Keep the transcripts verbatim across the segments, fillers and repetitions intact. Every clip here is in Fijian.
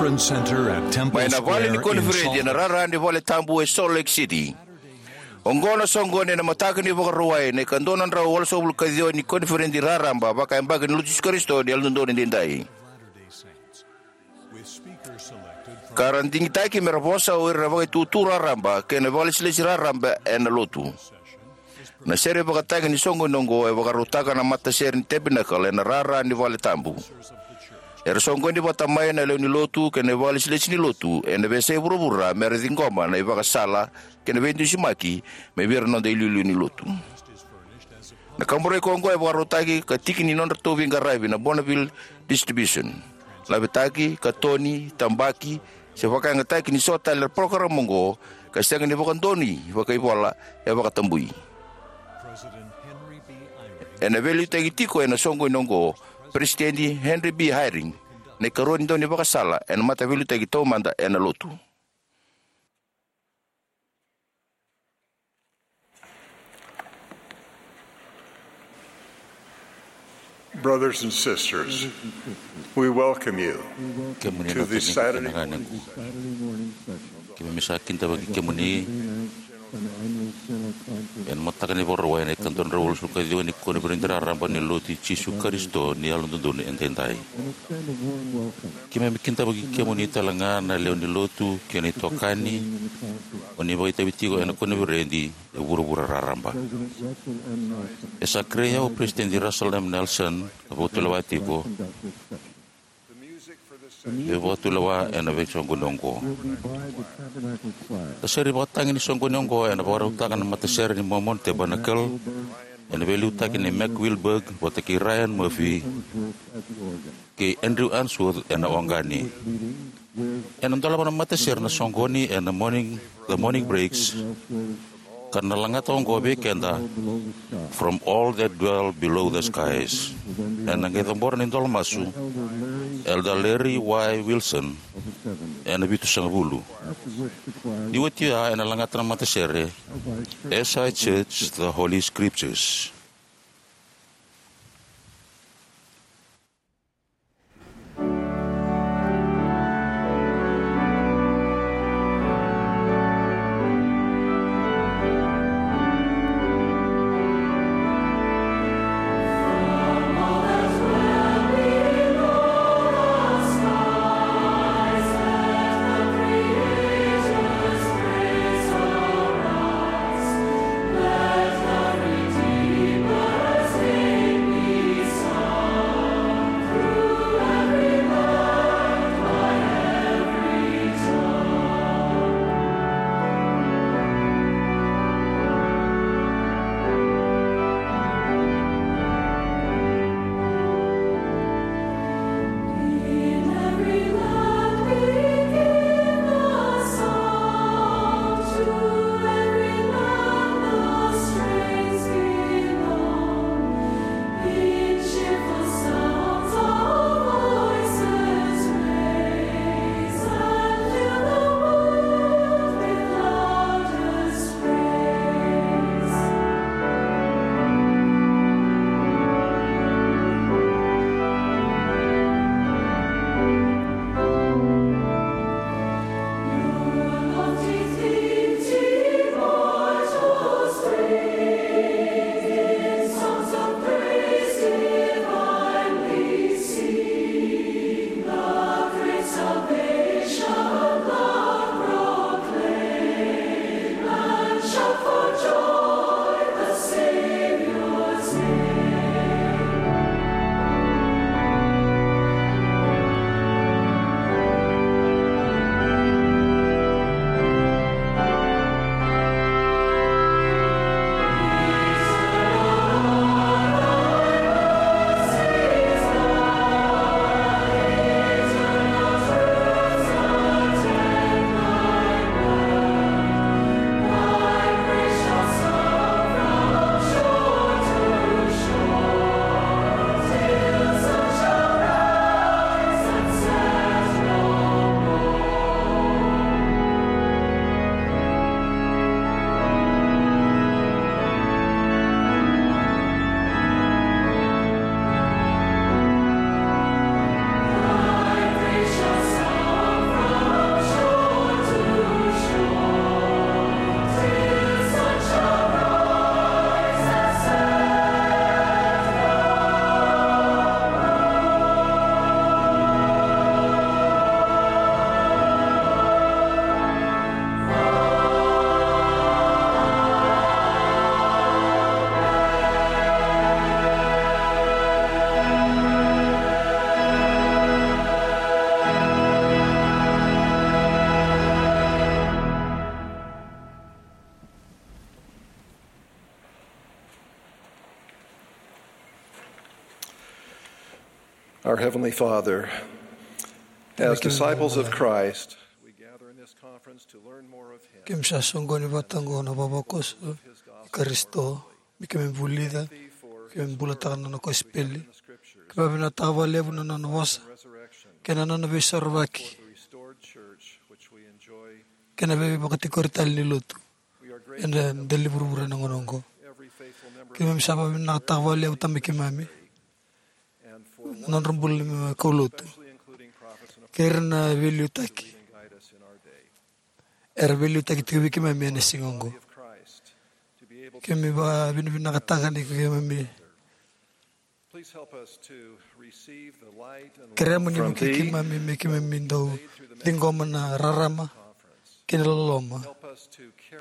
Conference Center at Temple Mai na vale ni Square in koniferedi Salt ena Lake. Rara ni vale tabu e Salt Lake City. Oqo na soqoni ena mataka ni Vakarauwai na ikadua na drau walusagavulu ka ciwa ni koniferedi raraba vakayabaki ni Lotu Jisu Karisito ni Yalododonu Edaidai. Ka ra digitaki me ra vosa o ira na vakaitutu raraba kei na vakalesilesi raraba ena Lotu. Na sere vakatagi ni soqoni oqo e vakarautaka na matasere ni Tabernacle ena rara ni vale tabu. Era soqoni vata mai na lewe ni Lotu kei na vakalesilesi ni Lotu ena veiyasai vuravura me ra ciqoma na ivakasala kei na veidusimaki mai vei ira na noda iliuliu ni Lotu. Na kaburaki oqo e vakarautaki ka tiki ni nodratou veiqaravi na Bonneville Distribution. Lavetaki, katoni, tabaki, se vakayagataki ni so tale na parokaramu oqo ka sega ni vakadonui vakaivola e vakatabui. Ena veiliutaki tiko ena soqoni oqo Peresitedi Henry B. Eyring, na ikarua ni daunivakasala ena mataveiliutaki taumada ena Lotu. Brothers and sisters, we welcome you Kemuni to na this tini Saturday kena ganequ. Keimami sa kidavaki kemuni ena mataka ni Vakarauwai na ikadua na drau walusagavulu ka ciwa ni koniferedi raraba ni Lotu i Jisu Karisito ni Yalododonu Edaidai. Keimami kidavaki kemuni tale ga na lewe ni Lotu kei na itokani o ni vakaitavi tiko ena koniferedi e vuravura raraba. E sa kerei au o Peresitedi Russell M. Nelson ka vakatulewa tiko meu vakatulewa ena veisoqoni oqo. Na sere vakatagi ni soqoni oqo ena vakarautaka na matasere ni Mormon Tabernacle ena veiliutaki nei Mac Wilberg vata kei Ryan Murphy kei Andrew Unsworth ena oqani. Ena dolava na matasere na soqoni ena morning, the morning breaks, ka na lagata oqo vei keda, "From all that dwell below the skies." Ena qai cabora na idolamasu Elder Larry Y. Wilson ena vitusagavulu. Ni oti oya ena lagata na matasere As I Search the Holy Scriptures. Our Heavenly Father, as disciples of Christ, we gather in this conference to learn more of Him. Keimami sa soqoni vata oqo na vavakoso i Karisito, me keimami vulica, keimami bulataka na nona kosipeli. Keimami vinakataka vakalevu na nona vosa kei na nona veisorovaki, kei na veivakatikori tale ni lotu ena dela ni vuravura ena gauna oqo. Keimami sa vakavinavinakataka vakalevu, Tamai keimami, na nodra bula na kaulotu kei ira na veiliutaki era veiliutaki tiko vei keimami ena siga oqo. Keimami vakavinavinakataka ni keimami keremuni mo vukei keimami me keimami dau ciqoma na rarama kei na loloma.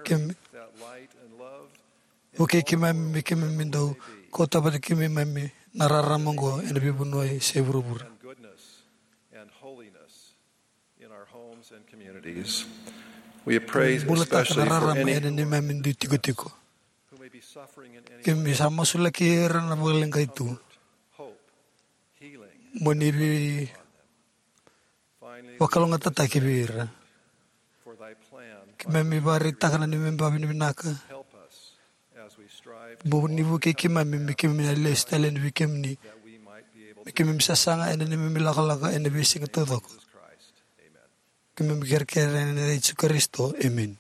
Keimami vukei keimami me keimami dau kauta vata kei keimami na rarama oqo ena veivanua se vuravura. Bulataka na rarama ena neimami dui tikotiko. Keimami sa masulaki ira na vakaleqai tu mo ni veivakalougatataki vei ira. Keimami vakaraitaka na neimami vakavinavinaka mo ni vukei keimami me keimami na lesu tale yani vei kemuni, me keimami sasaga ena neimami lakolako ena veisiga taucoko. Keimami kerekere ena yaca i Jisu Karisito, emeni.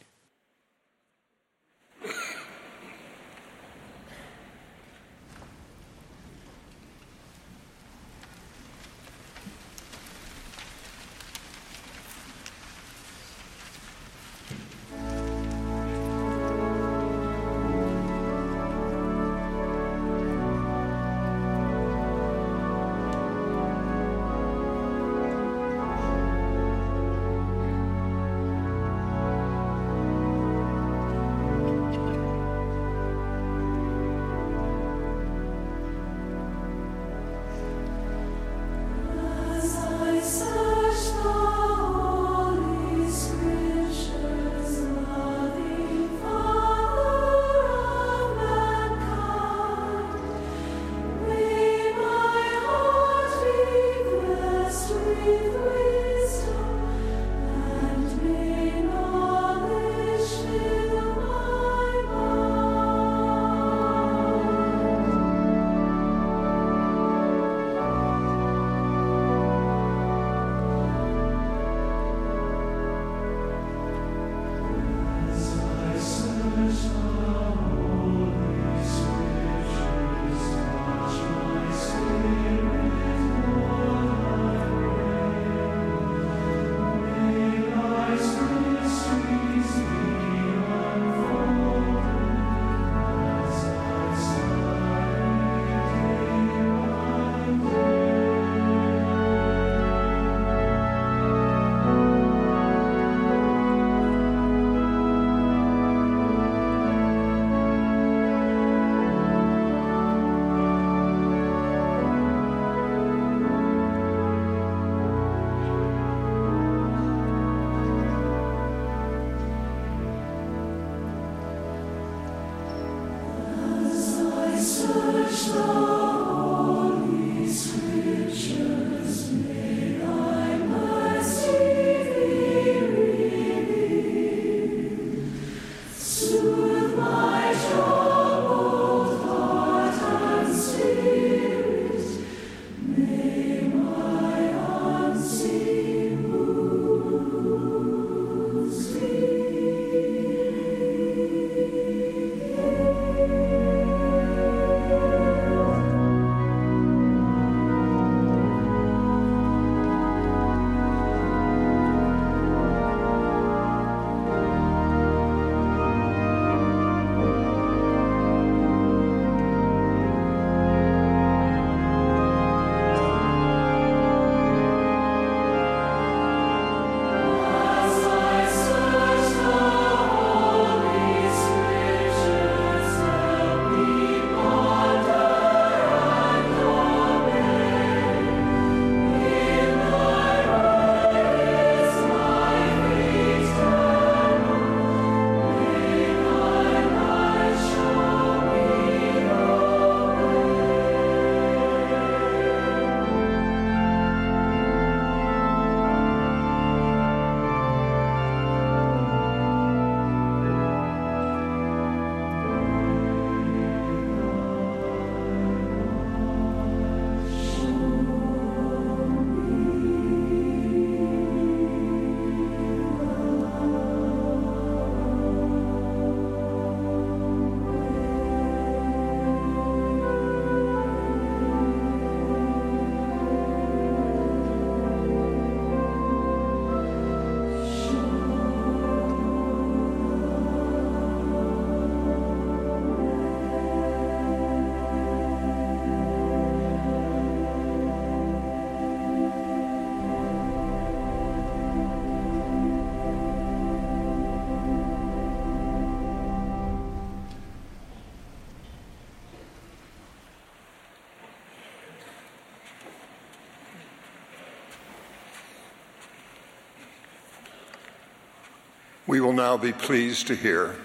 We will now be pleased to hear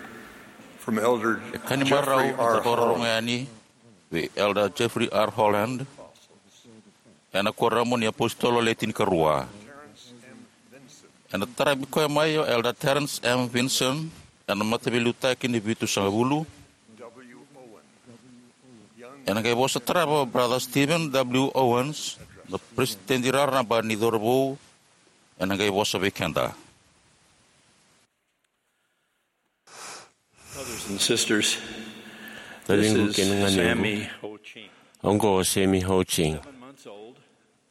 from Elder E ka ni marau Jeffrey ni R. da vakarorogo Holland. yani vei Elder Jeffrey R. Holland, ena Kuoramu ni iApositolo Le Tinikarua. Ena taravi koya mai o Elder Terence M. Vinson, ena Mataveiliutaki ni Vitusagavulu. Ena qai vosa tarava o Brother Stephen W. Owens, na Peresitedi Raraba ni Cauravou, ena qai vosa vei keda. Brothers and sisters, this Taciqu is kei na ganequ. Sammy Ho Ching. Oqo o Sammy Ho Ching. Seven months old,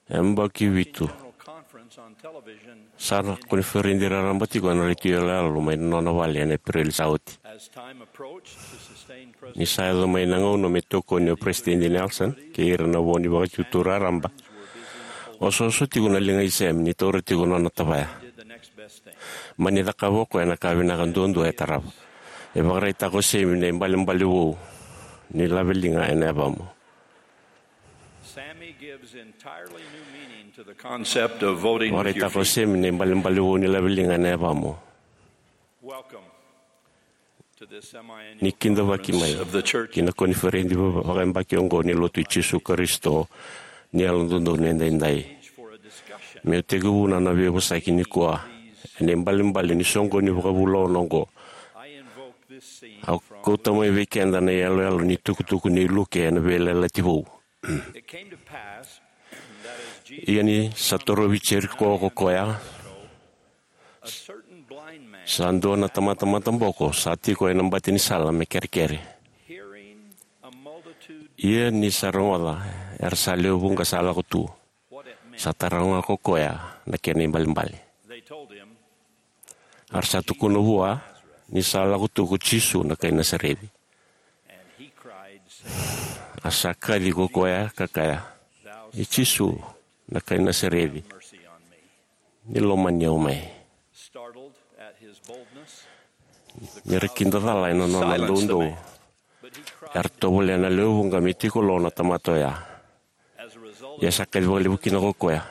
E yabaki vitu. General Conference on television Sa na in koniferedi raraba tiko ena retio yaloyalo mai na nona vale ena Epereli sa oti. As time approached, the sustained Ni sa yaco mai na gauna me tokoni o Peresitedi Nelson kei ira na vo ni Vakatutu Raraba, osooso tiko na liga i Sammy ni taura tiko na nona tavaya. Did the next best thing. Mani cakava o koya na ka vinaka duadua e tarava. E vakaraitaka o Sammy na ibalebale vou ni laveliga ena yavamu. Sammy gives entirely new meaning to the concept of voting with your Vakaraitaka o feet. Sammy na ibalebale vou ni laveliga ena yavamu. Welcome to this semi-annual Ni kidavaki mai conference of the church. Ki na koniferedi va-, vakayabaki oqo ni Lotu i Jisu Karisito ni Yalododonu Edaidai. Stage for a discussion. Meu tekivuna na veivosaki nikua ena ibalebale ni soqoni vakavulauna oqo. I invoke this scene Au from kauta mai vei keda na iyaloyalo ni tukutuku nei Luke ena Veiyalayalati Vou. It came to pass that as Jesus Ia ni sa torovi Jeriko ko koya, a certain blind man sa dua na tamata mataboko sa tiko ena bati ni sala me kerekere. Hearing a multitude Ia ni sa rogoca era sa lewe vuqa sa lako tu, what it meant. Sa taroga ko koya na kena ibalebale. They told him, A ra sa tukuna vua ni sa lako tu ko Jisu na kai Nasareci. And he cried, saying, A sa kaci ko koya ka kaya, "E Jisu, na kai Nasareci, mercy on me." Ni lomani au mai. Startled at his boldness, Ni ra kidacala ena nona doudou, era tovolea na lewe vuqa me tiko lo na tamata oya. Ia sa kaci vakalevu kina ko koya.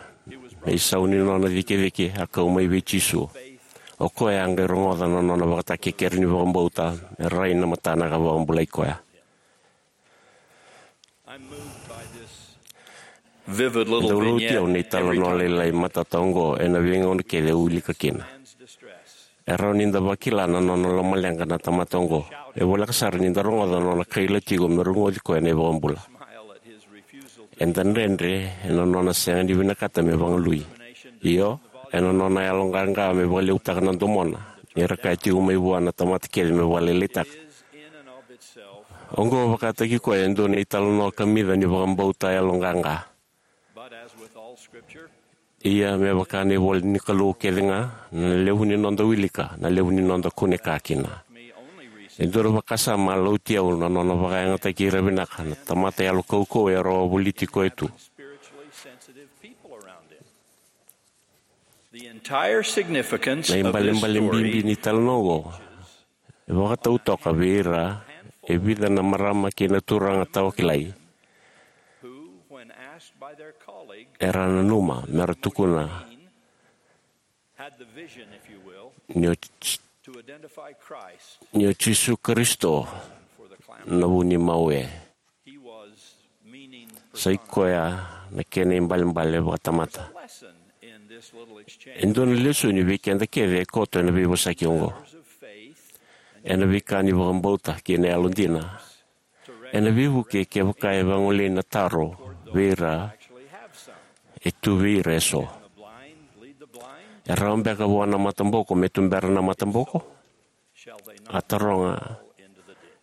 Na isau ni nona cikecike a kau mai vei Jisu. O koya a qai rogoca na nona vakatakekere ni vakabauta me rai na matana ka vakabulai koya. I'm moved by this vivid little Dau lauti au na vignette italanoa every time lailai matata oqo ena veigauna kece au wilika kina. Man's distress. E rawa ni da vakila na nona lomaleqa na tamata oqo. E voleka sara ni da rogoca na nona kaila tiko me rogoci koya na iVakabula. Eda dredre ena nona sega ni vinakata me vagalui. Io, ena nona yaloqaqa me vakalevutaka na domona ni ra kaya tiko mai vua na tamata kece me vakalailaitaka. Oqo vakataki koya e dua na italanoa kamica ni vakabauta yaloqaqa. But as with all scripture, Ia me vaka na ivola ni Kalou kece ga, na levu ni noda wilika, na levu ni noda kune ka kina. E dua na vakasama a lauti au na nona vakayagataki ira vinaka na tamata yalo kaukauwa e rawa voliti koya tu. Spiritually sensitive people around him. The entire significance Na of this ibalebale bibi story ni talanoa oqo e vakatau toka vei ira e vica na marama kei na turaga tawa kilai. Who, when asked by their colleague, Era nanuma me ra tukuna had the vision, if you will, ni o J-, to identify Christ ni o Jisu Karisito for the clamor. Na vu ni mau e. He was meaning Sa i persona. Koya na kena ibalebale vakatamata. Lesson in this little exchange. E dua na lesoni vei keda kece e koto ena veivosaki oqo. Matters of faith and Ena veika ni vakabauta kei na yalodina. Ena veivuke kevaka e vagolei na taro vei ira e tu vei ira eso. E rawa beka vua na mataboko me tubera na mataboko? A taroga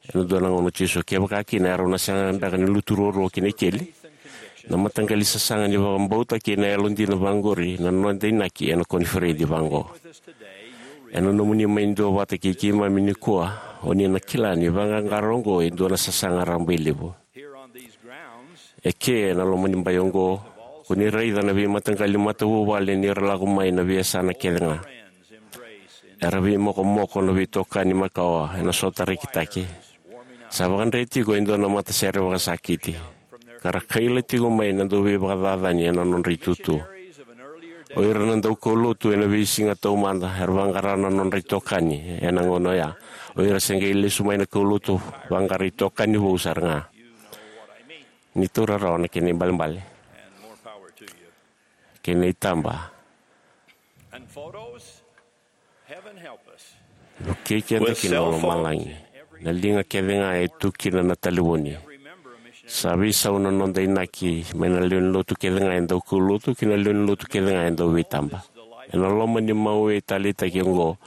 ena dua na gauna o Jisu. Kevaka kina, erau na sega beka ni lutu ruarua ki na ikeli? Na mataqali sasaga ni vakabauta kei na yalodina vaqori na noda inaki ena koniferedi vaqo. Ena nomuni mai duavata kei keimami nikua, o ni na kila ni vaqaqara oqo e dua na sasaga rabailevu. E ke ena loma ni bai oqo, ko ni raica na veimataqali matavuvale ni ra lako mai na veiyasana kece ga. Era veimokomoko na veitokani makawa ena sotarekitaki. Sa vakadre tiko e dua na matasere vakasakiti, ka ra kaila tiko mai na dauveivakacacani ena nodra itutu. O ira na daukaulotu ena veisiga taumada era vaqara na nodra itokani ena gauna oya. O ira se qai lesu mai na kaulotu vaqara itokani vou sara ga. Ni taura rawa na kena ibalebale kei na itaba. Vukei keda kina o lomalagi. Na liga kece ga e tu kina na talevoni. Sa veisau na noda inaki mai na lewe ni lotu kece ga e dau kaulotu ki na lewe ni lotu kece ga e dau veitaba. Ena loma ni mawe taleitaki oqo,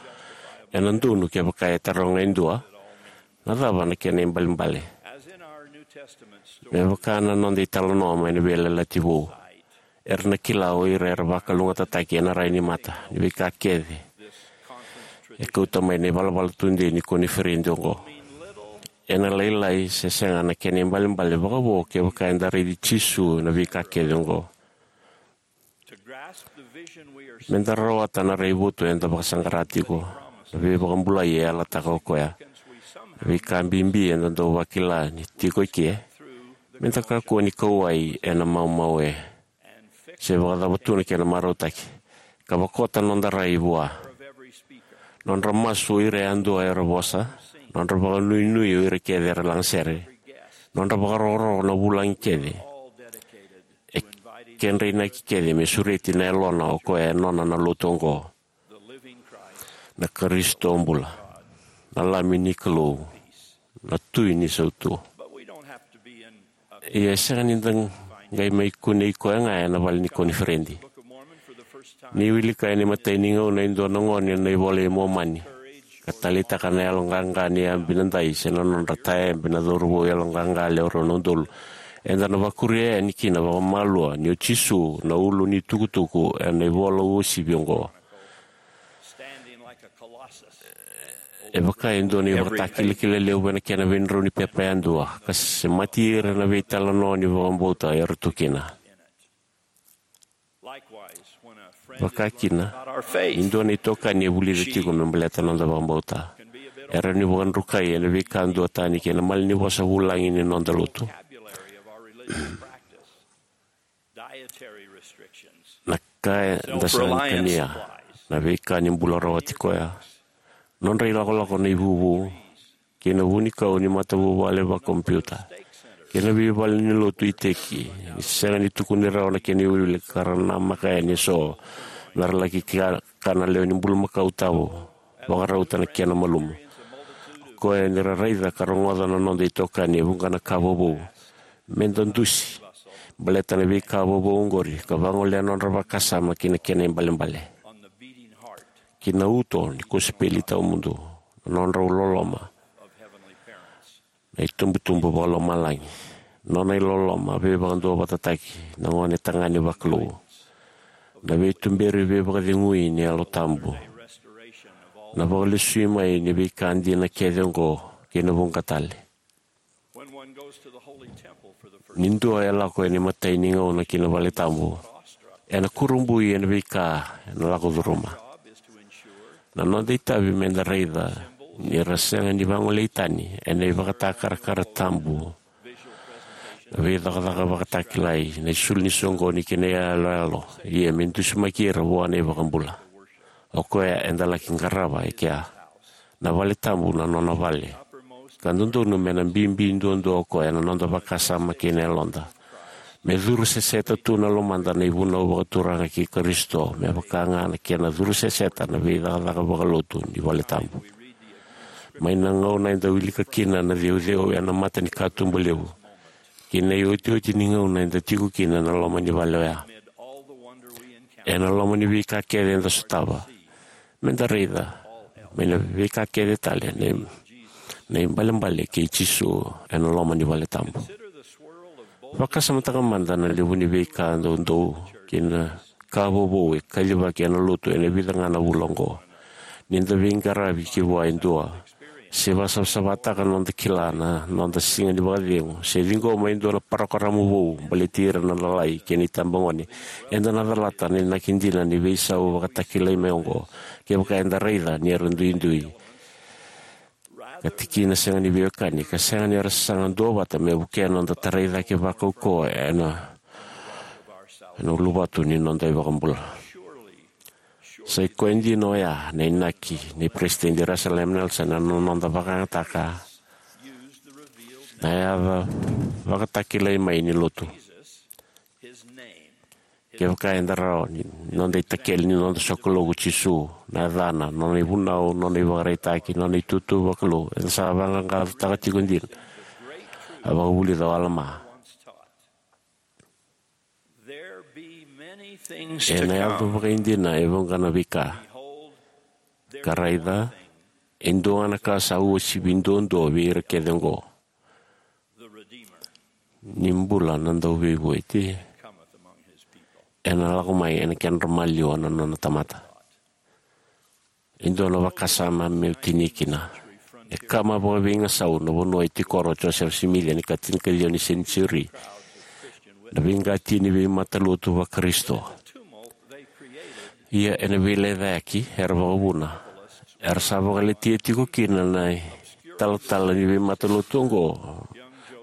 ena donu kevaka e taroga e dua, na cava na kena ibalebale? Me vaka na noda italanoa mai na Veiyalayalati Vou, era na kila o ira era vakalougatataki ena rai ni mata ni veika kece e kauta mai na ivalavala tudei ni koniferedi oqo. Ena lailai se sega na kena ibalebale vakavo kevaka eda raici Jisu ena veika kece oqo. Meda rawata na raivotu eda vakasaqara tiko, na veivakabulai e yalataka o koya, na veika bibi eda dau vakila ni tiko eke, meda kakua ni kauwai ena maumaue se vakacava tu na kena marautaki, ka vakota noda rai vua. Nodra masu o ira yadua era vosa, nodra vakanuinui o ira kece era lagasere, nodra vakarokoroko na vulagi kece, e kedra inaki kece me sureti na yalona o koya e nona na lotu oqo, na Karisito bula, na Lami ni Kalou, na Tui ni Sautu. Ia e sega ni da qai mai kunei koya ga ena vale ni koniferedi. Ni wilika ena imatai ni gauna e dua na gone na iVola i Momani, ka taleitaka na yaloqaqa ni Abinadai se na nodra tayabe na cauravou yaloqaqa lewe rua na udolu, eda na vakuria yani kina vakamalua ni o Jisu na ulu ni tukutuku ena ivola uasivi oqo. E vaka e dua na ivakatakilakila levu ena kena veidrau ni pepa yadua, ka semati ira na veitalanoa ni vakabauta era tu kina. Vaka kina, ni dua na itokani e vulica tiko me baleta na noda vakabauta, e rawa ni vakadrukai ena veika duatani kei na malanivosa vulagi ni noda lotu. Na ka eda sega ni kania, na veika ni bula rawati koya, nodra ilakolako na ivuvu, kei na vunikau ni matavuvale vakakompiuta, kei na veivale ni lotu iteki, ni sega ni tukuni rawa na kena iwiliwili ka ra namaka yani eso me ra laki ka, kana lewe ni bulumakau tabu, vakarauta na kena malumu. O koya ni ra raica ka rogoca na noda itokani e vuqa na ka vovou. Meda dusi baleta na veika vovou oqori ka vagolea nodra vakasama ki na kena ibalebale, ki na uto ni kosipeli tawamudu, na nodrau loloma na itubutubu vakalomalagi, nona iloloma veivakaduavatataki na gone tagane vakalou, na veituberi veivakacegui ni Yalo Tabu, na vakalesui mai ni veika dina kece oqo kei na vuqa tale. Ni dua e lako ena imatai ni gauna ki na vale tabu, ena kurabui ena veika ena lako curuma. Na noda itavi meda raica ni ra sega ni vagolei tani ena ivakatakarakara tabu na veicakacaka vakatakilai, na isulu ni soqoni kei na iyaloyalo, ia me dusimaki ira vua na iVakabula. O koya eda laki qarava e kea, na vale tabu na nona vale. Ka dodonu me na bibi duadua o koya na noda vakasama kei na yaloda, me curu seseta tu na lomada na ivunau vakaturaga kei Karisito, me vaka ga na kena curu seseta na veicakacaka vakalotu ni vale tabu. Mai na gauna eda wilika kina na ceuceu ena mata ni katuba levu kei na iotioti ni gauna eda tiko kina ena loma ni vale oya, ena loma ni veika kece eda sotava, meda raica mai na veika kece tale na, na ibalebale kei Jisu ena loma ni vale tabu. Vakasamataka mada na levu ni veika doudou kei na ka vovou e kacivaki ena lotu ena vica ga na vula oqo. Ni da veiqaravi ki vua e dua, se vakasavasavataka na noda kila na noda siga ni vakacegu, se ciqoma e dua na parokaramu vou baleti ira na lalai kei na itabagone, eda na calata na inaki dina ni veisau vakatakilai mai oqo kevaka eda raica ni era duidui ka tikina sega ni veiwekani, ka sega ni ra sasaga duavata me vukea na noda tarai cake vakaukauwa ena, ena uluvatu ni noda iVakabula. Sa i koya dina oya na inaki nei Peresitedi Russell M. Nelson ena noda vakayagataka na yaca vakatakilai mai ni lotu. Kevaka eda rawa ni noda itakele ni noda sokalou ko Jisu, na yacana, nona ivunau, nona ivakaraitaki, nona itutu vakalou, eda sa vaqaqacotaka tiko dina a vakavulica o Alama. Ena yaco vakaidina e vuqa na veika. Ka raica, e dua ga na ka sa uasivi duadua vei ira kece oqo. Ni bula na Dauveivueti, ena lako mai ena kedra maliwa na nona tamata. E dua na vakasama meu tinia kina. E kama vakaveigasau na vanua e tikora o Josefa Simici ena ikatinikaciwa ni senitiuri, na veiqati ni veimatalotu vaKarisito. Ia ena veilecayaki era vakavuna, era sa vakaletia tiko kina na italatala ni veimatalotu oqo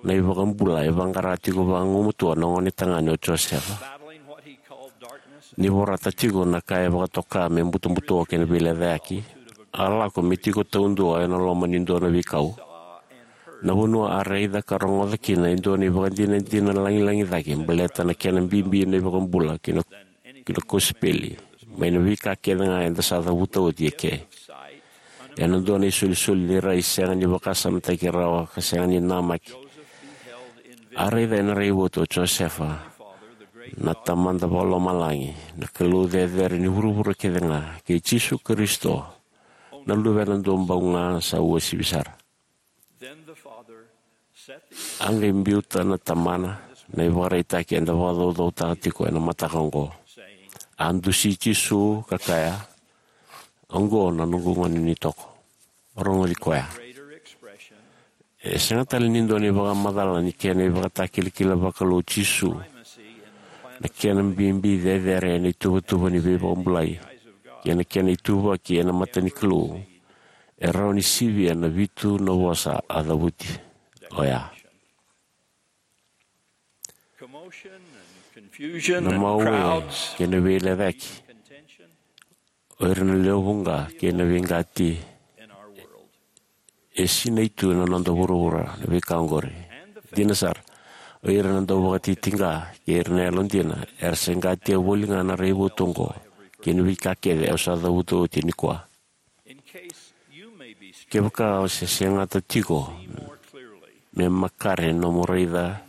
na iVakabula e vaqara tiko vagumatua na gonetagane o Josefa. Ni vorata tiko na ka e vakatoka me butobuto kei na veilecayaki, a lako me tiko taudua ena loma ni dua na veikau. Na vanua a raica ka rogoca kina e dua na ivakadinadina lagilagi cake baleta na kena bibi na iVakabula kei na, kei na kosipeli, mai na veika kece ga eda sa cavuta oti eke. Ena dua na isolisoli ni rai sega ni vakasamataki rawa ka sega ni namaki, a raica ena raivotu o Josefa na Tamada Vakalomalagi, na Kalou cecere ni vuravura kece ga, kei Jisu Karisito, na Luvena duabau ga sa uasivi sara. A qai biuta na Tamana na ivakaraitaki eda vakacaucautaka tiko ena mataka oqo. A dusi Jisu ka kaya, "Oqo na noqu gone ni toko. Rogoci koya." E sega tale ni dua na ivakamacala ni kena ivakatakilakila vakalou Jisu, na kena bibi cecere ena ituvatuva ni veivakabulai, kei na kena ituvaki ena mata ni Kalou, e rawa ni sivia na vitu na vosa a cavuti oya. Na mawe kei na veilecayaki, o ira na lewe vuqa kei na veiqati, e sinai tu ena noda vuravura na veika oqori. Dina sara, o ira na dauvatitiqa kei ira na yalodina era se qatia voli ga na raivotu oqo kei na veika kece au sa cavuta oti nikua. Kevaka o se segata tiko me makare nomu raica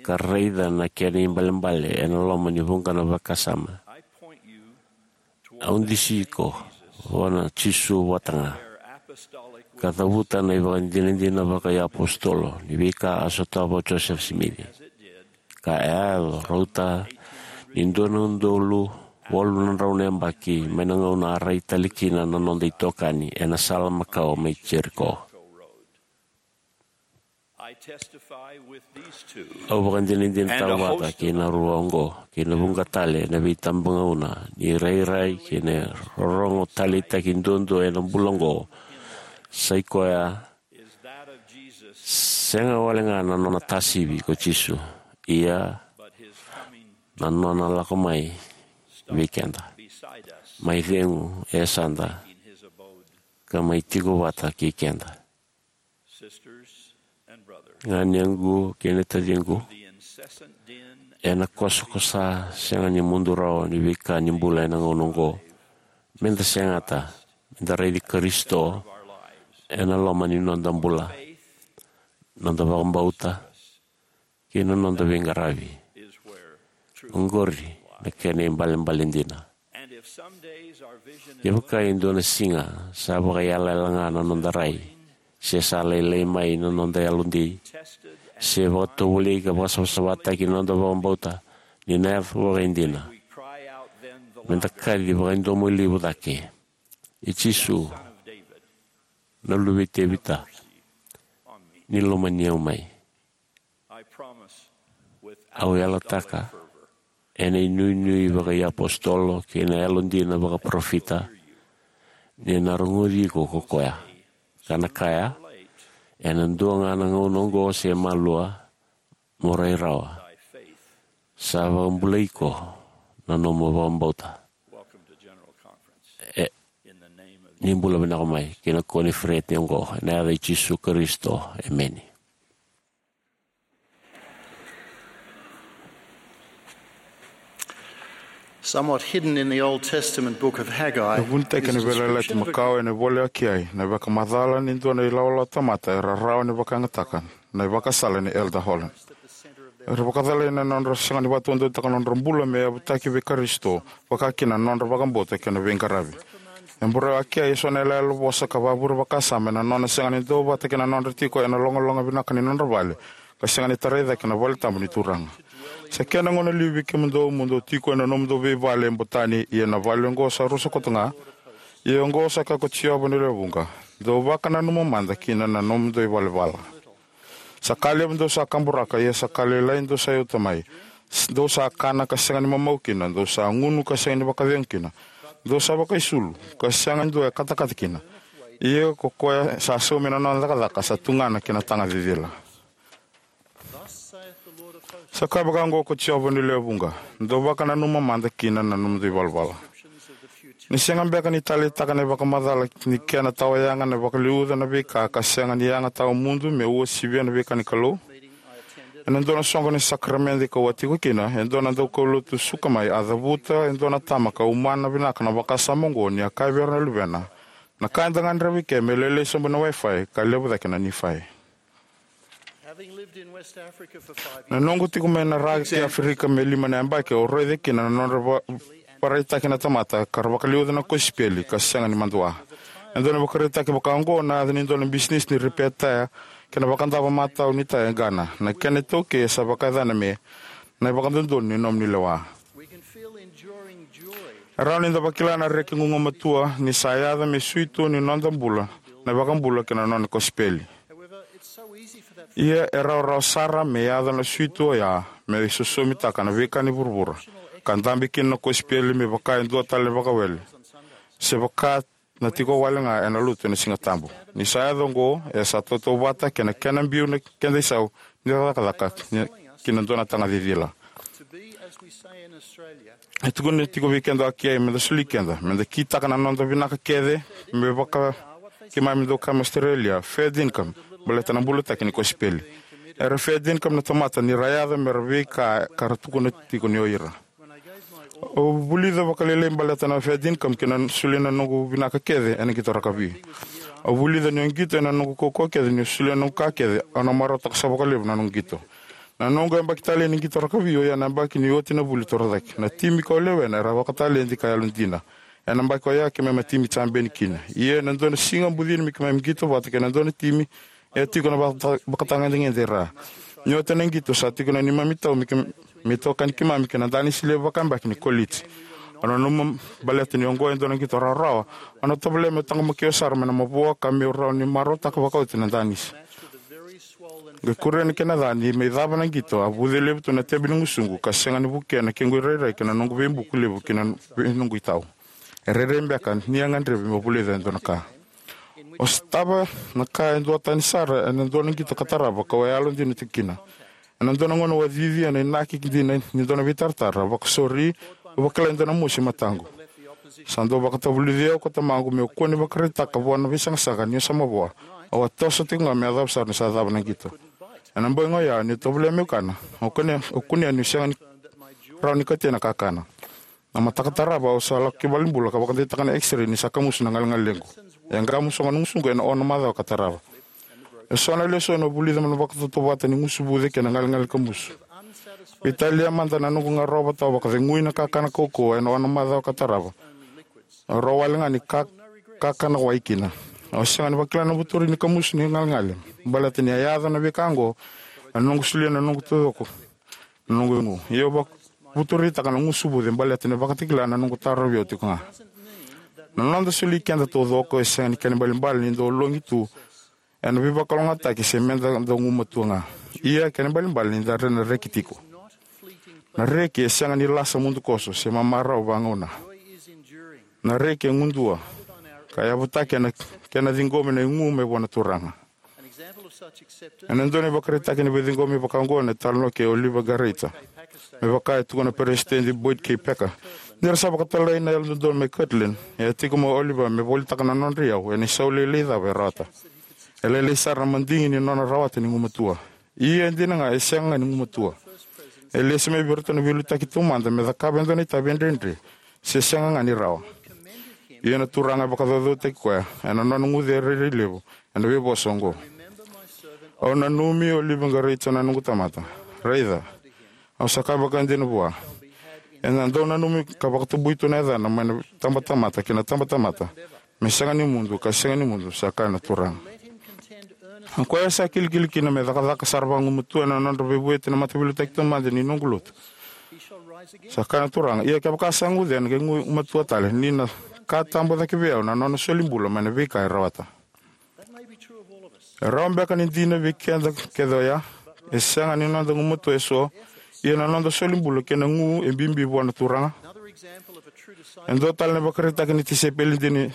ka raica na kena ibalebale ena loma ni vuqa na vakasama, au dusi iko vua na Jisu vata ga, ka cavuta na ivakadinadina vakaiapositolo ni veika a sotava o Josefa Simici. Ka e a yaco, rauta ni dua na udolu walu na drau na yabaki mai na gauna a rai tale kina na noda itokani ena sala makawa mai Jeriko. Au vakadinadinataka vata kei na rua oqo kei na vuqa tale na veitabagauna ni rairai kei na rorogo taleitaki duadua ena bula oqo, sa i koya sega wale ga na nona tasivi ko Jisu, ia na nona lako mai vei keda, mai cegu e yasada, ka mai tiko vata kei keda. Ganiyaqu kei na taciqu, ena kosakosa sega ni mudu rawa ni veika ni bula ena gauna oqo, meda segata meda raici Karisito ena loma ni noda bula, noda vakabauta, kei na noda veiqaravi. Oqori na kena ibalebale dina. Kevaka e dua na siga sa vakayalayala ga na noda rai, se sa lailai mai na noda yalodei, se vakatovolei ka vakasavasavataki na noda vakabauta, ni na yaco vakaidina, meda kaci vakadomoilevu cake, "E Jisu, na luve i Tevita, ni lomani au mai." Au yalataka ena inuinui vakaiapositolo kei na yalodina vakaparofita ni na rogoci iko ko koya, ka na kaya, ena dua ga na gauna oqo se malua, mo rai rawa. Sa vakabulai iko na nomu vakabauta. ni bula vinaka mai ki na koniferedi oqo, ena yaca i Jisu Karisito, emeni. Somewhat hidden in the Old Testament book of Haggai. E vunitaki ena Veiyalayalati Makawa ena ivola i Akiai na ivakamacala ni dua na ilawalawa tamata era rawa ni vakayagataka na ivakasala nei Elder Holland. Era vakacalai na nodra sega ni vakataudeitaka na nodra bula me yavutaki vei Karisito, vaka kina na nodra vakabauta kei na veiqaravi. E burau Akiai eso na iyaloyalo vosa ka vakavure vakasama ena nona sega ni duavata kei na nodra tiko ena logaloga vinaka ni nodra vale, ka sega ni tarai cake na vale tabu ni Turaga. Sa kena gauna liu vei kemudou mo dou tiko ena nomudou veivale e Botani, ia na vale oqo sa rusa koto ga. Ia oqo sa kaya ko Jiova ni lewe vuqa: Dou vakananuma mada kina na nomudou ivalavala. Sa ka levu dou sa kaburaka, ia sa ka lailai dou sa yauta mai. S-, dou sa kana ka sega ni mamau kina, dou sa gunu ka sega ni vakacegu kina, dou sa vakaisulu, ka sega ni dua e katakata kina. Ia ko koya sa saumi na nona cakacaka sa tugana ki na taga cicila. Sa kaya vaka oqo ko Jiova ni lewe vuqa: Dou vakananuma mada kina na nomudou ivalavala. Ni sega beka ni taleitaka na ivakamacala ni kena tawa yaga na vakaliuca na veika ka sega ni yaga tawamudu me uasivia na veika ni Kalou? Ena dua na soqo ni sakaramede kau a tiko kina, e dua na daukaulotu suka mai a cavuta e dua na tama ka umana vinaka na vakasama oqo ni a kaya vei ira na luvena: Na ka eda gadreva i ke me lailai sobu ena Wi-Fi ka levu cake na Nifai. Na noqu tiko mai na ra kei Aferika me lima na yabaki, au raica kina na nodra va-, vakaraitaki na tamata ka ra vakaliuca na kosipeli ka sega ni madua. E dua na ivakaraitaki vaka oqo na yaca ni dua na bisinisi ni ripeya taya kei na vakadava matau ni taya e Ghana. Na kena iTaukei e sa vakayacana me Na iVakadodonu ni Nomuni Lewa. E rawa ni da vakila na reki gugumatua ni sa yaco me suitu ni noda bula na iVakabula kei na Nona kosipeli. Ia e rawarawa sara me yaco na suitu oya me isosomitaka na veika ni vuravura, ka dabe kina na kosipeli me vaka e dua tale na vakawele, se vaka na tiko wale ga ena lotu ena Siga Tabu. Ni sa yaco oqo, e sa tautauvata kei na kena biu na keda isau ni cakacaka ki na dua na taga cicila. E tukuna tiko vei keda o Akiai me da soli keda, me da kitaka na noda vinaka kece, me vaka keimami dau kaya mai Australia, fair dinkum, baleta na bulataki ni kosipeli. Era fair dinkum na tamata ni ra yaco me ra veika ka ra tukuna tiko ni o ira. Au vulica vakalailai baleta na fair dinkum kei na solia na noqu vinaka kece ena qito rakavi. Au vulica niu qito ena noqu kaukaua kece niu solia na noqu ka kece au na marautaka sara vakalevu na noqu qito. Na noqu yabaki talei ni qito rakavi oya na yabaki ni oti na vuli torocake. Na timi kau lewena era vakataledi ka yalodina. Ena yabaki oya keimami a timi jabeni kina. Ia ena dua na siga bucini me keimami qito vata kei na dua na timi e a tiko na vaka-, vakatagedegede e ra. Ni oti na qito sa tiko na neimami tau me ke-, me itokani keimami kei na danisi levu vakayabaki ni koliji. Au nanuma baleta ni oqo e dua na qito rawarawa, au na tovolea meu taqomaki au sara mai na mavoa ka meu rawa ni marautaka vakaoti na danisi. Qai kuria na kena ca ni mai cava na qito, a vuce levu tu na tebe ni gusuqu ka sega ni vukea na kequ irairai kei na noqu veibuku levu kei na vei noqu itau. E rairai beka ni a gadrevi meu vulica e dua na ka. Au sotava na ka e duatani sara ena dua na qito ka tarava kau a yalodina tiko kina. Ena dua na gauna au a cici ena inaki dina ni dua na veitaratara, vakasori, au vakila e dua na mosi e mataqu. Sa dau vakatavulici au ko tamaqu meu kua ni vakaraitaka vua na veisaqasaqa niu sa mavoa. Au a toso tiko ga me yacova sara ni sa cava na qito. Ena bogi oya niu tovolea meu kana, au kunea, au kunea niu sega ni rawa ni kauti na kakana. Na mataka tarava au sa lako ki valenibula ka vakadeitaka na X-ray ni sa kamusu na galegalequ. E a qamusoga na gusuqu ena ono na macawa ka tarava. Eso na lesoni au vulica mai na vakatautauvata ni gusu vuce kei na galegale kamusu. Veitalia mada na noqu garova tau vakacegui na kakana kaukauwa ena ono na macawa ka tarava. Au rawa wale ga ni ka-, kakana wai kina. Au sega ni vakila na vuturi ni kamusu ni galegale. Baleta ni a yaco na veika oqo, ena noqu solia na noqu taucoko na noqu igu. Ia au vak-, vuturitaka na gusu vuce baleta ni vakatakila na noqu tarovi au tiko ga. Na noda soli keda taucoko e sega ni kena ibalebale ni dau logi tu ena veivakalougatataki se meda dau gumatua ga. Ia kena ibalebale ni da re-, na reki tiko. Na reki e sega ni lasa mudukoso se mamarau vagauna. Na reki e gudua ka yavutaki ena kena ciqomi na igu mai vua na Turaga. Ena dua na ivakaraitaki ni veiciqomi vakaoqo na italanoa kei Oliver Gareita. Me vaka e tukuna na Peresitedi Boyd K. Packer, ni ra sa vakatalai na Yalododonu mai Kirtland, e a tiko mai o Oliver me volitaka na nodra iyau ena isau lailai cava e rawata. E lailai sara na madigi ni nona rawata ni gumatua. Ia e dina ga, e sega ga ni gumatua. E lesi mai vei iratou na veiliutaki taumada me cakava e dua na itavi e dredre, se sega ga ni rawa. Ia na Turaga e vakacaucautaki koya ena nona guce rairai levu ena veivosa oqo: "Au nanumi Oliver Gareita na noqu tamata. Raica, au sa kaya vakaidina vua, ena dau nanumi ka vakatabui tu na yacana mai na tabatamata ki na tabatamata, me sega ni mudu ka sega ni mudu, sa kaya na Turaga." O koya sa kilikili kina me cakacaka sara vagumatua ena nodra veivueti na mataveiliutaki taumada ni noqu lotu, sa kaya na Turaga, ia kevaka sa guce, ena qai gumatua tale, ni na ka tabu cake vei au na nona soli bula mai na veika e rawata. E rawa beka ni dina vei keda kece oya? E sega ni noda gumatua eso, ia na noda soli bula kei na gu e bibi vua na Turaga. E dua tale na ivakaraitaki ni tisaipeli dina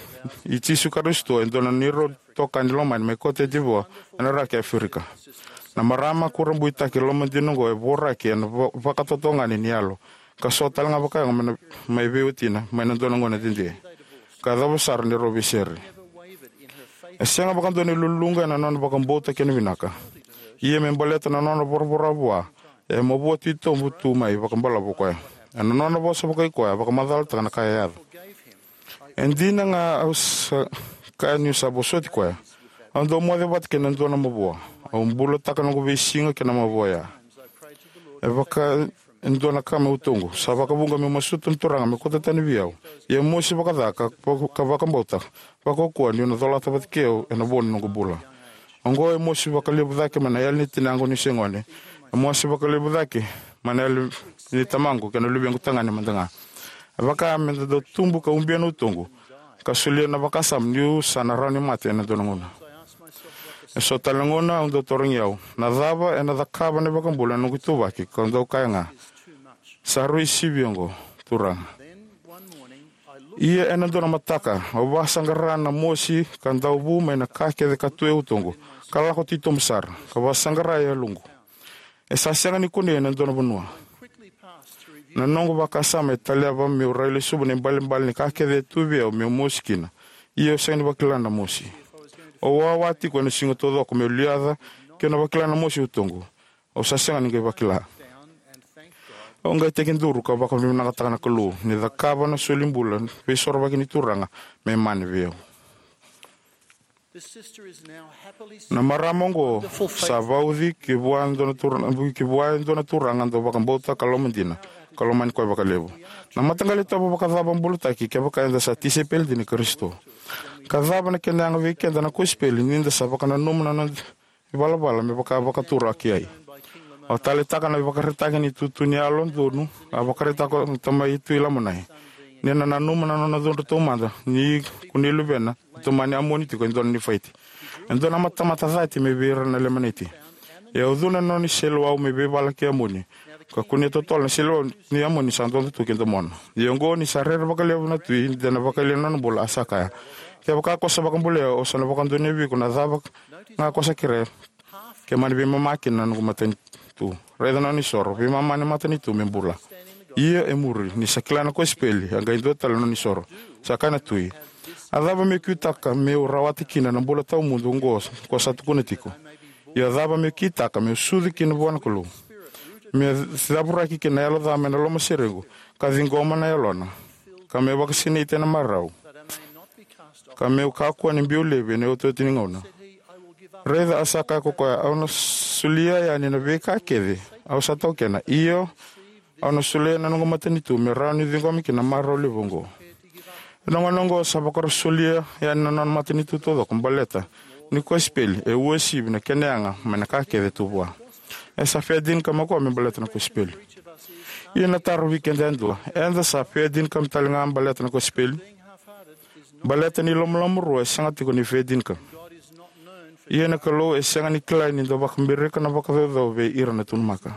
i Jisu Karisito, e dua na neirau itokani lomani mai Kote Divoa, ena raki Aferika. Na marama kurabuitaki lomadina oqo e voraki ena va- vakatotogani ni yalo, ka so tale ga vakayago mai na- mai vei watina mai na dua na gauna dede, ka yacova sara ni rau veisere. E sega vakadua ni luluqa ena nona vakabauta kei na vinaka. Ia me baleta na nona voravora vua, e mavoa titobu tu mai vakabalavu o koya. Ena nona vosa vakaikoya, vakamacalataka na ka e yaco. E dina ga, au sa kaya niu sa vosoti koya. Au dau moce vata kei na dua na mavoa. Au bulataka noqu veisiga kei na mavoa oya. E vaka e dua na ka meu taura. Sa vakavuqa meu masuta na Turaga me kauta tani vei au. Ia e mosi vakaca ka, ka vakabauta, vakaukauwa niu na colata vata kei au ena vo ni noqu bula. Oqo e mosi vakalevu cake mai na yali ni tinaqu niu se gone. E mosi vakalevu cake mai na yali ni tamaqu kei na luvequ tagane mada ga. E vaka me da dau tubu ka ubia na utoqu, ka solia na vakasama niu sa na rawa ni mate ena dua na gauna. E so tale na gauna au dau tarogi au, na cava ena cakava na iVakabula ena noqu ituvaki, kau dau kaya ga, sa rui sivi oqo, Turaga. Ia ena dua na mataka, au vakasaqara na mosi ka dau vu mai na ka kece ka tu e utoqu, ka lako titobu sara, ka vakasaqara e yaloqu. E sa sega ni kunei ena dua na vanua. Na noqu vakasama e taleva meu rai lesuva na ibalebale ni ka kece e tu vei au meu mosi kina. Ia au sega ni vakila na mosi. Au wawa tiko ena siga taucoko meu liaca keu na vakila na mosi e utoqu. Au sa sega ni qai vakila. Au qai tekiduru ka vakavinavinakataka na Kalou ni cakava na soli bula veisorovaki ni Turaga me mani vei au. Na marama oqo sa vauci ki vua e dua na tura- ki vua e dua na turaga dau vakabauta ka lomadina, ka lomani koya vakalevu. Na mataqali itovo vakacava bulataki kevaka eda sa tisaipeli dina i Karisito? Ka cava na kena yaga vei keda na kosipeli ni da sa vakananuma na noda ivalavala me vaka vakatura ki ai? Au taleitaka na ivakaraitaki ni tutu ni yalo donu a vakaraitaka na tamai Tui Lamonai, ni na nanuma na nona cudru taumada ni kunei luvena e tomani Amoni tiko e dua na Nifaiti, e dua na tamata cati mai vei ira na Lemaniti. E ucuna na nona iseleiwau mai veivala kei Amoni, ka kunea totolo na iseleiwau ni Amoni sa dodo tu ki domona. Ia oqo, ni sa rere vakalevu na tui, de na vakayalia na nona bula, a sa kaya, kevaka ko sa vakabulai au, au sa na vakadonuya vei iko na cava ga ko sa kerea, ke mani veimama kina na noqu matanitu. Raica na nona isoro, veimama ni matanitu me bula. Ia e muri, ni sa kila na kosipeli, a qai dua tale na nona isoro. Sa kaya na tui, a cava meu kitaka meu rawata kina na bula tawamudu oqo ko sa tukuna tiko? Ia a cava meu kitaka meu sucu kina vua na Kalou, meu cavuraki kina na yalo ca mai na lomaserequ, ka ciqoma na yalona, ka meu vakasinaiti ena marau, ka meu kakua ni biu laivi ena iotioti ni gauna? Raica, a sa kaya ko koya, au na solia yani na veika kece au sa taukena, io, au na solia na noqu matanitu me rawa niu ciqoma kina na marau levu oqo. Ena gauna oqo sa vakarau solia yani na nona matanitu taucoko baleta ni kosipeli e uasivi na kena yaga mai na ka kece tu vua. E sa fia dina ka mai koya me baleta na kosipeli. Ia na taro vei keda yadua, eda sa fia dina ka mai tale ga baleta na kosipeli? Baleta ni lomaloma rua e sega tiko ni fia dina ka. Ia na Kalou e sega ni kilai ni da vakabirika na vakacaucau vei ira na tunumaka.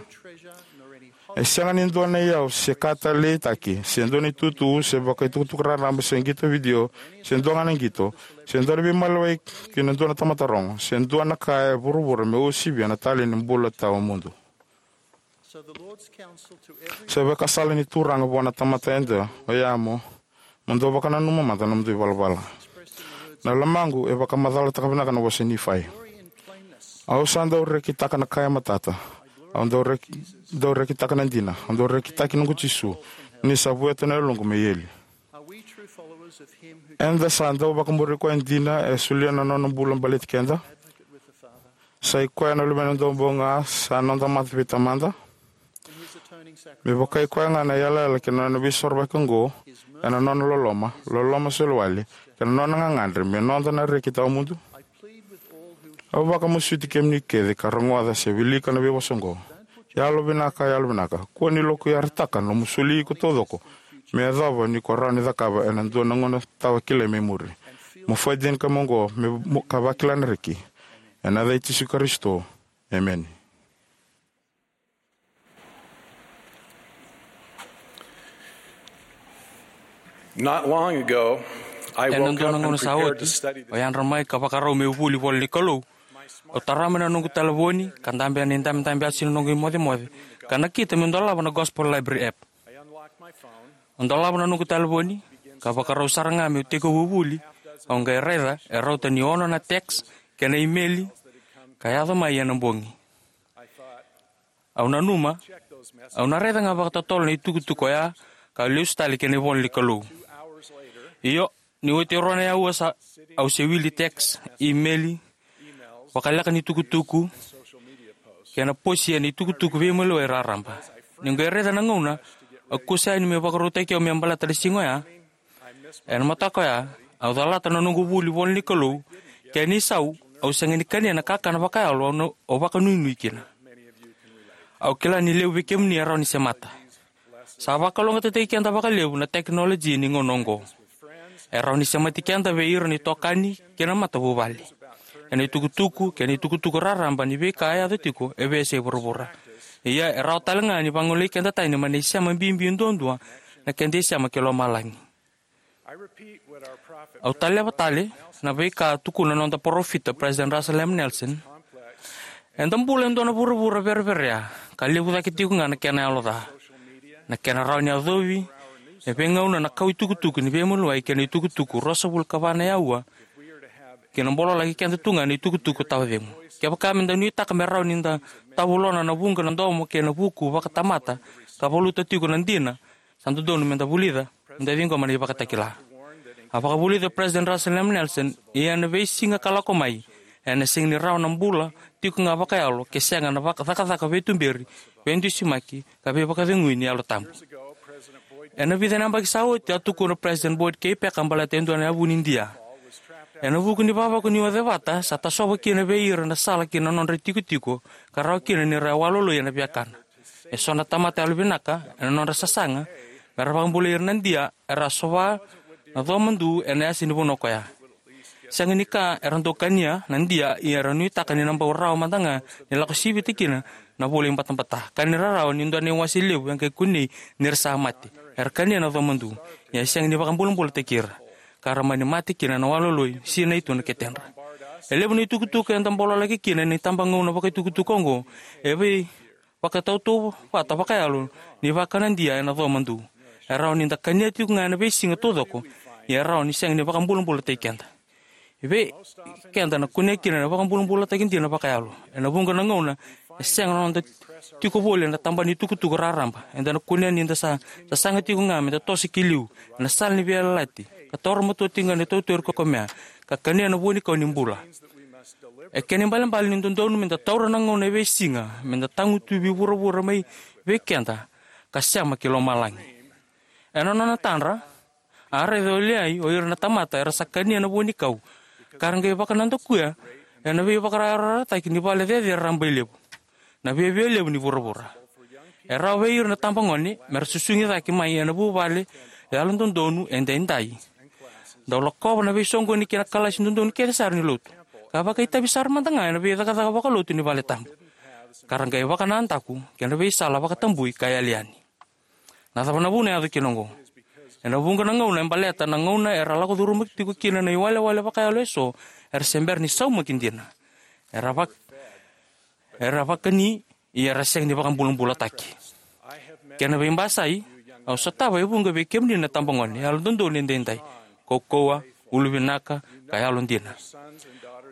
E sega ni dua na iyau se ka taleitaki, se dua na itutu, se vakaitukutuku raraba, se qito vidio, se dua ga na qito, se dua na veimaliwai ki na dua na tamata rogo, se dua na ka e vuravura me uasivia na talei ni bula tawamudu. So the Lord's counsel to every Sa vakasala ni Turaga vua na tamata eda, oya mo, mo dou vakananuma mada na nomudou ivalavala. Na lomaqu e vakamacalataka vinaka na vosa Nifai. Au sa dau rekitaka na ka e matata. Au dau reki, dau rekitaka na dina. Au dau rekitaki noqu Jisu. Ni sa vueta na yaloqu me eli. Are we true followers of him who Eda sa dau vakamuri koya dina e solia na nona bula baleti keda? Advocate with the Father? Sa i koya na luvena dau bau ga sa noda mata vei Tamada? In his atoning sacrifice, me vaka i koya ga na yalayala kei na nona veisorovaki oqo, ena nona loloma, loloma soli wale, kei na nona gagadre me noda na reki tawamudu? I plead with all who Au vakamasuti kemuni kece ka rogoca se wilika na veivosa oqo. Yalo vinaka, yalo vinaka. Kua ni lokuyarataka na nomu soli iko taucoko me yacova ni ko rawa ni cakava ena dua na gauna tawa kilai mai muri. Mo faidini ka mo oqo me mo ka vakila na reki. Ena yaca i Jisu Karisito. Emeni. Not long ago, I Ena woke dua up na and gauna sa prepared to oti, study the o yadra mai ka vakarau meu vuli vola ni Kalou. Au tara mai na noqu talevoni, ka dabe ena idabedabe asi na noqu imocemoce, ka nakita meu dolava na Gospel Library app. I unlocked my phone. Au dolava na noqu talevoni, ka vakarau sara ga meu tekivu vuli. Au qai raica e rauta ni ono na text kei na imeli ka yaco mai ena bogi. I thought, Au nanuma, au na raica ga vakatotolo na itukutuku oya, ka lesu tale kei na ivola ni Kalou. Io, ni oti e rua na aua sa, au se wili text, imeli, vakaleka ni tukutuku, kei na posi ena itukutuku veimaliwai raraba. Niu qai raica na gauna, au kusa yani me vakarautaki au me baleta na siga oya. Ena mataka oya, au calata na noqu vuli vola ni Kalou, kei na isau, au sega ni kania na kakana vakayalo au na, au vakanuinui kina. Au kila ni levu vei kemuni e rawa ni semata. Sa vakalougatataki keda vakalevu na tekinoloji ni gauna oqo. E rawa ni semati keda vei ira na itokani kei na matavuvale. Ena itukutuku, kei na itukutuku raraba ni veika e yaco tiko e veiyasai vuravura. Ia e rawa tale ga ni vagolei keda tani mai na isema bibi duadua, na keda isema ki lomalagi. Au taleva tale na veika a tukuna na noda parofita, President Russell M. Nelson. Eda bula e dua na vuravura vereverea, ka levu cake tiko ga na kena yalo ca. Na kena rawa ni yacovi e veigauna na kau itukutuku ni veimaliwai kei na itukutuku ruasagavulu ka va na aua, kei na bololaki keda tu ga na itukutuku tawa cegu. Kevaka meda nuitaka me rawa ni da tavulona na vuqa na domo kei na vuku vakatamata, ka valuta tiko na dina, sa dodonu meda vulica, meda ciqoma na ivakatakila. A vakavulica o President Russell M. Nelson, ia ena veisiga ka lako mai, ena sega ni rawa na bula tiko ga vakayalo ke sega na vaka, cakacaka veituberi, veidusimaki, ka veivakacegui ni Yalo Tabu. Ena vica na yabaki sa oti, a tukuna o President Boyd K. Packer baleta e dua na yavu ni Idia. Ena vuku ni vavako ni ocevata, sa tasova kina vei ira na sala ki na nodra itikotiko, ka rawa kina ni ra waloloi ena viakana. Eso na tamata yalovinaka, ena nodra sasaga me ra vakabulai ira na Idia, era sova na comadu ena yasa ni vanua koya. Sega ni ka era dau kania na Idia, ia era nuitaka ni na bau rawa mada ga ni lako sivita kina na vula ibatabata. Ka ni rarawa ni dua na iwase levu e qai kunei ni ra sa mate, era kania na comadu, ia e sega ni vakabulabulataki ira, ka ra mani mate kina na waloloi, sinai tu na ketedra. E levu na itukutuku eda bololaki kina ena itabagauna vakaitukutuku oqo, e vei vakatautauvata vakayalo ni vakanadia ena comadu. E rawa ni da kania tiko ga ena veisiga taucoko, ia e rawa ni sega ni vakabulabulataki keda. E vei keda na kunea kina na vakabulabulataki dina vakayalo. Ena vuqa na gauna, e sega na noda tiko voli ena tabana ni tukutuku raraba. Eda na kunea ni da sa, sa saga tiko ga meda toso ki liu ena sala ni veiyalayalati, ka taura matua tiko ga na itautau ira kei koya, ka kania na vuanikau ni bula. E kena ibalebale ni dodonu meda taura na gauna e veisiga, meda tagutuvi vuravura mai vei keda, ka sema ki lomalagi. Ena nona tadra, a raica o Liai o ira na tamata era sa kania na vuanikau, ka ra qai vakanadakuya ena veivakayarayarataki ni vale cecere rabailevu, na viavialevu ni vuravura. E rawa vei ira na tabagone me ra susugi cake mai ena vuvale yalododonu edaidai. Dau lakova na veisoqoni kei na kalasi dodonu kece sara ni lotu, ka vakaitavi sara mada ga ena veicakacaka vakalotu ni vale tabu. ka ra qai vakanadaku ki na veisala vakatabui ka yali yani. Na cava na vuna e yaco kina oqo? Ena vuqa na gauna e baleta na gauna era lako curuma tiko kina na iwalewale vakayalo eso, era se bera ni saumaki dina. Era vak-, era vakani, ia era sega ni vakabulabulataki. Kena veibasai, au sotava e vuqa vei kemuni na tabagone yalododonu edaidai, kaukauwa, uluvinaka, ka yalodina.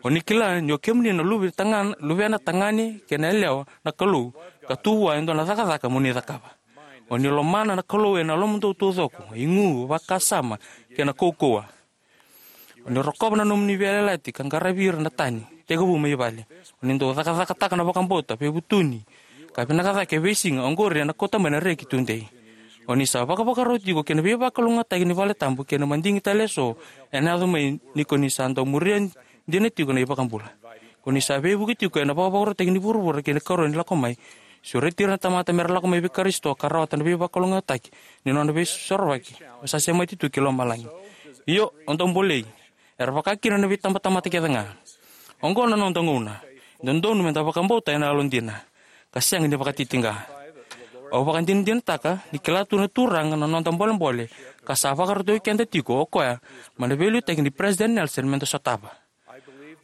O ni kila ni o kemuni na luve taga-, luvena tagane kei na yalewa na Kalou, ka tu vua e dua na cakacaka mo ni cakava. O ni lomana na Kalou ena lomamudou taucoko, igu, vakasama, kei na kaukauwa. O ni rokova na nomuni veiyalayalati ka qaravi ira na tani tekivu mai vale. O ni dau cakacakataka na vakabauta, veivutuni, ka vinaka cake e veisiga, oqori ena kauta mai na reki tudei. O ni sa vakavakarau tiko ki na veivakalougatataki ni vale tabu kei na madigi tale eso ena yaco mai ni ko ni sa dau muria dina tiko na iVakabula. Ko ni sa veivuke tiko ena vakavakarautaki ni vuravura kei na ikarua ni lako mai. Sureti ira na tamata mera lako mai vei Karisito ka rawata na veivakalougatataki ni nona veisorovaki. O sa semati tu ki lomalagi. Io, o dau bolei. Era vaka kina na veitabatamata kece ga. Oqo na noda gauna. Dodonu meda vakabauta ena yalodina ka sega ni vakatitiqa. Au vakadinadinataka ni kila tu na Turaga na noda bolebole ka sa vakarautaki keda tiko o koya mai na veiliutaki ni President Nelson meda sotava.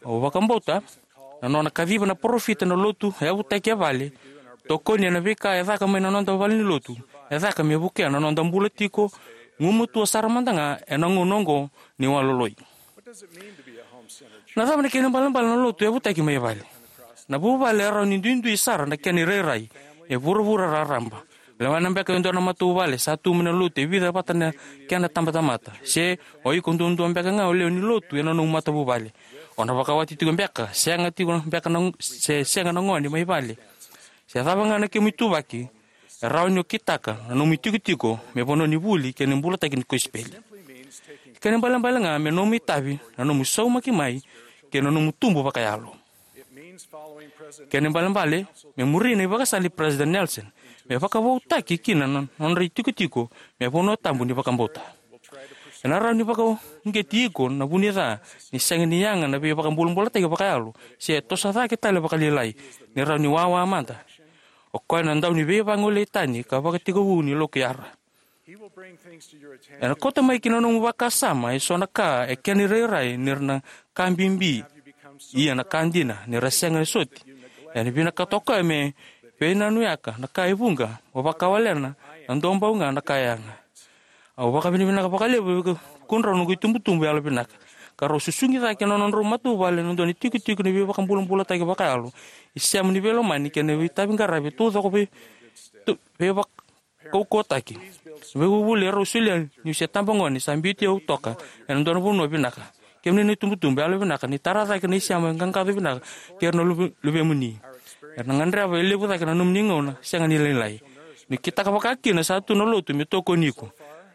Au vakabauta na nona kaciva na parofita na lotu e yavutaki e vale, tokoni ena veika e caka mai na noda valenilotu, e caka me vukea na noda bula tiko gumatua sara mada ga ena gauna oqo ni waloloi. Na cava na kena ibalebale na lotu e yavutaki mai vale? Na vuvale e rawa ni duidui sara na kena irairai e vuravura raraba. Lewena beka e dua na matavuvale sa tu mai na lotu e vica vata na kena tabatamata. Se o iko duadua beka ga o lewe ni lotu ena nomu matavuvale. O na vakawati tiko beka, sega tiko beka na, se sega na gone mai vale. Se cava ga na kemu ituvaki, e rawa ni o kitaka na nomu itikotiko me vanua ni vuli kei na bulataki ni kosipeli. Kena ibalebale ga me nomu itavi na nomu saumaki mai kei na nomu tubu vakayalo. Kena ibalebale me muri na ivakasala i President Nelson, me vakavoutaki kina na nodra itikotiko me vanua tabu ni vakabauta. Ena rawa ni vakauqeti iko na vunica ni sega ni yaga na veivakabulabulataki vakayalo, se toso cake tale vakalailai, ni rawa ni wawa mada. O koya na dau ni veivagolei tani ka vakatekivu ni lokuyara. Ena kauta mai ki na nomu vakasama eso na ka e kena irairai ni ra na ka bibi, ia na ka dina ni ra sega ni soti. Ena vinakata o koya me veinanuyaka na ka e vuqa, mo vakawalena na dua bau ga na ka yaga. Au vakavinavinaka vakalevu vei kemudrau noqu itubutubu yalovinaka, ka rau susugi cake na nodrau matavuvale na dua ni tikotiko ni veivakabulabulataki vakayalo, isema ni veilomani kei na veitaviqaravi taucoko vei, tu, veivak-, kaukauwataki. Veivuvuli erau solia niu se tabagone sa biuti au toka ena dua na vanua vinaka. Kemuni na itubutubu yalovinaka, ni tara cake na isema e qaqaco vinaka kei ira na luve-, luvemuni. Era na gadreva e levu cake na nomuni gauna sega ni lailai. Ni kitaka vaka kina sa tu na lotu me tokoni iko.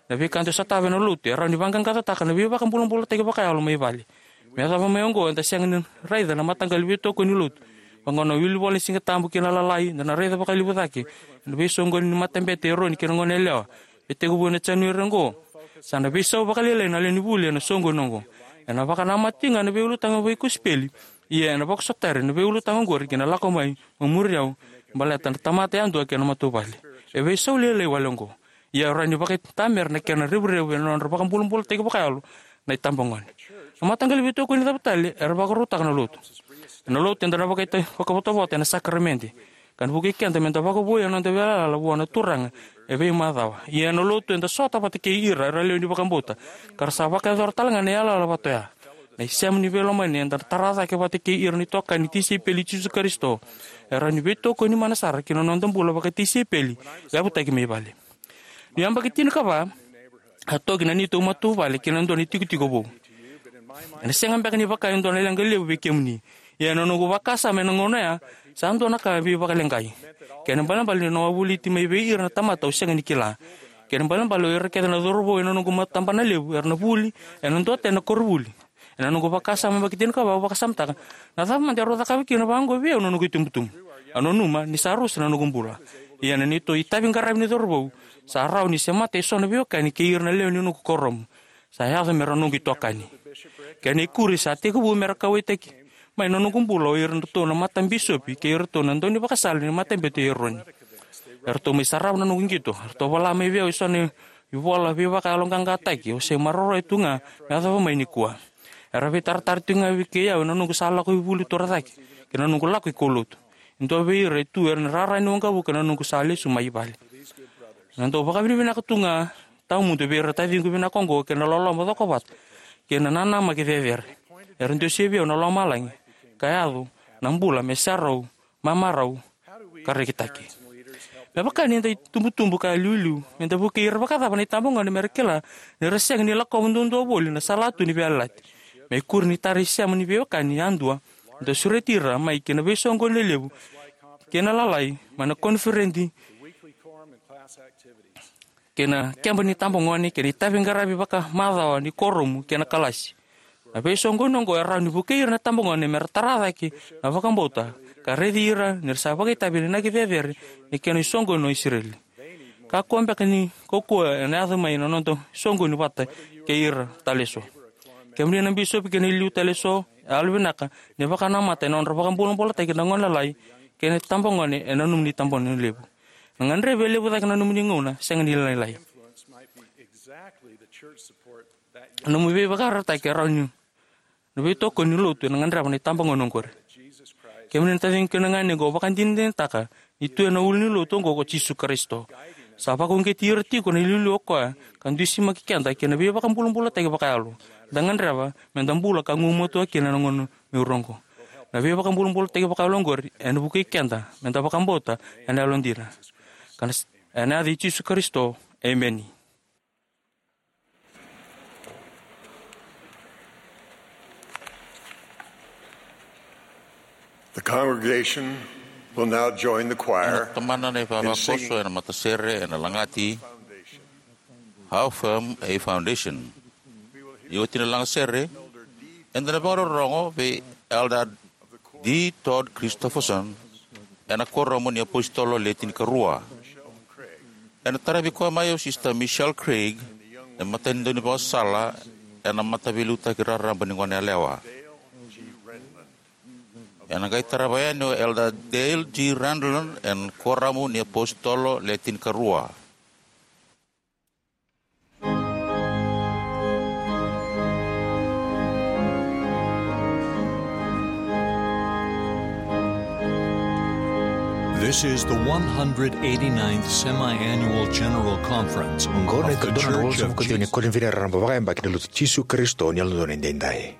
Na veika eda sotava ena lotu e rawa ni vaqaqacotaka na veivakabulabulataki vakayalo mai vale. Me yacova mai oqo, eda sega ni raica na mataqali veitokoni ni lotu. Vaqo na wilivola ni Siga Tabu kei na Lalai, eda na raica vakalevu cake ena veisoqoni ni matabete i Eroni kei na goneyalewa. Me tekivu ena Janueri oqo, sa na veisau vakalailai na lewe ni vuli ena soqoni oqo. Ena vakanamata tiko ga na veiulutaga vakosipeli, ia ena vakasotari na veiulutaga oqori ki na lako mai mo muri au, baleta na tamata yadua kei na matavuvale. E veisau lailai wale oqo. Ia e rawa ni vakaitamera na kena revurevu ena nodra vakabulabulataki vakayalo na itabagone. Na mataqali veitokoni cava tale era vakarautaka na lotu? Ena lotu eda na vakaita-, vakavotavota ena sakaramede, ka na vukei keda meda vakavoui ena noda veiyalayala vua na Turaga e veimacawa. Ia ena lotu eda sota vata kei ira era lewe ni vakabauta, ka ra sa vakayacora tale ga na yalayala vata oya. Na isema ni veilomani eda tara cake vata kei ira na itokani tisaipeli i Jisu Karisito e rawa ni veitokoni mana sara ki na noda bula vakatisaipeli yavutaki mai vale. Ni yabaki tinikava, a toki na neitou matavuvale ki na dua na itikotiko vou. Ena sega beka ni vaka e dua na leqa levu vei kemuni. Ia ena noqu vakasama ena gauna oya, sa dua na ka veivakaleqai. Kena ibalebale ni na wavoliti mai vei ira na tamata au sega ni kila. Kena ibalebale o ira kece na cauravou ena noqu matabana levu era na vuli ena dua tale na koronivuli. Ena noqu vakasama yabaki tinikava au vakasamataka, na cava mada e rau cakava kina vaqo vei au na noqu itubutubu? Au nanuma ni sa rusa na noqu bula. Ia na neitou itavi qaravi ni cauravou, sa rawa ni semata eso na veiwekani kei ira na lewe ni noqu kuoramu. Sa yaco me ra noqu itokani. Kena ikuri sa tekivu me ra kauwaitaki mai na noqu bula o iratou na matabisopi kei iratou na daunivakasala ni Matabete i Eroni. Eratou mai sarava na noqu qito. Eratou vola mai vei au eso na ivola veivakayaloqaqataki au se maroroya tu ga me yacova mai nikua. Era veitaratara tiko ga vei kei au ena noqu sa lako i vuli torocake kei na noqu lako i kaulotu. E dua vei ira e tu ena rara ni waqavuka ena noqu sa lesu mai vale. Na dau vakavinavinaka tu ga tawamudu vei ira taciqu vinaka oqo kei na loloma cokovata kei na nanamaki cecere. Era dusia vei au na lomalagi ka yaco na bula me sarau, mamarau ka rekitaki. Me vaka ni da itubutubu ka iliuliu, me da vukei ira vakacava na itabagone me ra kila ni ra sega ni lakova duadua voli na salatu ni veiyalayalati? Me ikuri ni tara isema ni veiwekani yadua, da sureti ira mai ki na veisoqoni lelevu kei na lalai, mai na koniferedi kei na keba ni tabagone kei na itaviqaravi vakamacawa ni kuoramu kei na kalasi. Na veisoqoni oqo e rawa ni vukei ira na tabagone me ra tara cake na vakabauta ka raici ira ni ra sa vakaitavi ena inaki cecere ni kena isoqoni o Isireli. Kakua beka ni kaukauwa ena yaco mai na noda soqoni vata kei ira tale eso. Kemuni na bisopi kei na iliuliu tale eso, e yalovinaka ni vakanamata ena nodra vakabulabulataki na gone lalai kei na itabagone ena nomuni tabagone levu. Na gadrevi e levu cake na nomuni gauna sega ni lailai. Na nomu veivakaraitaki e rawa ni na veitokoni ni lotu ena gadreva na itabagone oqori. Kemuni na taciqu kei na ganequ, au vakadinadinataka ni tu ena ulu ni lotu oqo ko Jisu Karisito. Sa vakauqeti ira tiko na iliuliu o koya ka dusimaki keda ki na veivakabulabulataki vakayalo da gadreva me da bula ka gumatua kina ena gauna mai ura oqo. Na veivakabulabulataki vakayalo oqori ena vukei keda me da vakabauta ena yalodina. Ka na s-, ena yaca i Jisu Karisito, emeni. The congregation will now join the choir. Ena tomana na in singing ivavakoso ena matasere ena lagati How Firm a Foundation. Ni oti na lagasere, eda na vakarorogo vei Elder D Todd Christofferson ena Kuoramu ni iApositolo Le Tinikarua. Ena taravi koya mai o Sister Michelle Craig, na matanitu ni vakasala ena Mataveiliutaki Raraba ni Goneyalewa. Ena qai tarava yani o Elder Dale G Renlund ena Kuoramu ni iApositolo Le Tinikarua. This is the one hundred eighty-ninth Semi-Annual General Conference of The Church of Jesus. Oqo na ikatolu na ruasagavulu ka ciwa ni koniferedi raraba vakayabaki ni Lotu Jisu Karisito ni Yalododonu Edaidai.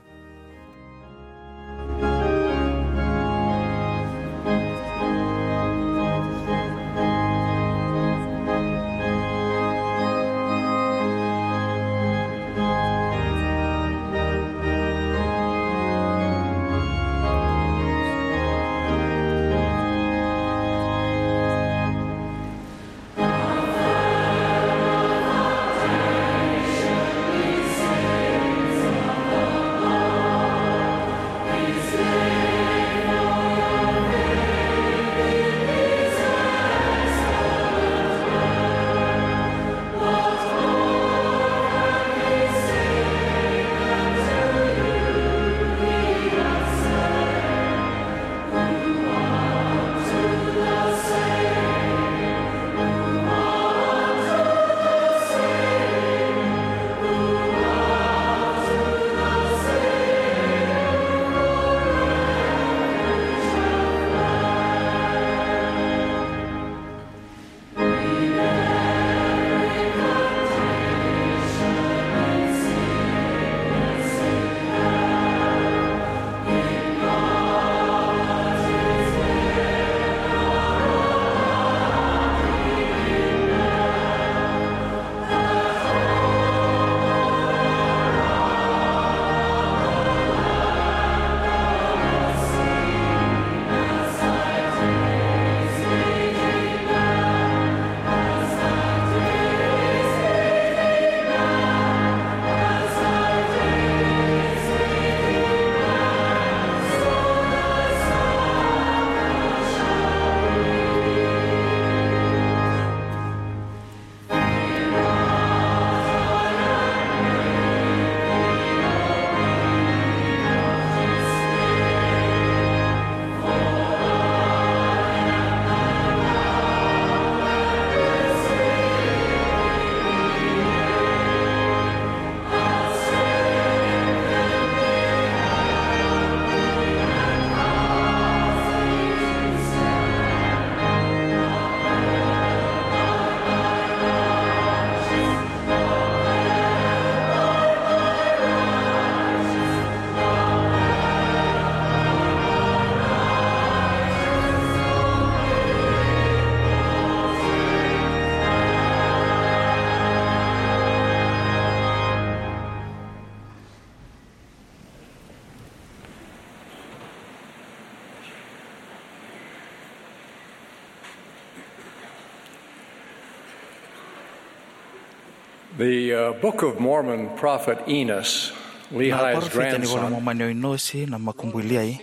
The uh, Book of Mormon prophet Enos, Na Lehi's parofita ni Vola grandson, Momani o Inosi, na makubui Liai,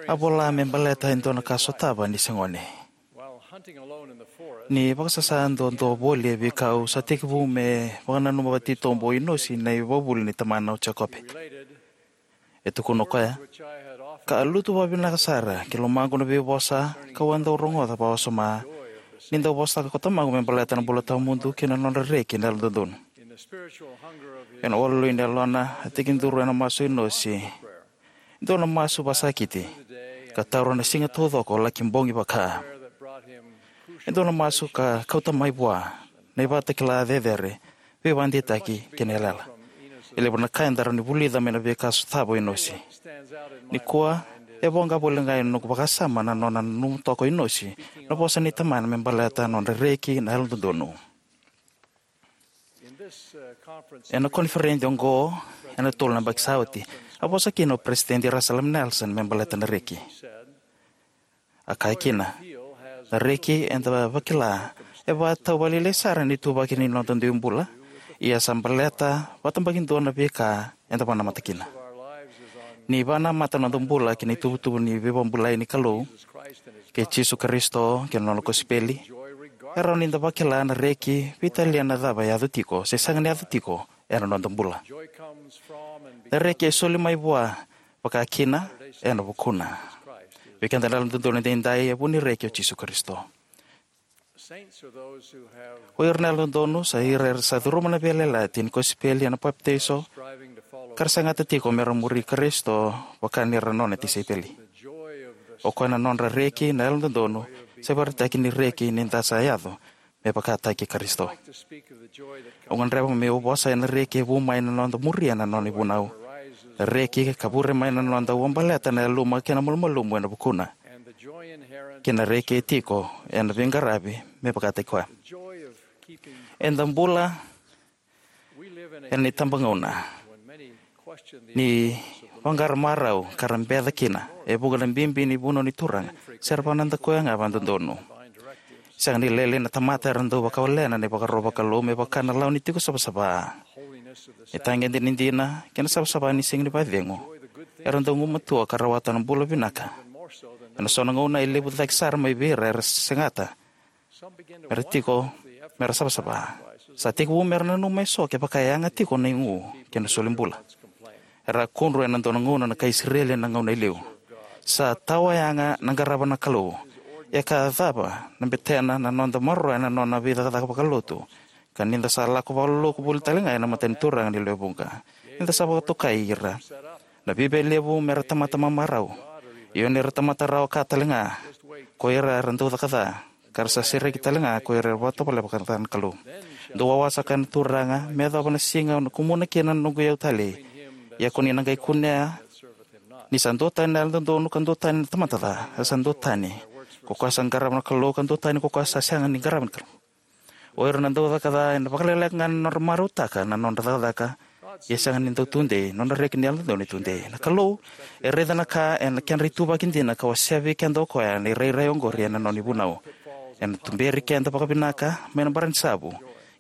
a vola me baleta e dua na ka sotava ni se gone. While hunting alone in the forest, Ni vakasasa duadua voli e veikau, sa tekivu me vakananuma vakatitobu o Inosi na ivakavuvuli ni tamana o Jekope. E tukuna o koya, ka a lutu vakavinaka sara ki lomaqu na veivosa kau a dau rogoca vakawasoma ni dau vosataka ko tamaqu me baleta na bula tawamudu kei na nodra reki na yalododonu. Ena walu ni yalona, a tekiduru ena masu o Inosi e dua na masu vakasakiti, ka taura na siga taucoko laki bogi vaka. E dua na masu ka kauta mai vua na ivakatakila cecere, veivakadeitaki kei na yalayala. E levu na ka eda rawa ni vulica mai na veika sotava o Inosi. Nikua, e voqa voli ga ena noqu vakasama na nona nanuma toka o Inosi na vosa ni tamana me baleta na nodra reki na yalododonu. Ena koniferedi oqo, ena tolu na yabaki sa oti, a vosa kina o Peresitedi Russell M. Nelson me baleta na reki. A kaya kina, na reki eda vakila e vakatau vakalailai sara ni ituvaki ni noda dui bula, ia sa baleta vakatabakidua na veika eda vakanamata kina. Ni vakanamata na noda bula ki na ituvatuva ni veivakabulai ni Kalou, kei Jisu Karisito kei na nona kosipeli, e rawa ni da vakila na reki veitalia na cava e yaco tiko se sega ni yaco tiko ena noda bula. Na reki e soli mai vua, vaka kina ena vukuna. Vei keda na yalododonu edaidai, e vu ni reki o Jisu Karisito. O ira na yalododonu sa ira era sa curuma na veiyalayalati ni kosipeli ena papitaiso, ka ra segata tiko me ra muri Karisito vaka ni ra nona tisaipeli. O koya na nodra reki na yalododonu, sa ivakaraitaki ni reki ni da sa yaco me vakataki Karisito. Au gadreva meu vosa ena reki e vu mai na noda muria na nona ivunau. Na reki ka vure mai na noda ua baleta na yaluma kei na malumalumu ena vukuna, kei na reki e tiko ena veiqaravi me vakataki koya. Eda bula ena itabagauna ni vaqara marau ka ra beca kina e vuqa na bibi ni vunau ni Turaga, se ra vakanadakuya ga vakadodonu. Sega ni lailai na tamata era dau vakawalena na ivakaro vakalou me vaka na lawa ni tiko savasava. Na itagede ni dina kei na savasava ni siga ni vakacegu era dau gumatua ka rawata na bula vinaka. Ena so na gauna e levu cake sara mai vei ira era segata me ra tiko, me ra savasava. Sa tekivu me ra nanuma eso kevaka e yaga tiko na igu kei na solibula. Era kudru ena dua na gauna na kai Isireli ena gauna e liu. Sa tawa yaga na qarava na Kalou. Ia ka cava na betena na noda maroroya na nona veicakacaka vakalotu, ka ni da sa lako vakaloloku voli tale ga ena mata ni Turaga ni lewe vuqa, ni da sa vakatokai ira na vica levu me ra tamata mamarau. Ia ni ra tamata rawa ka tale ga ko ira era dau caka ca, ka ra sa sereki tale ga ko ira era vakatovolea vakaca na Kalou. Dou wawa, sa kaya na Turaga, me yacova na siga au na kumuna kina na noqu iyau talei. Ia ko ni na qai kunea ni sa duatani na yalododonu ka duatani na tamata ca, e sa duatani ko koya sa qarava na Kalou ka duatani ko koya sa sega ni qarava na Kalou. O ira na dau caka ca ena vakalailai ga na nodra marautaka na nodra cakacaka, ia sega ni dau tudei, nodra reki ni yalododonu e tudei. Na Kalou e raica na ka ena kedra ituvaki dina ka wasea vei keda o koya na irairai oqori ena nona ivunau. Ena tuberi keda vakavinaka mai na baranisavu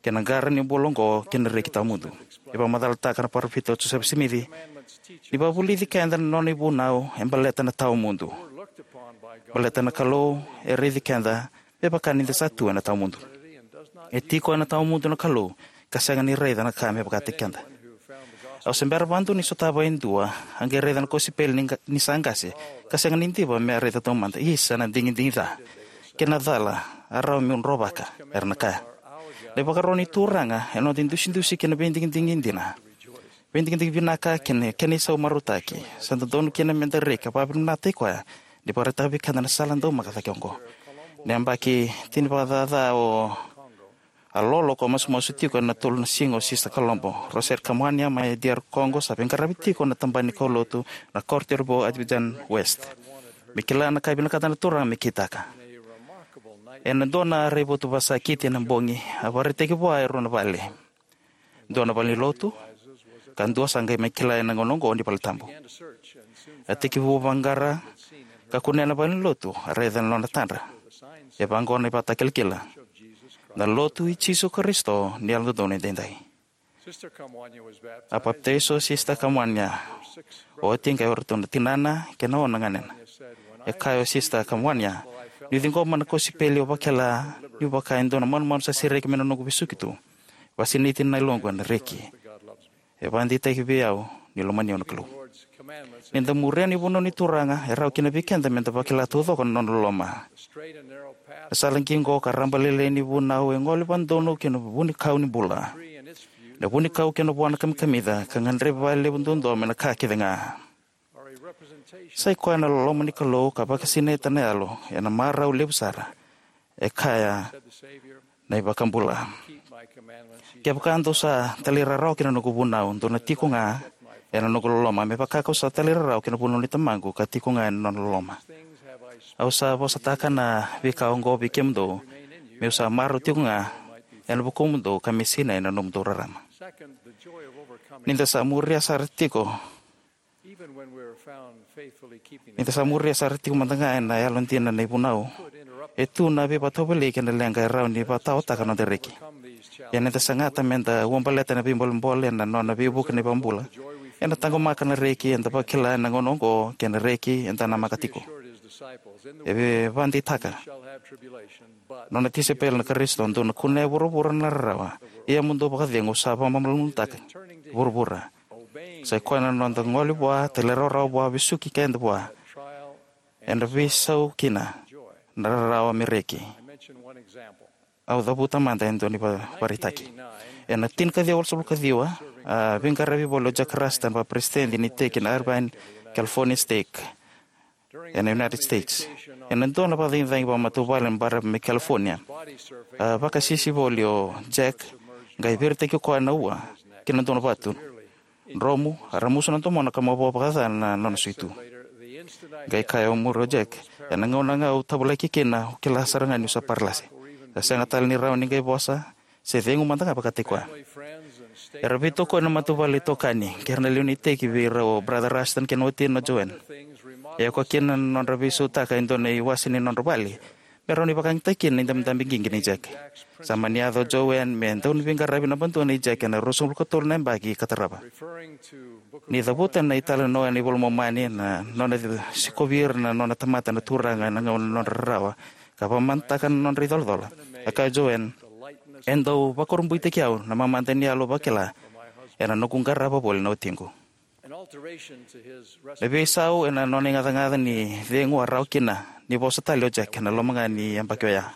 kei na qara ni bula oqo kei na reki tawamudu. E vakamacalataka na parofita o Josefa Simici ni vakavulici keda na nona ivunau e baleta na tawamudu. Baleta na Kalou e raici keda me vaka ni da sa tu ena tawamudu. E tiko ena tawamudu na Kalou, ka sega ni raica na ka me vakataki keda. Au se bera vakadua ni sotava e dua a qai raica na kosipeli ni qa-, ni sa qase, ka sega ni diva me a raica taumada. Isa na digidigi ca kei na cala a rawa meu drovaka, era na kaya. Na ivakaro ni Turaga e noda idusidusi kei na veidigidigi dina, veidigidigi vinaka kei na kena isau marautaki. Sa dodonu kina me da reki ka vakavinavinakataki koya ni vakaraitaka vei keda na sala daumaka cake oqo. Ni yabaki tini vakacaca o a lolo ko a masumasu tiko ena tolu na siga o Sista Kalobo Rosette Kamuania mai D R Congo, sa veiqaravi tiko na tabana ni kaulotu na Corte Revaux Abidjan West. Me kila na ka e vinakata na Turaga me kitaka. Ena dua na raivotu vakasakiti ena bogi, a vakaraitaki vua e rua na vale. Dua na valenilotu, ka dua sa qai mai kila ena gauna oqo ni valetabu. A tekivu vaqara ka kunea na valenilotu, a raica na nona tadra. E vaqo na ivakatakilakila: Na Lotu i Jisu Karisito ni Yalododonu Edaidai. A papitaiso o Sista Kamwania. Oti qai o iratou na tinana kei na ono na ganena. E kaya o Sista Kamwania, niu ciqoma na kosipeli au vakila niu vaka e dua na manumanu sa sereki mai na noqu vesuki tu. Vakasinaiti na yaloqu ena reki. E vakadeitaki vei au ni lomani au na Kalou. Ni da muria na ivunau ni Turaga, e rawa kina vei keda me da vakila taucoko na nona loloma. Na sala qiqo ka rabalailai ni vunau e gole vakadodonu ki na vunikau ni bula. Na vunikau kei na vua na kamikamica ka gadrevi vakalevu duadua mai na ka kece ga. Sa i koya na loloma ni Kalou ka vakasinaita na yalo ena marau levu sara. E kaya na iVakabula, kevaka dou sa talairawarawa ki na noqu vunau, dou na tiko ga ena noqu loloma, me vaka kau sa talairawarawa ki na vunau ni Tamaqu ka tiko ga ena nona loloma. Au sa vosataka na veika oqo vei kemudou, meu sa marau tiko ga ena vukumudou ka me sinai na nomudou rarama. Ni da sa muria sara tiko Ni da sa muria sara tiko mada ga ena yalodina na ivunau, e tu na veivakatovolei kei na leqa e rawa ni vakataotaka na noda reki. Ia ni da sagata me da uabaleta na veibolebole ena nona veivuke na iVakabula, ena taqomaka na reki eda vakila ena gauna oqo kei na reki eda namaka tiko. E vakadeitaka nona tisaipeli na Karisito, dou na kunea e vuravura na rarawa, ia mo dou vakacegu, au sa vakamalumalumutaka vuravura. Sa i koya na noda gole vua, talairawarawa vua, vesuki keda vua. Ena veisau kina na rarawa me reki. Au cavuta mada e dua ni vakaraitaki. Ena tinikaciwa walusagavulu kaciwa, a veiqaravi voli o Jack Rushton, vakaperesitedi ni iteki na Irvine California Stake ena United States. Ena dua na vakacagicagi vakamatavuvale ena baravi mai California, a vakasisi voli o Jack, qai viritaki koya na ua ki na dua na vatu dromu, a ramusu na domona ka mavoa vakaca na nona suitu. Qai kaya o muri o Jack, ena gauna ga au tavulaki kina, au kila sara ga niu sa paralasi. Sa sega tale ni rawa ni qai vosa se cegu mada ga vakataki koya. Era veitokoni na matavuvale, itokani kei ira na lewe ni iteki vei rau o Brother Rushton kei na watina o Joanne. E oka kina na nodra veisautaka e dua na iwase ni nodra vale me rawa ni vakayagataki kina na idabedabe qiqi nei Jack. Sa mani yaco o Joanne me dauniveiqaravi naba dua nei Jack ena ruasagavulu ka tolu na yabaki ka tarava. Ni cavuta na italanoa ena iVola i Momani, na nona sikovi ira na nona tamata na Turaga ena gauna ni nodra rarawa ka vakamatataka na nodra icolacola, a kaya o Joanne, e dau vakurabuitaki au na mamada ni yalo au vakila ena noqu qarava voli na watiqu. Na veisau ena nona igacagaca ni cegu a rawa kina ni vosa tale o Jack ena loma ga ni yabaki oya.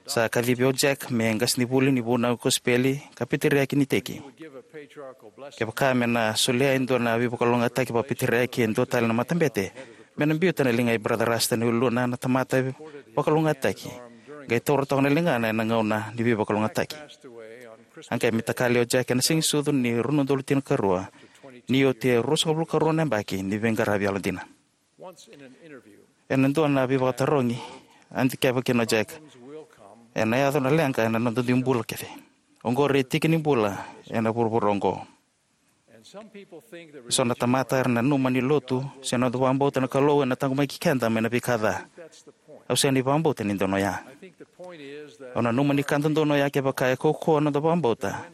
Sa kacivi o Jack me qasenivuli ni vunau kosipeli ka peteriaki ni iteki. Kevaka me na solia e dua na veivakalougatataki vakapeteriaki e dua tale na matabete, me na biuta na liga i Brother Rushton e uluna na tamata veivakalougatataki, qai taura toka na ligana ena gauna ni veivakalougatataki. A qai me takali o Jack ena Siganisucu ni rua na udolu tinikarua, ni oti e ruasagavulu karua na yabaki ni veiqaravi yalodina. Ena dua na veivakatarogi, a dikeva kina o Jack, ena yaco na leqa ena noda dui bula kece. Oqori e tiki ni bula ena vuravura oqo. So na tamata era nanuma ni lotu se noda vakabauta na Kalou ena taqomaki keda mai na veika ca. Au sega ni vakabauta ni donu oya. Au nanuma ni ka dodonu oya, kevaka e kaukauwa noda vakabauta,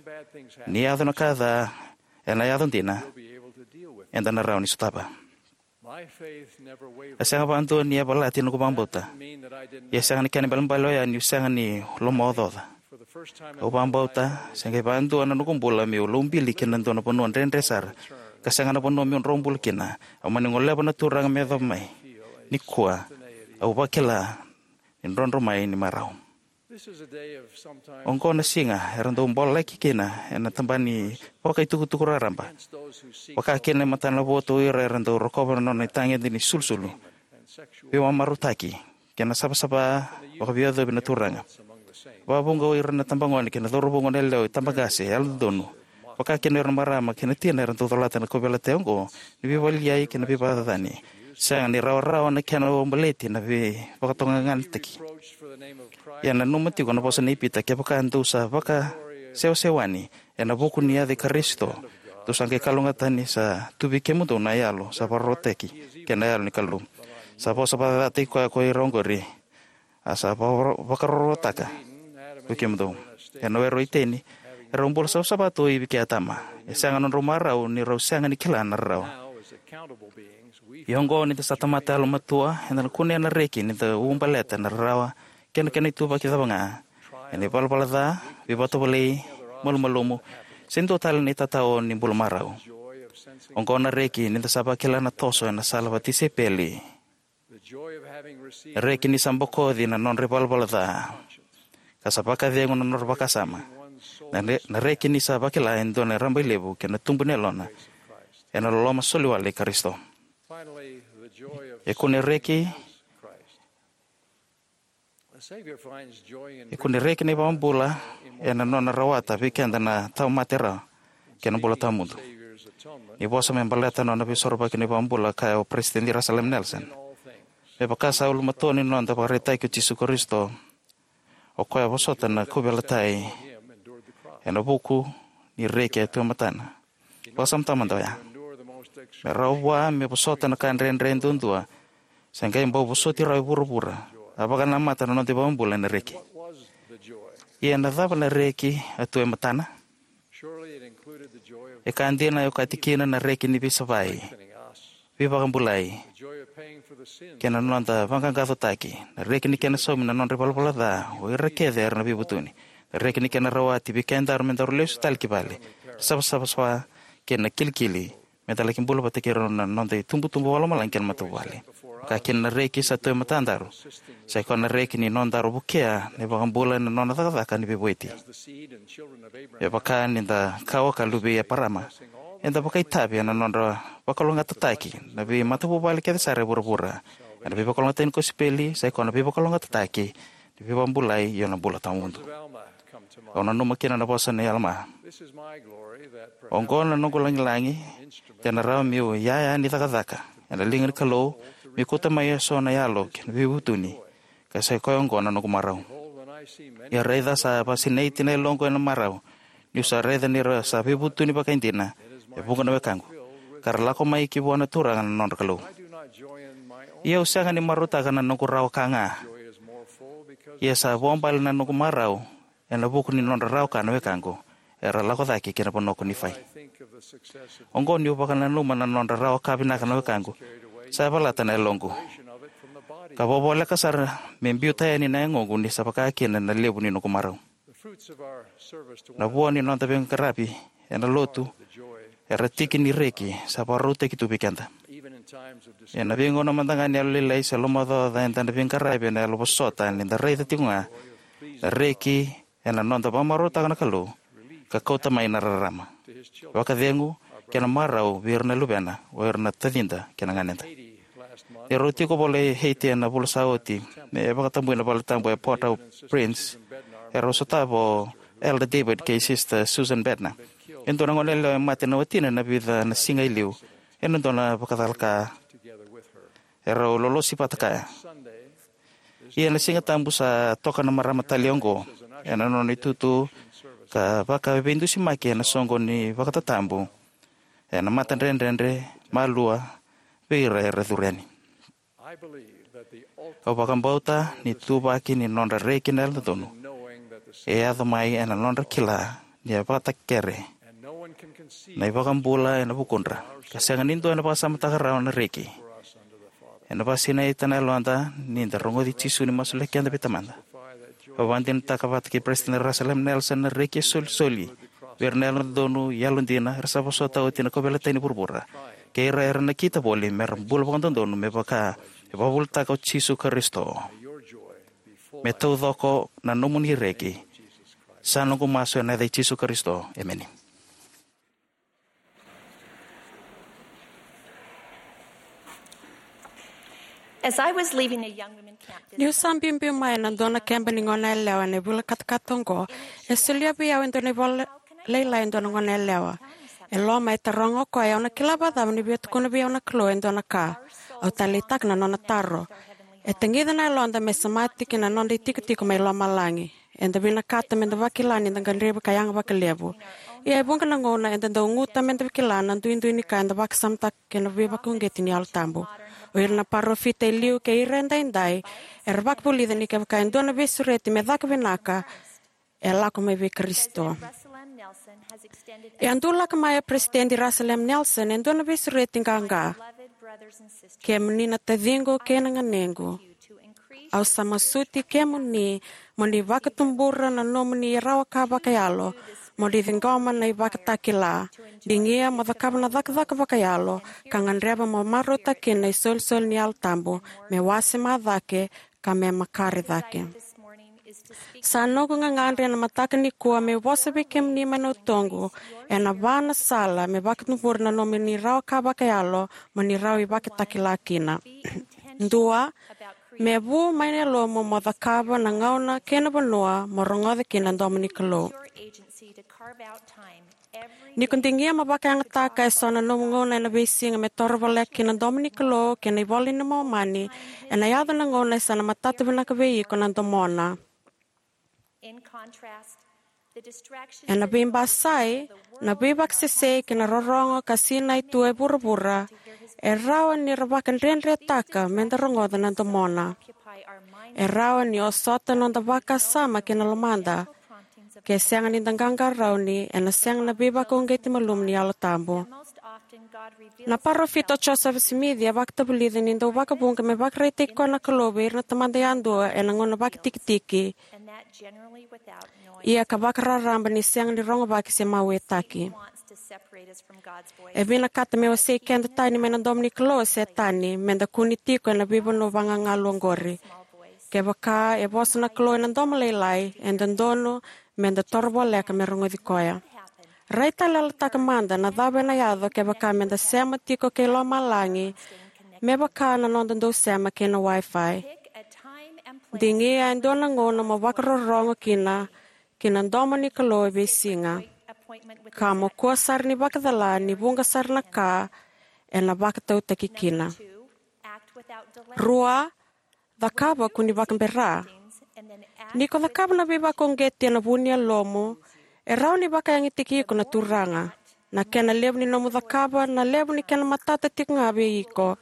ni yaco na ka ca, ena yaco dina, eda na rawa ni sotava. E sega vakadua ni yavalati na noqu vakabauta. Ia e sega ni kena ibalebale oya niu sega ni lomaocaoca. Au vakabauta se qai vakadua na noqu bula meu lobili ki na dua na vanua dredre sara, ka sega na vanua meu dro bula kina. Au mani goleva na Turaga me yacova mai. Nikua au vakila ni drodro mai ni marau. Oqo na siga era dau bololaki kina ena taba ni vakaitukutuku raraba, vaka kina e matanavotu o ira era dau rokova na nona itagede ni sulusulu, veivamarautaki, kei na savasava vakaveiyacovi na turaga. Vakavuqa o ira na tabagone kei na cauravou goneyalewa, itabaqase, yalododonu, vaka kina o ira na marama kei na tina era dau colata na kauveilatai oqo ni veivakalialiai kei na veivakacacani. Sega ni rawarawa na kena uabaleti na veivakatokatokanataki. Ia nanuma tiko na vosa nei Pita, kevaka dou sa vakasewasewani ena vuku ni yaca i Karisito, dou sa qai kalougata ni sa tu vei kemudou na yalo sa vakarorotaki kei na Yalo ni Kalou. Sa vosa vakacacataki koya ko ira oqori, a sa vaka- vakarorotaka vei kemudou. Ena Were o Iteni, Erau bula savasava tu o Ivi kei Atama. E sega nodrau marau ni rau sega ni kila na rarawa. Ia oqo, ni da sa tamata yalomatua, eda na kunea na reki ni da ubaleta na rarawa kei na kena ituvaki cava ga, ena ivalavala ca, veivakatovolei, malumalumu, se dua tale na itatao ni bula marau. Oqo na reki ni da sa vakila na toso ena sala vatisaipeli. Na reki ni sa bokoci na nodra ivalavala ca, ka sa vakacegu na nodra vakasama. Na, re- na reki ni sa vakila e dua na rabailevu kei na tubu ni yalona ena loloma soliwale i Karisito. E kune reki, e kune reki na iVakabula ena nona rawata vei keda na tauvimate rawa kei na bula tawamudu. Ni vosa me baleta na nona veisorovaki na iVakabula, kaya o Peresitedi Russell M. Nelson: "Me vaka sa ulumatua ni noda ivakaraitaki o Jisu Karisito, o koya a vosota na kauveilatai ena vuku ni reki e tu e matana." Vakasamataka mada oya. Me rawa vua me vosota na ka dredre duadua, se qai bau vosoti rawa e vuravura, a vakanamata na noda iVakabula ena reki. Ia na cava na reki a tu e matana? E ka dina e okati kina na reki ni veisavai, veivakabulai, kei na noda vaqaqacotaki. Na reki ni kena saumi na nodra ivalavala ca o ira kece era na veivutuni. Na reki ni kena rawati vei kedaru me daru lesu tale ki vale, savasava kei na kilikili, me da laki bula vata kei rau na noda itubutubu vakalomalagi kei na matavuvale. Ka kina na reki sa tu e matadaru, sa i koya na reki ni nodaru vukea na iVakabula ena nona cakacaka ni veivueti. Me vaka ni da kawa ka luvei Eparama, eda vakaitavi ena nodra vakalougatataki na veimatavuvale kece sara e vuravura. Ena veivakalougatataki ni kosipeli, sa i koya na veivakalougatataki ni veivakabulai, io na bula tawamudu. Au nanuma kina na vosa nei Alama: "Oqo na noqu lagilagi, de na rawa meu iyaya ni cakacaka ena liga ni Kalou, meu kauta mai eso na yalo kei na veivutuni, ka sa i koya oqo na noqu marau. Ia raica, sa vakasinaiti na yaloqu ena marau, niu sa raica ni ra sa veivutuni vakaidina e vuqa na wekaqu, ka ra lako mai ki vua na Turaga na nodra Kalou. Ia au sega ni marautaka na noqu rawa ka ga, ia sa vuabale na noqu marau ena vuku ni nodra rawa ka na wekaqu, era lako cake ki na vanua ko Nifai." Oqo niu vakananuma na nodra rawa ka vinaka na wekaqu, sa yavalata na yaloqu, ka vakavoleka sara me biuta yani na yagoqu ni sa vaka kina na levu ni noqu marau. Na vua ni noda veiqaravi ena lotu era tiki ni reki sa vakarautaki tu vei keda. Ena veigauna mada ga ni yalolailai se lomaocaoca, eda na veiqaravi ena yalovosota ni da raica tiko ga na reki ena noda vakamarautaka na Kalou ka kauta mai na rarama, vakacegu, kei na marau vei ira na luvena, o ira na tacida kei na ganeda. Ni rau tiko voli e Haiti ena vula sa oti, me vakatabui na valetabu e Port-au-Prince, erau sotava o Elder David kei Sister Susan Bednar. E dua na goneyalewa e mate na watina ena vica na siga e liu ena dua na vakacalaka. Erau lolosi vata kaya. Ia na Siga Tabu sa toka na marama tale oqo ena nona itutu ka vakaveidusimaki ena soqo ni vakatatabu ena matadredredre, malua, vei ira era curu yani. Au vakabauta ni ituvaki ni nodra reki na yalododonu e yaco mai ena nodra kila ni a vakatakekere na iVakabula ena vukudra, ka sega ni dua ena vakasamataka rawa na reki. Ena vakasinaita na yaloda ni da rogoci Jisu ni masulaki keda vei Tamada. Au vakadinadinataka vata kei Peresitedi Russell M. Nelson na reki e solisoli vei ira na yalododonu, yalodina, era sa vosota oti na kauveilatai ni vuravura, kei ira era nakita voli me ra bula vakadodonu me vaka e vakavuvulitaka o Jisu Karisito. Me taucoko na nomuni reki. Sa noqu masu ena yaca i Jisu Karisito, emeni. As I was leaving a young women camp this Niu sa biubiu mai ena dua na keba ni goneyalewa ena vula katakata oqo, e solia vei au e dua na ivola lailai e dua na goneyalewa. E loma e taroga o koya, au na kila vakacava ni via tukuna vei au na Kalou e dua na ka. Au taleitaka na nona taro. E tagica na yaloda me semati ki na noda itikotiko mai lomalagi. Eda vinakata meda vakila ni da gadrevi ka yaga vakalevu. Ia e vuqa na gauna eda dau guta meda kila na duidui ni ka eda vakasamataka kei na veivakauqeti ni Yalo Tabu. O ira na parofita e liu kei ira edaidai era vakavulica ni kevaka e dua na veisureti me caka vinaka, e lako mai vei Karisito. E a dulaka mai o Peresitedi Russell M. Nelson e dua na veisureti qaqa. Kemuni na taciqu kei na ganequ, au sa masuti kemuni mo ni vakatubura na nomuni rawa ka vakayalo, mo ni ciqoma na ivakatakila, digia mo cakava na cakacaka vakayalo, ka gadreva mo marautaka kina na isolisoli ni Yalo Tabu, me wasema cake, ka me makare cake. Sa noqu gagadre ena mataka nikua meu vosa vei kemuni mai na utoqu ena va na sala me vakatubura na nomuni rawa ka vakayalo mo ni rawa ni vakatakila kina. Dua, me vu mai na yalomu mo cakava na gauna kei na vanua mo rogoca kina na domo ni Kalou. Ni ko digia mo vakayagataka eso na nomu gauna ena veisiga me toro voleka kina na domo ni Kalou kei na iVola ni Momani, ena yaco na gauna e sa na matata vinaka vei iko na domona. Ena veibasai, na veivakasesei kei na rorogo ka sinai tu e vuravura e rawa ni ra vakadredretaka me da rogoca na domona. E rawa ni osota noda vakasama kei na lomada. Ke sega ni da qaqarauni, ena sega na veivakauqeti malumu ni Yalo Tabu. Na parofita o Joseph Smith e vakatavulica ni dau vakavuqa me vakaraitaki koya na Kalou vei ira na tamata yadua ena gauna vakatikitiki, ia ka vakararaba ni sega ni rogovaki se mauetaki. E vinakata me wasei keda tani mai na domo ni Kalou o Setani, me da kune tiko ena veivanua vagagalu oqori. Kevaka e vosa na Kalou ena domo lailai, e dodonu me da toro voleka me rogoci koya. Raitayaloyalotaka mada na cava ena yaco kevaka me da sema tiko kei lomalagi me vaka na noda dau sema kei na Wi-Fi. Digia e dua na gauna mo vakarorogo kina ki na domo ni Kalou e veisiga, ka mo kua sara ni vakacala ni vuqa sara na ka ena vakatautaki kina. Rua, cakava ko ni vakabera. Ni ko cakava na veivakauqeti ena vu ni yalomu, e rawa ni vakayagitaki iko na Turaga. Na kena levu ni nomu cakava, na levu ni kena matata tiko ga vei iko,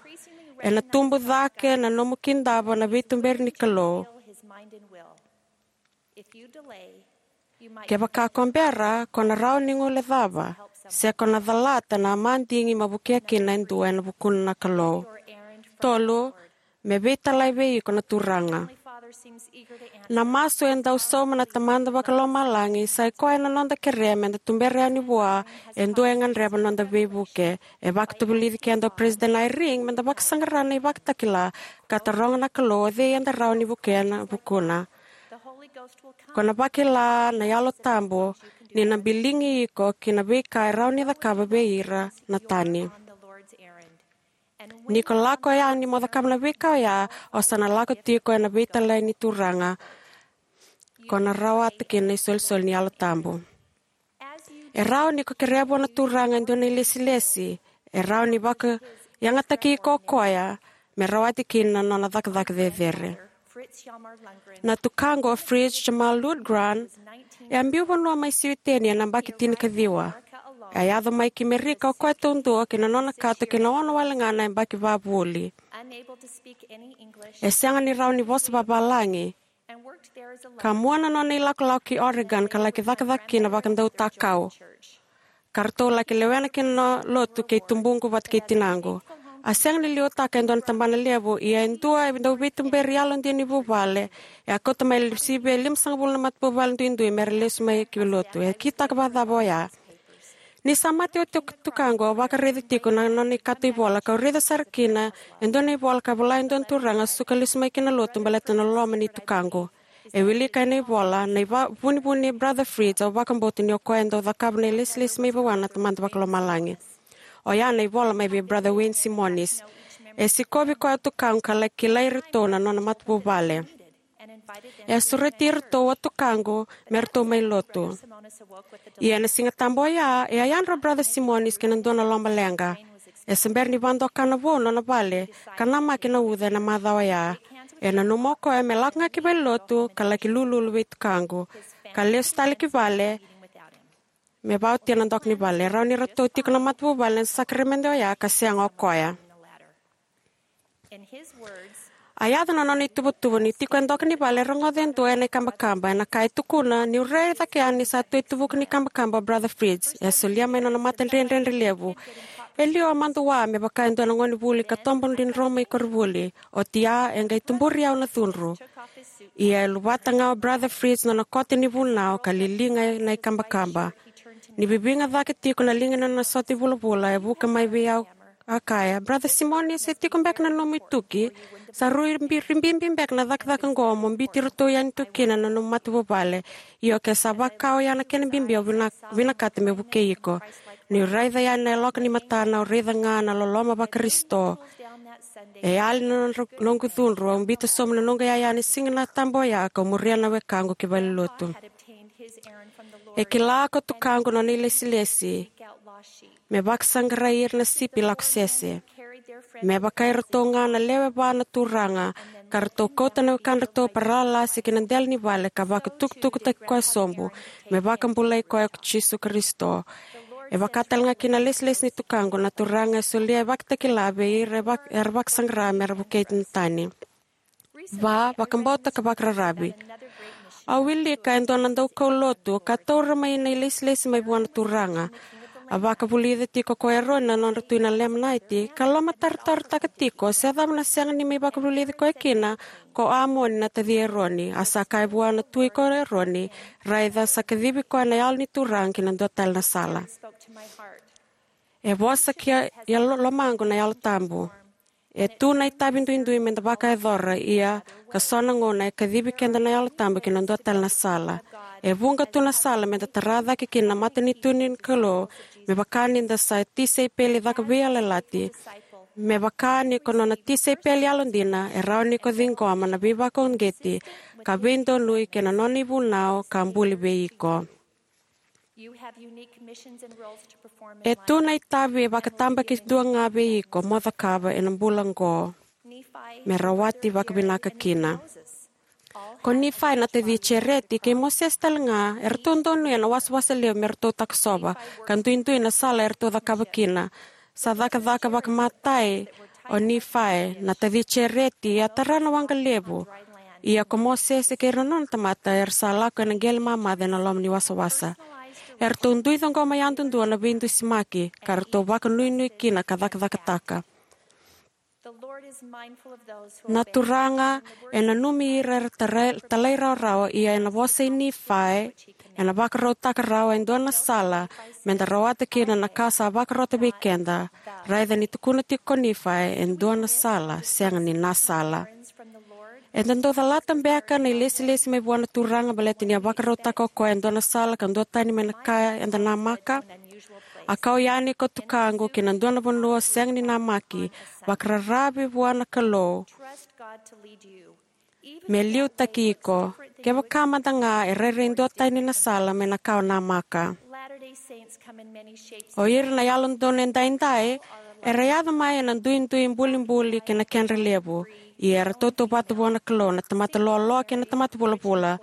ena tubu cake na nomu kidava na veituberi ni Kalou. Kevaka ko bera, ko na rawa ni guilecava, se ko na calata na madigi mo vukea kina e dua ena vukuna na Kalou. Tolu, me veitalai vei iko na Turaga. Na masu e dau sauma na Tamada Vakalomalagi, sa i koya na noda kerea me da tubera yani vua e dua e gadreva na noda veivuke. E vakatavulici keda o Peresitedi Eyring me da vakasaqara na ivakatakila ka taroga na Kalou o cei eda rawa ni vukea na vukuna. Ko na vakila na Yalo Tabu ni na biligi iko ki na veika e rawa ni cakava vei ira na tani. Ni ko lako yani mo cakava na veika oya, o sa na lako tiko ena veitalai ni Turaga, ko na rawata kina na isolisoli ni Yalo Tabu. E rawa ni ko kerea vua na Turaga e dua na ilesilesi, e rawa ni vakayagataki iko o koya me rawati kina na nona cakacaka cecere. Na tukaqu o Fritz Hjalmar Lundgren e a biu vanua mai Siwiteni ena yabaki tinikaciwa. E a yaco mai ki Merika o koya taudua kei na nona kato kei na ono wale ga na yabaki vavuli. E sega ni rawa ni vosa vavalagi. Ka mua na nona ilakolako ki Oregon ka laki cakacaka kina vakadautakau. Ka ratou laki lewena kina na lotu kei tubuqu vata kei tinaqu. A sega ni liutaka e dua na tabana levu, ia e dua e dau veituberi yalodina ni vuvale, e a kauta mai e sivia e limasagavulu na matavuvale duidui me ra lesu mai ki lotu. E kitaka vakacava oya? Ni sa mate oti o tukaqu, au vakaraica tiko na nona ikato ivola, kau raica sara kina e dua na ivola ka vola e dua na turaga suka lesu mai ki na lotu baleta na loloma ni tukaqu. E wilika ena ivola na ivunivuni nei Brother Fritz, au vakabauta ni o koya e dau cakava na ilesilesi mai vua na Tamada Vakalomalagi. Oya na ivola mai vei Brother Wayne Simonis. E sikovi koya o tukaqu ka laki kilai iratou na nona matavuvale. E a sureti iratou o tukaqu me ratou mai lotu. Ia ena Sigatabu oya, e a yadra o Brother Simonis ki na dua na lomaleqa. E se bera ni vakadokana vou na nona vale ka namaki na uca ena macawa oya. E nanuma o koya me lako ga ki valenilotu ka laki lululu vei tukaqu, ka lesu tale ki vale me vakaotia na doka ni vale. E rawa ni ratou tiko na matavuvale ena sakaramede oya ka sega o koya. A yaco na nona ituvatuva ni tiko e doka ni vale e rogoca e dua ena ikabakaba, ena ka e tukuna: "Niu rai cake yani sa tu e tuvuku ni kabakaba o Brother Fritz. E solia mai nona matadredredre levu. E liu a madua me vaka e dua na gonevuli ka tobo dridromai koronivuli. Oti ya e qai tuburi au na cudru." Ia e luvata ga o Brother Fritz nona kote ni vunau ka liliga ena ikabakaba. Ni viviga cake tiko na liga ni nona sote vulavula, e vuka mai vei au, a kaya: "Brother Simoni, se tiko beka na nomu ituki? Sa rui bi-, ribibi beka na cakacaka oqo mo biuti iratou yani tu kina na nomu matavuvale. Io, ke sa vaka oya na kena bibi, au vina-, vinakata meu vukei iko." Niu raica yani na yaloka ni matana, au raica ga na loloma vaKarisito. E yali na nodra, noqu cudru, au biuta sobu na noqu iyaya ena Siga na Tabu oya, kau muria na wekaqu ki valenilotu. E kila ko tukaqu nona ilesilesi me vakasaqarai ira na sipi lako sese. Me vaka iratou ga na lewe va na Turaga, ka ratou kauta na wekadratou paralasi ki na dela ni vale ka vakatukutukutaki koya sobu, me vakabulai koya ko Jisu Karisito. E vaka tale ga kina na ilesilesi ni tukaqu, na Turaga e solia e vakatakila vei ira e vak-, era vakasaqara me ra vukei na tani. Va, vakabauta ka vakararavi. Au wilika e dua na daukaulotu ka taura mai na ilesilesi mai vua na Turaga. A vakavulica tiko ko Eroni na nodra tui na Lemenaiti, ka lomatarotaro tiko se cava na sega ni mai vakavulici koya kina ko Amoni na taci Eroni. A sa kaya vua na tui ko Eroni: "Raica, sa kacivi koya na Yalo ni Turaga ki na dua tale na sala." E vosa ki ya, ya lo-, lomaqu na Yalo Tabu. E tu na itavi duidui meda vakayacora, ia ka so na gauna e kacivi keda na Yalo Tabu ki na dua tale na sala. E vuqa tu na sala meda tara cake kina na matanitu ni Kalou, me vaka nida sa tisaipeli caka veiyalayalati. Me vaka ni ko nona tisaipeli yalodina, e rawa ni ko ciqoma na veivakauqeti ka veidonui kei na nona ivunau ka buli vei iko. E tu na itavi e vakatabakidua ga vei iko mo cakava ena bula oqo me rawati vakavinaka kina. Ko Nifai na taci Jereti kei Mosese tale ga, eratou donuya na wasawasa levu me ratou takosova, ka duidui na sala eratou cakava kina. Sa cakacaka vakamatai o Nifai na taci Jereti, a tara na waqa levu. Ia ko Mosese kei ira na nona tamata era sa lako ena qele mamaca ena loma ni wasawasa. Eratou dui ciqoma yadudua na veidusimaki, ka ratou vakanuinui kina ka cakacakataka. Na Turaga e nanumi ira era tarai, talairawarawa, ia ena vosa i Nifai, ena vakarautaka rawa e dua na sala meda rawata kina na ka sa vakarota vei keda. Raica ni tukuna tiko ko Nifai, e dua na sala, sega ni na sala. Eda dau calata beka na ilesilesi mai vua na Turaga baleta ni a vakarautaka o koya e dua na sala ka duatani mai na ka eda namaka? A kau yani ko tukaqu ki na dua na vanua sega ni namaki, vakararavi vua na Kalou me liutaki iko, kevaka mada ga e rairai duatani na sala mai na ka o namaka. O ira na Yalododonu Edaidai era yaco mai ena duidui bulibuli kei na kedra levu, ia era tautauvata vua na Kalou, na tamata loaloa kei na tamata vulavula,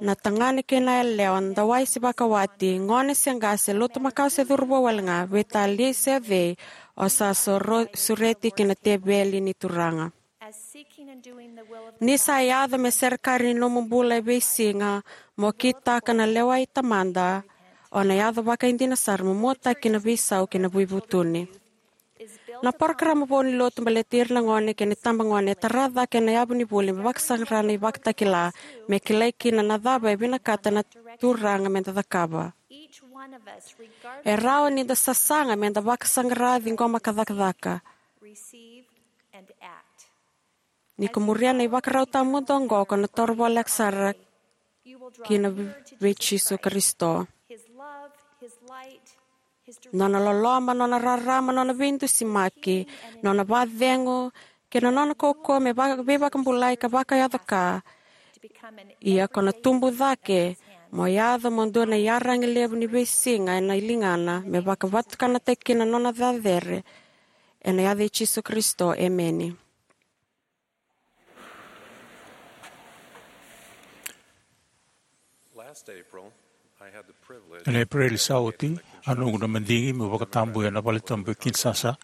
na tagane kei na yalewa, na dawai se vakawati, gone se qase, lotu makawa se cauravou wale ga, veitalia se o cei, o sa soro-, sureti ki na teveli ni Turaga. Ni sa yaco me serekari ni nomu bula e veisiga mo kitaka na lewa i Tamada, o na yaco vakaidina sara mo muataki na veisau kei na veivutuni. Na parokaramu vou ni lotu baleti ira na gone kei na itabagone e tara cake ena yavu ni vuli me vakasaqara na ivakatakila, me kilai kina na cava e vinakata na Turaga meda cakava. E rawa nida sasaga meda vakasaqara, ciqoma ka cakacaka. Ni ko muria na ivakarau tawamudu oqo, ko na toro voleka sara kina vei Jisu Karisito. Nona loloma, nona rarama, nona veidusimaki, nona vakacegu, kei na nona kaukauwa me va-, veivakabulai ka vakayaco ka. Ia ko na tubu cake mo yaco mo dua na iyaragi levu ni veisiga ena ligana, me vakavatukanataki kina na nona cecere. Ena yaca i Jisu Karisito, emeni. Last April, I had the privilege Ena Epereli sa oti, a noqu na madigi meu vakatabuya na valetabu e Kinshasa,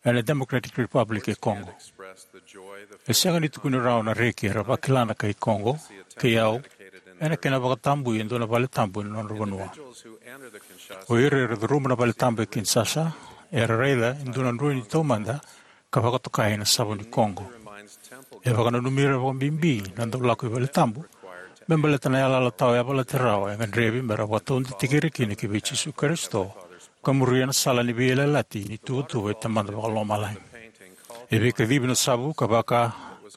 ena Democratic Republic e Congo. E sega ni tukuni rawa na reki era vakila na kai Kogo kei au ena kena vakatabui e dua na vale tabu ena nodra vanua. O ira era curuma na vale tabu e Kinshasa era raica e dua na droini taumada ka vakatokai na Savo ni Kogo. E vakananumi ira vakabibi na dau lako i vale tabu me baleta na yalayala tawa yavalati rawa e gadrevi me ra vakataudeitaki ira kina ki vei Jisu Karisito ka muria na sala ni veiyalayalati ni tuvatuva i Tamada Vakalomalagi. E veikacivi na savu ka vaka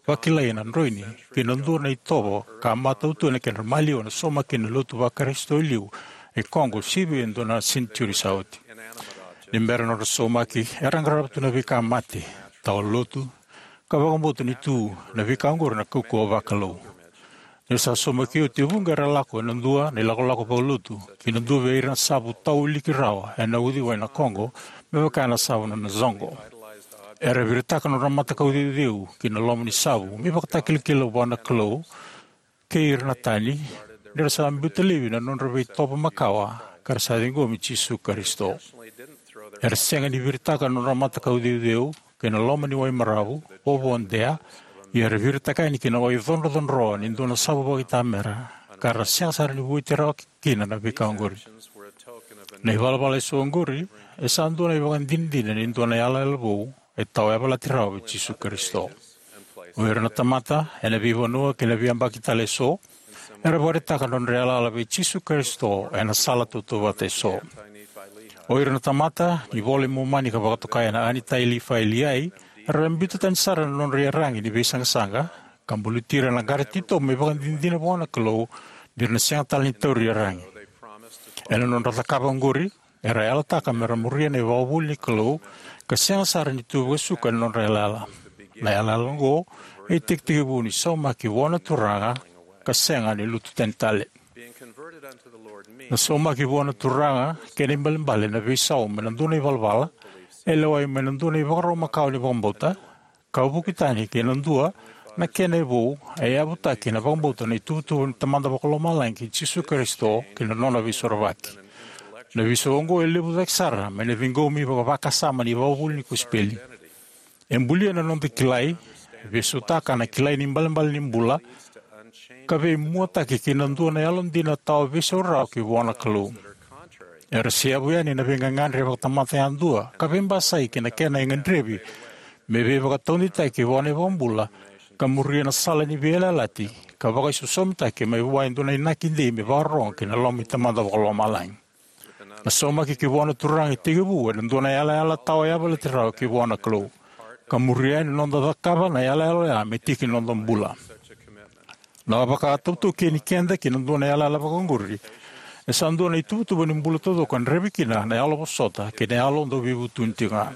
vakilai na droini ki na dua na itovo ka matau tu ena kedra maliwa na saumaki ni lotu vaKarisito e liu e Kogo sivia e dua na senitiuri sa oti. Ni bera nodra saumaki, era qarava tu na veika mate, tawa lotu, ka vakabauta ni tu na veika oqori na kaukauwa vakalou. Ni ra sa saumaki oti, e vuqa era lako ena dua na ilakolako vakalotu ki na dua vei ira na savu tawiliki rawa ena uciwai na Kogo, me vaka na Savo ni Nazogo. Era viritaka nodra matakau ceuceu ki na loma ni savu me ivakatakilakila vua na Kalou kei ira na tani, ni ra sa biuta laivi na nodra veitovo makawa ka ra sa ciqomi Jisu Karisito. Era sega ni viritaka na nodra matakau ceuceu ki na loma ni wai maravu, vovo dea, ia era viritaka yani ki na wai codrocodro ni dua na savu vakaitamera, ka ra sega sara ni vueti rawa kina na veika oqori. Na ivalavala eso oqori e sa dua na ivakadinadina ni dua na yalayala vou e tawa yavalati rawa vei Jisu Karisito. O ira na tamata ena veivanua kei na veiyabaki tale eso era vakaraitaka na nodra yalayala vei Jisu Karisito ena sala tautauvata eso. O ira na tamata ni Vola i Momani ka vakatokai na Anitai, Lifai, Liai era biuta tani sara na nodra iyaragi ni veisaqasaqa ka buluti ira na qara titobu me ivakadinadina vua na Kalou ni ra na sega tale ni tauri iyaragi. Ena nodra cakava oqori, era yalataka me ra muria na ivakavuvuli ni Kalou ka sega sara ni tu vakasuka ena nodra yalayala. Na yalayala oqo e itekitekivu ni saumaki vua na Turaga ka sega ni lutu tani tale. Na saumaki vua na Turaga kei na ibalebale na veisau mai na dua na ivalavala e lewai mai na dua na ivakarau makawa ni vakabauta, ka vuki tani ki na dua na kena e vou e yavutaki na vakabauta na ituvatuva ni Tamada Vakalomalagi kei Jisu Karisito kei na nona veisorovaki. Na veisau oqo e levu cake sara mai na ciqomi vakavakasama ni ivakavuvuli ni kosipeli. E bulia na noda kilai, veisautaka na kilai ni ibalebale ni bula, ka veimuataki ki na dua na yalodina tawa veisau rawa ki vua na Kalou. Era seavu yani na veigagadre vakatamata yadua ka veibasai ki na kena e gadrevi me veivakataudeitaki vua na iVakabula ka muria na sala ni veiyalayalati ka vakaisosomitaki mai vua e dua na inaki dei me vakarorogo ki na loma i Tamada Vakalomalagi. Na saumaki ki vua na Turaga e tekivu ena dua na yalayala tawa yavalati rawa ki vua na Kalou ka muria yani na noda cakava na yalayala oya me tiki ni noda bula. Na vakatautaukeni keda ki na dua na yalayala vakaoqori e sa dua na ituvatuva ni bula taucoko e gadrevi kina na yalovosota kei na yalo dauveivutuni tiko ga.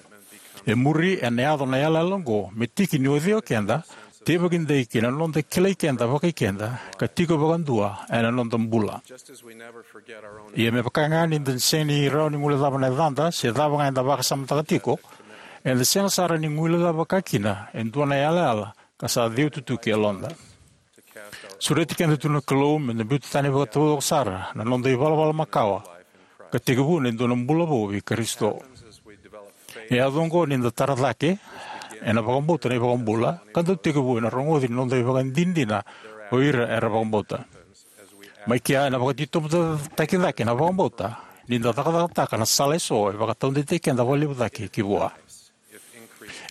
E muri ena yaco na yalayala oqo me tiki ni ucui o keda, teivaki dei ki na noda kilai keda vakai keda ka tiko vakadua ena noda bula. Ia me vaka ga ni da sega ni rawa ni guilecava na yacada se cava ga eda vakasamataka tiko, eda sega sara ni guilecava vakakina e dua na yalayala ka sa ceuti tu ki yaloda. Sureti keda tu na Kalou me da biuta tani vakataucoko sara na noda ivalavala makawa ka tekivuna e dua na bula vou vei Karisito. E yaco oqo ni da tara cake ena vakabauta na iVakabula ka dau tekivu ena rogoci ni noda ivakadinadina o ira era vakabauta. Mai kea ena vakatitobutaki cake na vakabauta ni da cakacakataka na sala eso e vakataudeitaki keda vakalevu cake ki vua.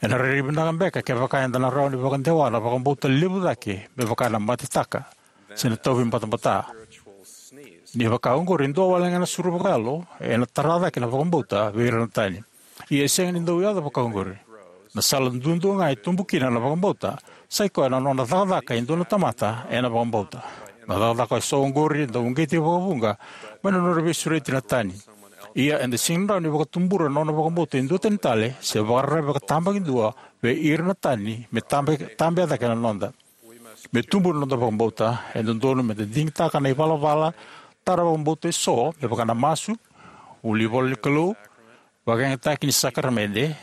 Ena rairai vinaka beka kevaka eda na rawa ni vakadewa na vakabauta levu cake me vaka na matetaka se na tauvi batabata. Ni vaka oqori e dua wale ga na suru vakayalo ena tara cake na vakabauta vei ira na tani. Ia e sega ni dau yaco vaka oqori. Na sala duadua ga e tubu kina na vakabauta sai koya na nona cakacaka e dua na tamata ena vakabauta. Na cakacaka eso oqori e dau uqeti vakavuqa mai na nodra veisureti na tani. Ia eda sega ni rawa ni vakatubura na nona vakabauta e dua tani tale se vakararavi vakatabakidua vei ira na tani me tabe, tabea cake na noda. Me tubu na noda vakabauta, e dodonu me da digitaka na ivalavala tara vakabauta eso me vaka na masu, vuli ivola ni Kalou, vakayagataki ni sakaramede,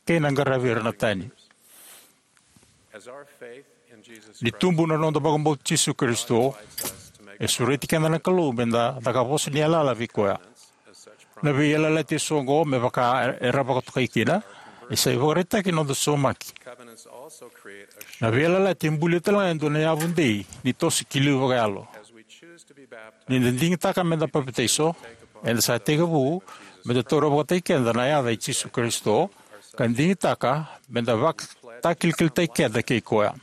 kei na qaravi ira na tani. Ni tubu na noda vakabauta Jisu Karisito, e sureti keda na Kalou me da caka vosa ni yalayala vei koya. Na veiyalayalati eso oqo me vaka era vakatokai kina, e sa ivakaraitaki na noda saumaki. Na veiyalayalati e bulia tale ga e dua na yavu dei ni toso ki liu vakayalo. Ni da digitaka me da papitaiso, eda sa tekivu me da taura vakataki keda na yaca i Jisu Karisito, ka digitaka me da vakatakilakilai keda kei koya.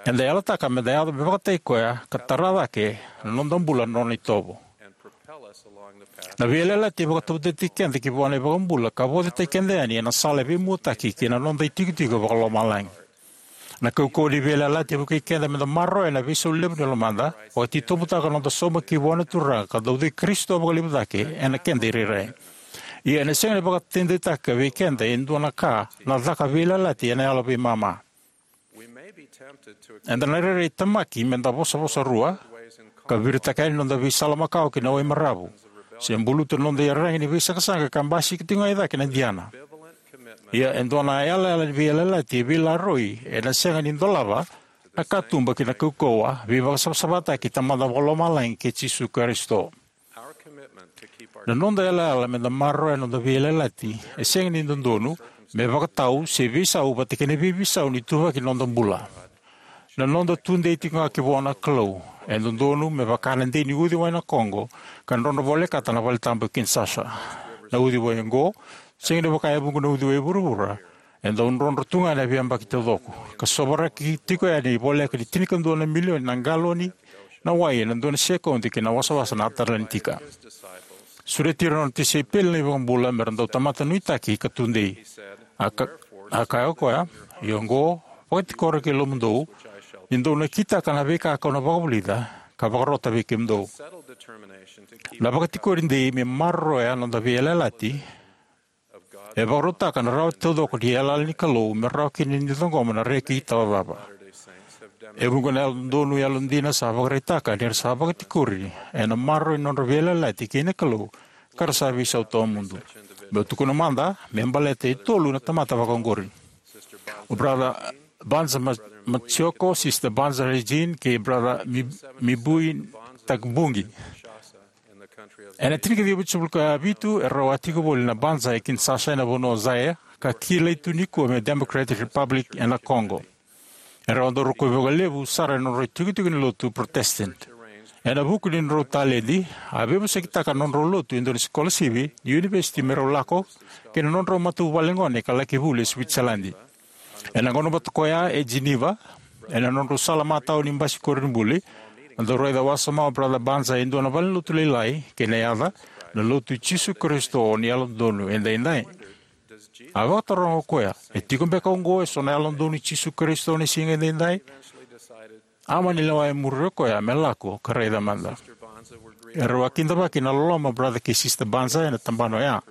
Eda yalataka me da yaco me vakataki koya ka tara cake na noda bula na nona itovo. Na veiyalayalati e vakatautautaki keda ki vua na iVakabula ka vaucitaki keda yani ena sala e veimuataki ki na noda itikotiko vakalomalagi. Na kaukauwa ni veiyalayalati e vukei keda me da maroroya na veisau levu ni lomada, vakatitobutaka na noda sauma ki vua na Turaga, ka dau cei Karisito vakalevu cake ena keda irairai. Ia ena sega ni vakataudeitaka vei keda e dua na ka na caka veiyalayalati ena yalo veimama. Eda na rairai temaki me da vosavosa rua, ka viritaka yani na noda veisala makawa ki na wai maravu, se buluta na noda iyaragi ni veisaqasaqa ka basika tiko ga i cake na Diana. Ia e dua na yalayala ni veiyalayalati e veilaroi ena sega ni dolava na katuba ki na kaukauwa veivakasavasavataki Tamada Vakalomalagi kei Jisu Karisito. Na noda yalayala me da maroroya na noda veiyalayalati e sega ni dodonu me vakatau se veisau vata kei na veiveisau ni ituvaki ni noda bula. Na noda tudei tiko ga ki vua na Kalou e dodonu me vaka na dei ni uciwai na Kogo ka drodro volekata na valetabu e Kinshasa. Na uciwai oqo, sega ni vaka e vuqa na uciwai e vuravura, e dau drodro tu ga ena veiyabaki taucoko, ka sovaraki tiko yani voleka ni tinikadua na milioni na galoni na wai ena dua na sekodi ki na wasawasa na Atalanika. Sureti ira na nona tisaipeli na iVakabula me ra dau tamata nuitaki ka tudei. A ka-, a kaya o koya, "Ia oqo, vakatikora ki lomamudou, ni dou na kitaka na veika kau na vakavulica, ka vakarota vei kemudou." Na vakatikori dei me maroroya na noda veiyalayalati e vakarautaka na rawa taucoko ni yalayala ni Kalou me rawa kina ni ciqoma na reki tawacava. E vuqa na yalododonu yalodina sa vakaraitaka ni ra sa vakatikori ena maroroi na nodra veiyalayalati kei na Kalou, ka ra sa veisau tawamudu. Meu tukuna mada me baleta e tolu na tamata vakaoqori: o Brother Banza Ma-, Machiko, Sister Banza Regine, kei Brother Mi-, Mibui Takbungi. Ena tinikaciwa vitusagavulu ka vitu, e rau a tiko voli na Banza e Kinshasa, ena vanua o Zaire, ka kilai tu nikua me Democratic Republic ena Congo. E rau a dau rokovi vakalevu sara ena nodrau itikotiko ni lotu Protestant. Ena vuku ni nodrau taledi, a veivosakitaka na nodrau lotu e dua na sikolasivi ni univesiti me rau lako ki na nodrau matavuvale gone ka laki vuli e Switzerland. Ena gauna vata koya e Geneva, ena nodrau sala matau ni basikoro ni buli, a dau raica wasoma o Brother Banza e dua na valenilotu lailai, kei na yaca, na Lotu i Jisu Karisito ni Yalododonu Edaidai. A vakataroga o koya, "E tiko beka oqo eso na Yalododonu i Jisu Karisito ni Siga Edaidai?" A mani lewa e muri o koya me lako ka raica mada. E rau a kidavaki ena loloma o Brother kei Sister Banza ena tabana oya.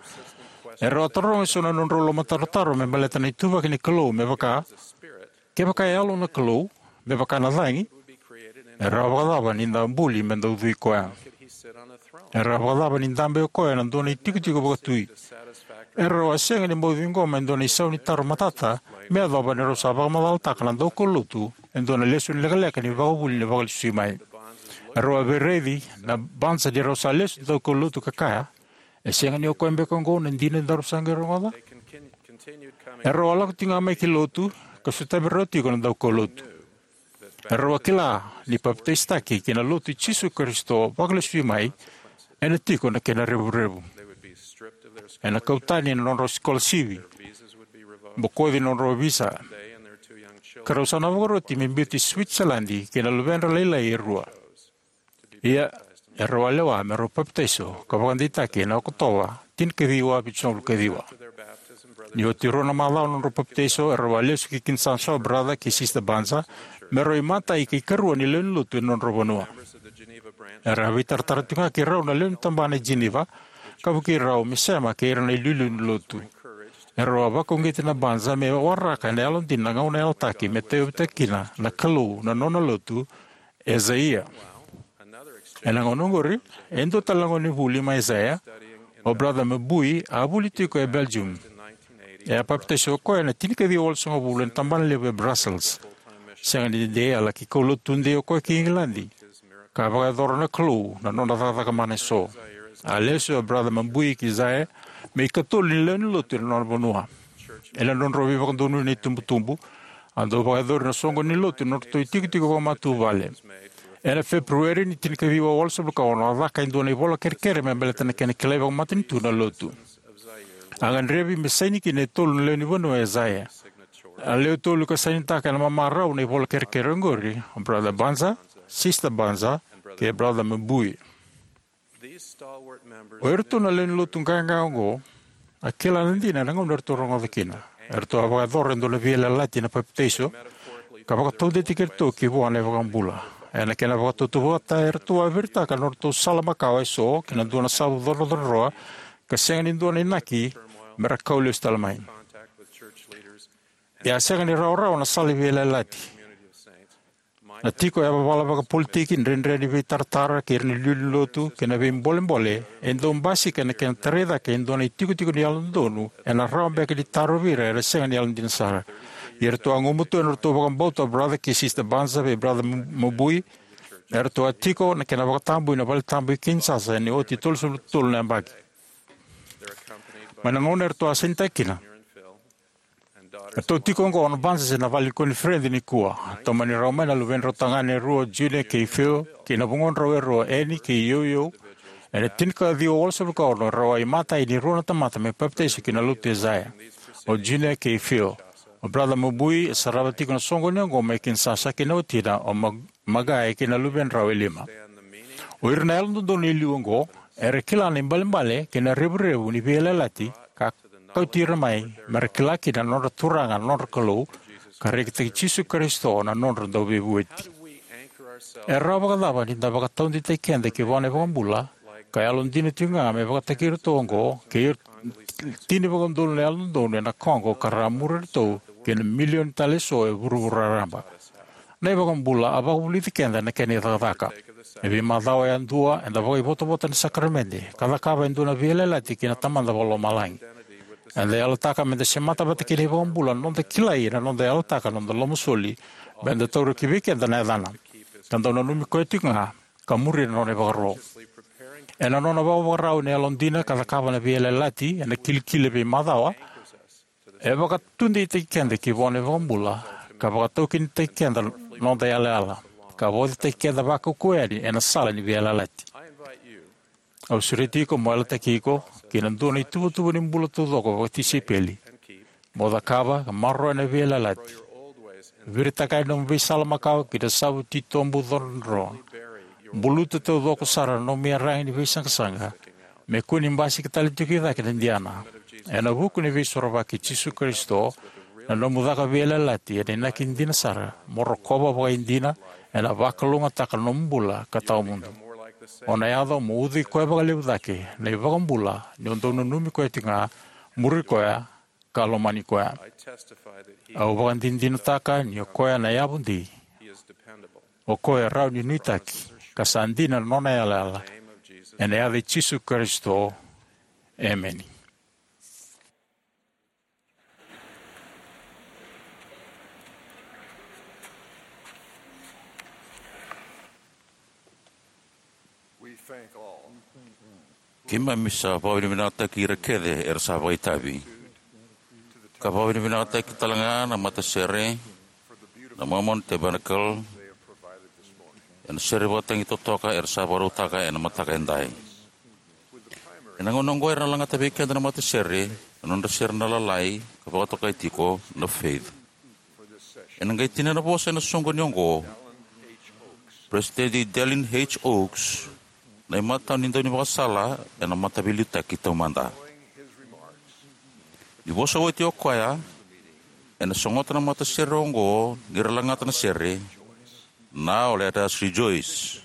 E rau a taroga eso na nodrau lomatarotaro me baleta na ituvaki ni Kalou, me vaka, kevaka e yalo na Kalou, me vaka na cagi, e rawa vakacava ni da buli me da ucui koya? E rawa vakacava ni dabe o koya ena dua na itikotiko vakatui? E rau a sega ni bau ciqoma e dua na isau ni taro matata me yacova ni rau sa vakamacalataka na daukaulotu e dua na lesoni lekaleka ni vakavuli ni Vakalesui Mai. E rau a veiraici na Banza ni rau sa lesu na daukaulotu ka kaya, "E sega ni o koya beka oqo na dina daru sa qai rogoca?" E rau a lako tiko ga mai ki lotu, ka sotavi rau tiko na daukaulotu. E rau a kila ni papitaisotaki ki na Lotu i Jisu Karisito Vakalesui Mai ena tiko na kena revurevu. Ena kau tani na nodrau sikolasivi, bokoci na nodrau visa, ka rau sa na vakaroti me biuti Switzerland kei na luvedra lailai e rua. Ia, e rau a lewa me rau papitaiso ka vakadeitaki ena Okotova tinikaciwa vitusagavulu kaciwa. Ni oti rua na macawa na nodrau papitaiso, e rau a lesu ki Kinshasa o Brother kei Sister Banza me rau imatai kei karua ni lewenilotu ena nodrau vanua. E rau a veitaratara tiko ga kei rau na lewe ni tabana e Geneva, ka vukei rau me sema kei ira na iliuliu ni lotu. E rau a vakauqeti na Banza me waraka ena yalodina na gauna yalataki me tauyavutaki kina na Kalou na nona lotu e Zaire. Ena gauna oqori, e dua tale na gonevuli mai Zaire, o Brother Mabui, a vuli tiko e Belgium. E a papitaiso o koya ena tinikaciwa walusagavulu ena tabana levu e Brussels. Sega ni dede, a laki kaulotu tudei o koya ki Igiladi, ka vakayacora na Kalou na nona cakacaka mana eso. A lesu o Brother Mabui ki Zaire me ikatolu ni lewenilotu ena nona vanua. Ena nodrau veivakadonui na itubutubu, A dau vakayacori na soqoni ni lotu na nodratou itikotiko vakamatavuvale. Ena Feperueri ni tinikaciwa walusagavulu ka ono, a caka e dua na ivola kerekere me baleta na kena kilai vakamatanitu na lotu. A gadrevi me saini kina e tolu na lewe ni vanua o Acaia. A lewe tolu ka sainitaka ena mamarau na ivola kerekere oqori, o Brother Banzer, Sister Banzer, kei Brother Mabui. O iratou na lewe ni lotu qaqa oqo a kila na dina ena gauna eratou rogoca kina. Eratou a vakayacora e dua na veiyalayalati ena papitaiso, ka vakataudeitaki iratou ki vua na iVakabula. Ena kena vakatautauvata, eratou a viritaka na nodratou sala makawa eso ki na dua na savu codrocodroa, ka sega ni dua na inaki me ra kau lesu tale mai. Ia, a sega ni rawarawa na sala ni veiyalayalati. Na tiko yavavala vakapolitiki, dredre ni veitaratara kei ira na iliuliu ni lotu, kei na veibolebole e dau basika ena kena tarai cake e dua na itikotiko ni yalododonu ena rawa beka ni tarovi ira era sega ni yalodina sara. Ia eratou a gumatua ena nodratou vakabauta o Brother kei Sister Banzer vei Brother Mabui. Eratou a tiko ena kena vakatabui na valetabu e Kinshasa ena oti tolusagavulu ka tolu na yabaki. Mai na gauna eratou a sainitaka kina, eratou tiko oqo o Banzer ena vale ni koniferedi nikua. A tomani rawa mai na luvedrau tagane e rua, o Junior kei Phil, kei na vugodrau e rua, Annie kei Yoyo. Ena tinikaciwa walusagavulu ka ono, rau a imatai ni rua na tamata me papitaiso ki na lotu i Acaia, o Junior kei Phil. O Brother Mabui e sarava tiko na soqoni oqo mai Kinshasa, kei na watina o Mag-, Magai kei na luvedrau e lima. O ira na yalododonu e liu oqo era kila na ibalebale kei na revurevu ni veiyalayalati ka kauti ira mai me ra kila kina na nodra Turaga na nodra Kalou, ka rekitaki Jisu Karisito na nodra Dauveivueti. E rawa vakacava ni da vakataudeitaki keda ki vua na iVakabula ka yalodina tiko ga me vakataki iratou oqo kei ira tini vakaudolu na yalododonu ena koqo ka ra muri iratou kei na milioni tale eso e vuravura raraba? Na iVakabula a vakavulici keda ena kena icakacaka. E veimacawa yadua eda vakaivotavota ena sakaramede ka cakava e dua na veiyalayalati kei na Tamada Vakalomalagi. Eda yalataka meda semata vata kei na iVakabula na noda kilai ena noda yalataka na noda lomasoli meda taura ki vei keda na yacana, ka dau nanumi koya tiko ga ka muri na nona ivakaro. Ena nona vakavakarau ena yalodina ka cakava na veiyalayalati ena kilikili e veimacawa, e vakataudeitaki keda ki vua na iVakabula ka vakataukinitaki keda na noda yalayala, ka vaucitaki keda vakaukauwa yani ena sala ni veiyalayalati. Au sureti iko mo yalataki iko ki na dua na ituvatuva ni bula taucoko vakatisaipeli, mo cakava ka maroroya na veiyalayalati. Viritaka yani nomu veisala makawa ki na savu titobu codrocodro. Buluta taucoko sara na nomu iyaragi ni veisaqasaqa, me kua ni basika tale tiko i cake na Diana. Ena vuku ni Veisorovaki i Jisu Karisito, na nomu caka veiyalayalati ena inaki dina sara mo rokova vakaidina, ena vakalougatataka na nomu bula ka tawa mudu. O na yaco mo ucui koya vakalevu cake na iVakabula ni o dau nanumi koya tiko ga, muri koya, ka lomani koya. Au vakadinadinataka ni o koya na yavudei. O koya e rawa ni nuitaki, ka sa dina na nona yalayala. Ena yaca i Jisu Karisito. Emeni. Keimami sa vakavinavinakataki ira kece era sa vakaitavi, ka vakavinavinakataki tale ga na matasere na Mormon Tabernacle ena sere vakatagi totoka era sa vakarautaka ena mataka edai. Ena gauna oqo era na lagata vei keda na matasere na nodra sere na Lalai ka vakatokai tiko na Faith. Ena qai tinia na vosa ena soqoni oqo Peresitedi Dallin H. Oaks, na imatai ni daunivakasala ena Mataveiliutaki Taumada. Ni vosa oti o koya, ena sogota na matasere oqo ni ra lagata na sere, Now Let Us Rejoice.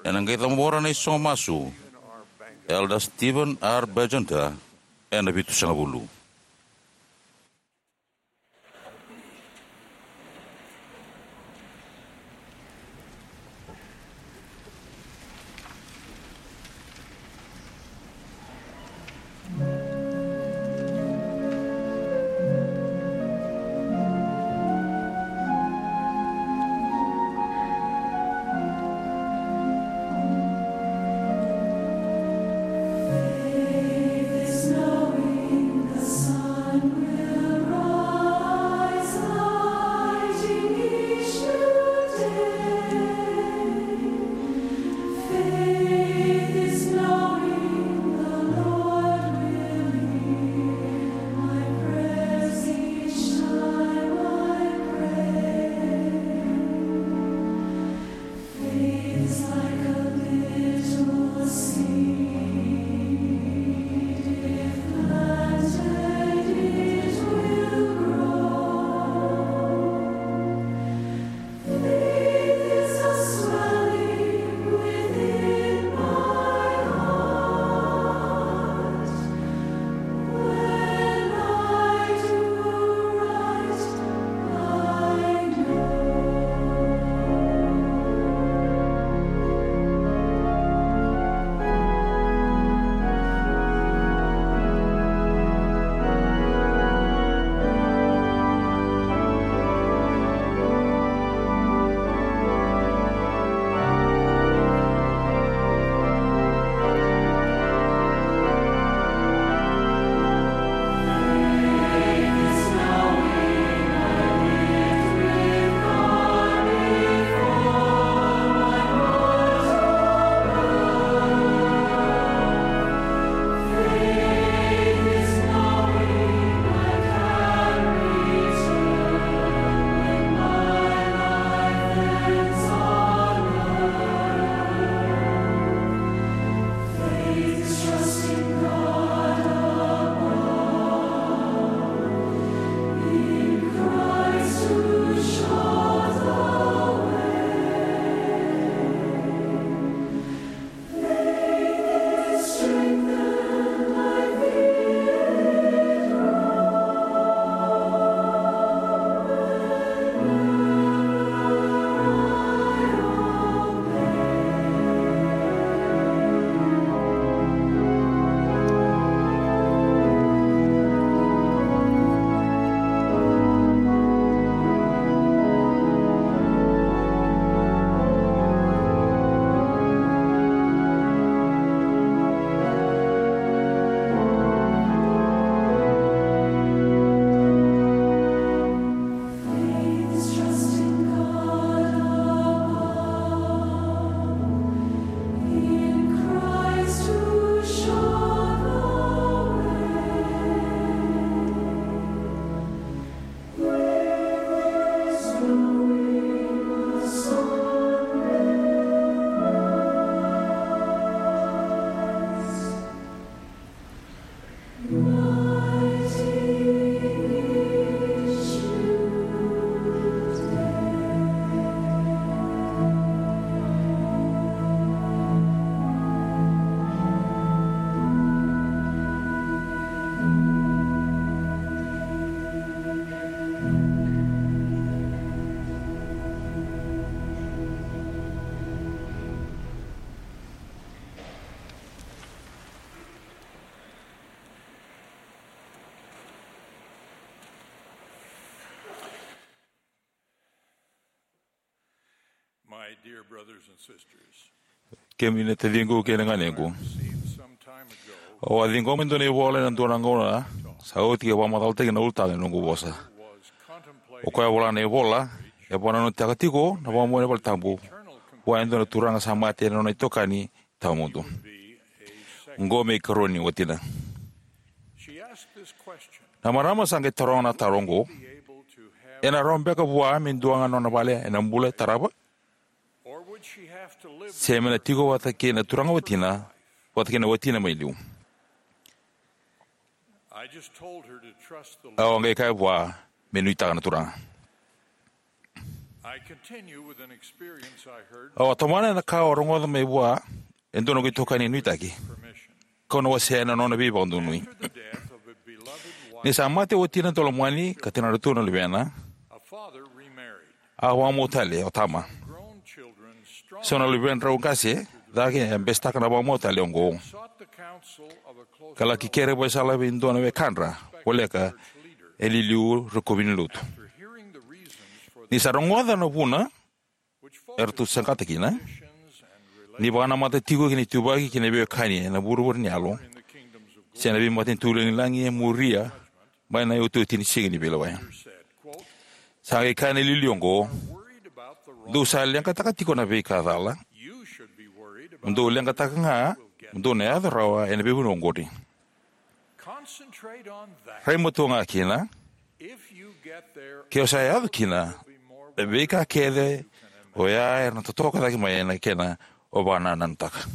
Ena qai cabora na isogo masu Elder Steven R. Bergenter ena vitusagavulu. My dear brothers and sisters, kemuni na taciqu kei na ganequ, received some time ago, au a ciqoma e dua na ivola ena dua na gauna sa oti ka vakamacalataki na ulutaga ni noqu vosa. Was contemplating, o koya e vola na ivola, e vakanananutaka tiko na vakamau ena valetabu vua e dua na turaga sa mate na nona itokani tawamudu. Be a second. Oqo me ikarua ni watina. She asked this question. Na marama sa qai taroga na taro oqo: be able to have, ena rawa beka vua me dua ga na nona vale ena bula e tarava, or would she have to live, se me na tiko vata kei na turaga watina, vata kei na watina mai liu? I just told her to trust the Lord. Au a qai kaya vua me nuitaka na Turaga. I continue with an experience I heard. Au a tomana ena ka au a rogoca mai vua e dua na noqu itokani nuitaki. Permission. Kau na wasea na nona veivakadonui. After the death of a beloved wife, ni sa mate o watina daulomani ka tinadratou na luvena, a father remarried. A vakamau tale o tama. Grown children strongly, so na luvedrau qase cake e besetaka na vakamau tale oqo, sought the counsel of a close, ka laki kere vakaisala vei dua na wekadra voleka e liuliu rokovi ni lotu. After hearing the reasons for, ni sa rogoca na vuna eratou saqata kina, ni vakanamata tiko ki na ituvaki kei na veiwekani ena vuravura ni yalo se na veimatanitu lagilagi e muria mai na iotioti ni Siga ni Veilewai. Sa qai kaya na iliuliu oqo: "Dou sa leqataka tiko na veika cala, dou leqataka ga mo dou na yaco rawa ena veivanua oqori. Rai matua ga kina, ke o sa yaco kina, na veika kece oya era na totoka cake mai na kena o vakanananutaka."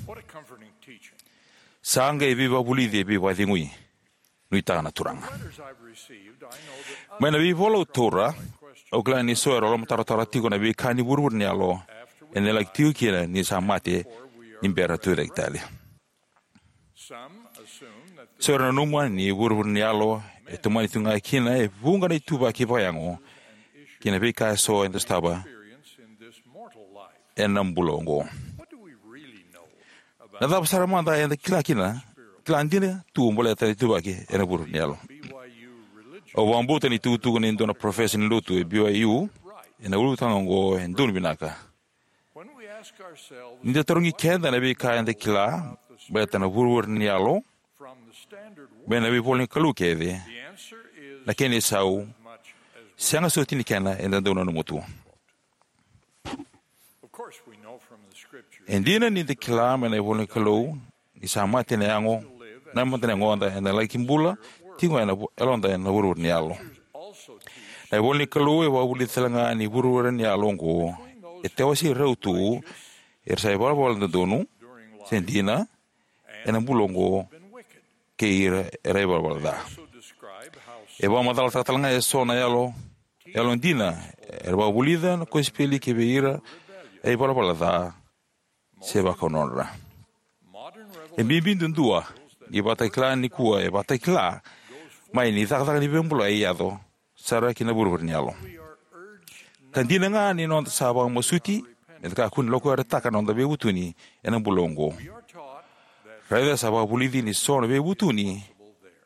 Sa qai veivakavulici e veivakacegui. Nuitaka na Turaga. Mai na veivola au taura, au kila ni so era lomatarotaro tiko na veika ni vuravura ni yalo ena laki tiko kina ni sa mate ni bera na Tucaketale. So era nanuma ni vuravura ni yalo e tomani tu ga kina e vuqa na ituvaki vakayago ki na veika eso eda sotava ena bula oqo. Na cava sara mada eda kila kina, kila dina tu baleta na ituvaki ena vuravura ni yalo? Au vakabauta ni tukutuku ni dua na parofesa ni lotu e B Y U ena ulutaga oqo e donu vinaka. Ni da tarogi keda na veika eda kila baleta na vuravura ni yalo mai na veivola ni Kalou kece, na kena isau, sega soti ni kena eda dau nanuma tu. E dina ni da kila mai na ivola ni Kalou ni sa mate na yago, na mate na yagoda ena laki bula tiko ga ena vu-, yaloda ena vuravura ni yalo. Na ivola ni Kalou e vakavulica tale ga ni vuravura ni yalo oqo e tawasei rau tu era sa ivalavala dodonu se dina ena bula oqo kei ira era ivalavala ca. E vakamacalataka tale ga eso na yalo, yalo dina era vakavulica na kosipeli ki vei ira e ivalavala ca se vakaunodra. E bibi duadua ni vakatakila nikua e vakatakila mai ni cakacaka ni veibulai e yaco sara ki na vuravura ni yalo. Ka dina ga ni noda sa vakamasuti me da kakua ni lokuyarataka na noda veivutuni ena bula oqo. Raica sa vakavulici ni so na veivutuni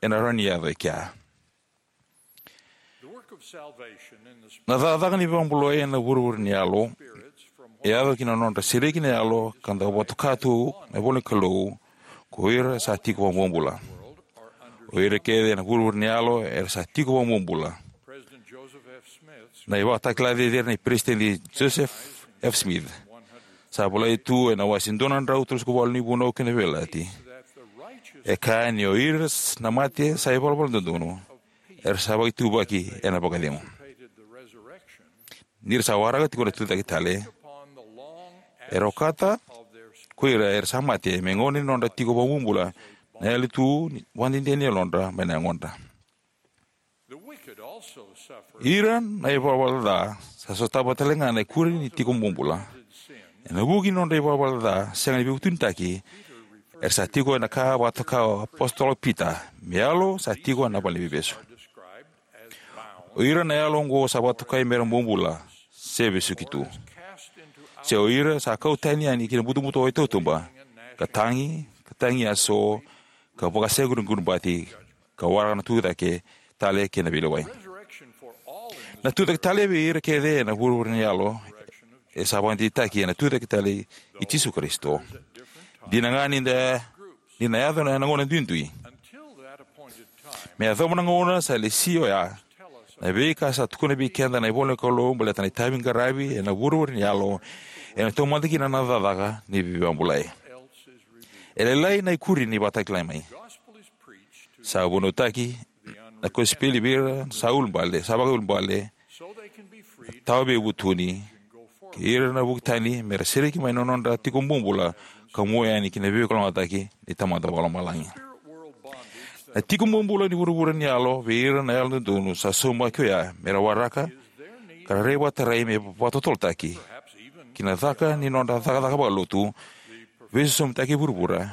ena rawa ni yaco e kea. Na cakacaka ni vakabulai ena vuravura ni yalo e yaco ki na nodra sereki na yalo ka dau vakatoka tu na ivola ni Kalou ko ira sa tiko vakabobula. O ira kece ena vuravura ni yalo era sa tiko vakabobula. Na ivakatakila cecere nei Peresitedi Joseph F. Smith sa volai tu ena wase dua na drau tolusagavulu ni Vunau kei na Veiyalayalati. E kaya ni o ira na mate sa ivalavala dodonu era sa vakaituvaki ena vakacegu. Ni ra sa waraka tiko na Tucaketale, era okata ko ira era sa mate me gauna ni nodra tiko vakabobula na yali tu ni vakadede ni yalodra mai na yagodra. Ira na ivalavala ca sa sotava tale ga na ikuri ni tiko bobula ena vuku ni nodra ivalavala ca sega ni veivutunitaki. Era sa tiko ena ka vakatoka o apositolo Pita me yalo sa tiko ena valeniveivesu. O ira na yalo oqo sa vakatokai mera bobula se vesuki tu. Se o ira sa kau tani yani ki na butobuto e tautuba, ka tagi, ka tagi yaso, ka vakaseguriguribati, ka waraka na tucake tale kei na veilewai. Na tucake tale vei ira kece ena vuravura ni yalo e sa vakadeitaki ena Tucaketale i Jisu Karisito. Dina ga ni da, ni na yaco ena gauna duidui. Me yacova na gauna sa lesi oya, na veika sa tukuna vei keda na ivola ni Kalou baleta na itavi qaravi ena vuravura ni yalo, ena taumada kina na cakacaka ni veivakabulai. E lailai na ikuri ni vakatakilai mai. Sa vunautaki na kosipeli vei ira sa ulubale, sa vakaiulubale, tawa veivutuni, kei ira na vuki tani, me ra sereki mai na nodra tiko bobula ka mua yani ki na veivakalougatataki ni Tamada Vakalomalagi. Na tiko bobula ni vuravura ni yalo vei ira na yalododonu sa saumaki oya me ra waraka ka ra rai vakatarai me vakatotolotaki ki na caka ni nodra cakacaka vakalotu, veisosomitaki e vuravura,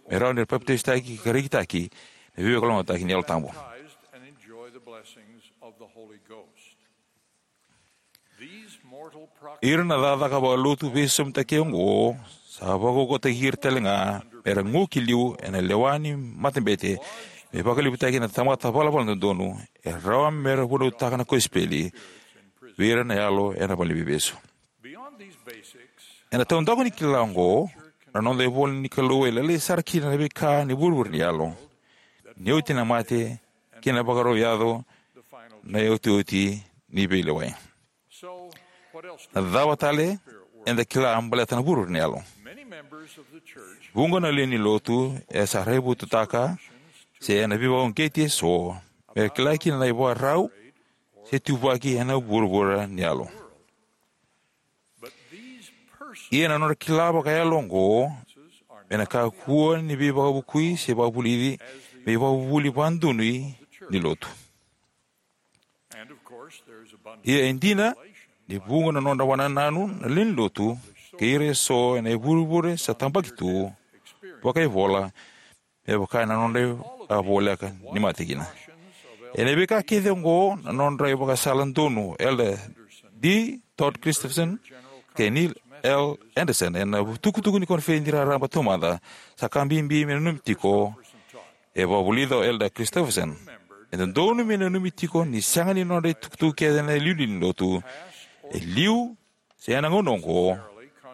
me rawa ni ra papitaisotaki ka rekitaki na veivakalougatataki ni Yalo Tabu. Ira na cakacaka vakalotu veisosomitaki oqo sa vakaukauwataki ira tale ga me ra gu ki liu ena lewa ni matabete, me vakalevutaki na tamata valavala dodonu e rawa me ra vunautaka na kosipeli vei ira na yalo ena valeniveivesu. Ena taudaku ni kila oqo, na noda ivola ni Kalou e lailai sara kina na veika ni vuravura ni yalo, ni oti na mate kei na vakarau yaco na iotioti ni veilewai. Na cava tale eda kila baleta na vuravura ni yalo? Vuqa na lewe ni lotu e sa raivotutaka se ena veivakauqeti eso me ra kila kina na ivakarau se tuvaki ena vuravura ni yalo. Ia na nodra kila vakayalo oqo ena kakua ni veivakavukui se vakavulici me ivakavuvuli vakadonui ni lotu. Ia e dina ni vuqa na nodra wanananu na lewe ni lotu kei ira eso ena ivurevure sa tabaki tu vakaivola, me vaka na nodra a voleka ni mate kina. Ena veika kece oqo, na nodra ivakasala donu Elder D Todd Christofferson kei Neil L Andersen ena itukutuku ni koniferedi raraba taumada sa ka bibi me nanumi tiko. E vakavulica o Elder Christofferson, e dodonu me nanumi tiko ni sega ni nodra itukutuku kece na iliuliu ni lotu, e liu se ena gauna oqo,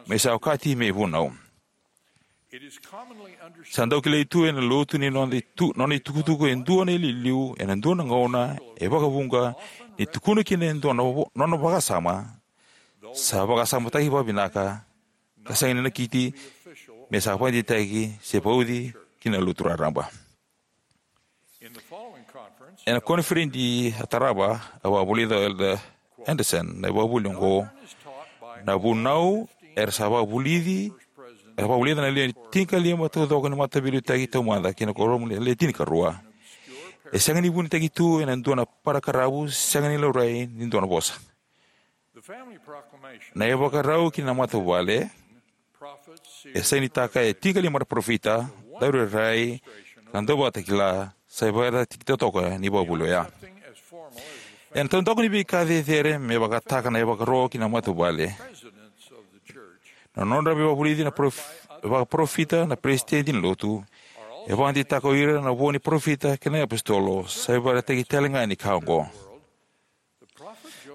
me sa okati me ivunau. Sa dau kilai tu ena lotu ni nona itu-, nona itukutuku e dua na iliuliu ena dua na gauna e vakavuqa ni tukuna kina e dua na vo-, nona vakasama, sa vakasamataki vakavinaka ka sega ni nakiti me sa vakadeitaki se vauci ki na lotu raraba. Ena koniferedi a tarava, a vakavulica o Elder Andersen na ivakavuvuli oqo: Na vunau era sa vakavulici, era vakavulica na lewe tinikalima taucoko ni mataveiliutaki taumada kei na kuoramu ni lewe tinikarua, e sega ni vunitaki tu ena dua na parakaravu sega ni laurai ni dua na vosa. Na ivakarau ki na matavuvale e sainitaka e tinikalima na parofita, daurairai, ka dauvakatakila, sa ivakaraitaki totoka ni ivakavuvuli oya. Ena taudaku ni veika cecere me vakataka na ivakaro ki na matavuvale, na nodra veivakavulici na prof-, vakaparofita na peresitedi ni lotu, e vakadeitaka o ira na vo ni parofita kei na iapositolo, sa ivakaraitaki tale ga ni ka oqo.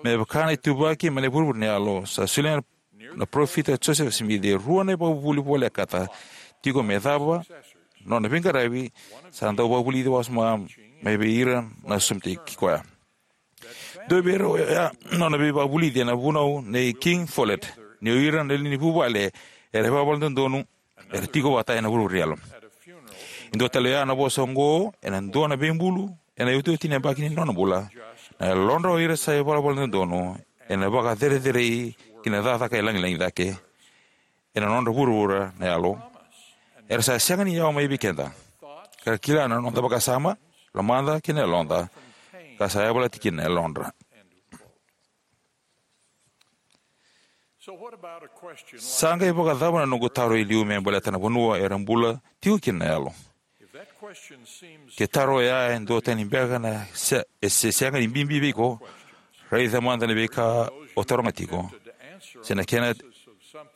Me vaka na ituvaki mai na vuravura ni yalo, sa solia na parofita Joseph Smith e rua na ivakavuvuli volekata tiko me cava nona veiqaravi, sa dau vakavulici wasoma mai vei ira na sosomitaki koya. Dua vei ira oya nona veivakavulici ena vunau nei King Follett, ni o ira na lewe ni vuvale era ivalavala dodonu era tiko vata ena vuravura ni yalo. E dua tale oya na vosa oqo ena dua na veibulu ena iotioti ni yabaki ni nona bula: Na yalodra o ira sa ivalavala dodonu ena vakacerecerei ki na cakacaka e lagilagi cake ena nodra vuravura na yalo. Era sa sega ni yawa mai vei keda, ka ra kila na noda vakasama, lomada kei na yaloda, ka sa yavalati kina na yalodra. Sa qai vakacava na noqu taro e liu me baleta na vanua era bula tiko kina na yalo? Ke taro oya e duatani beka na se-, e se sega ni bibi vei iko, raica mada na veika o taroga tiko. Se na kena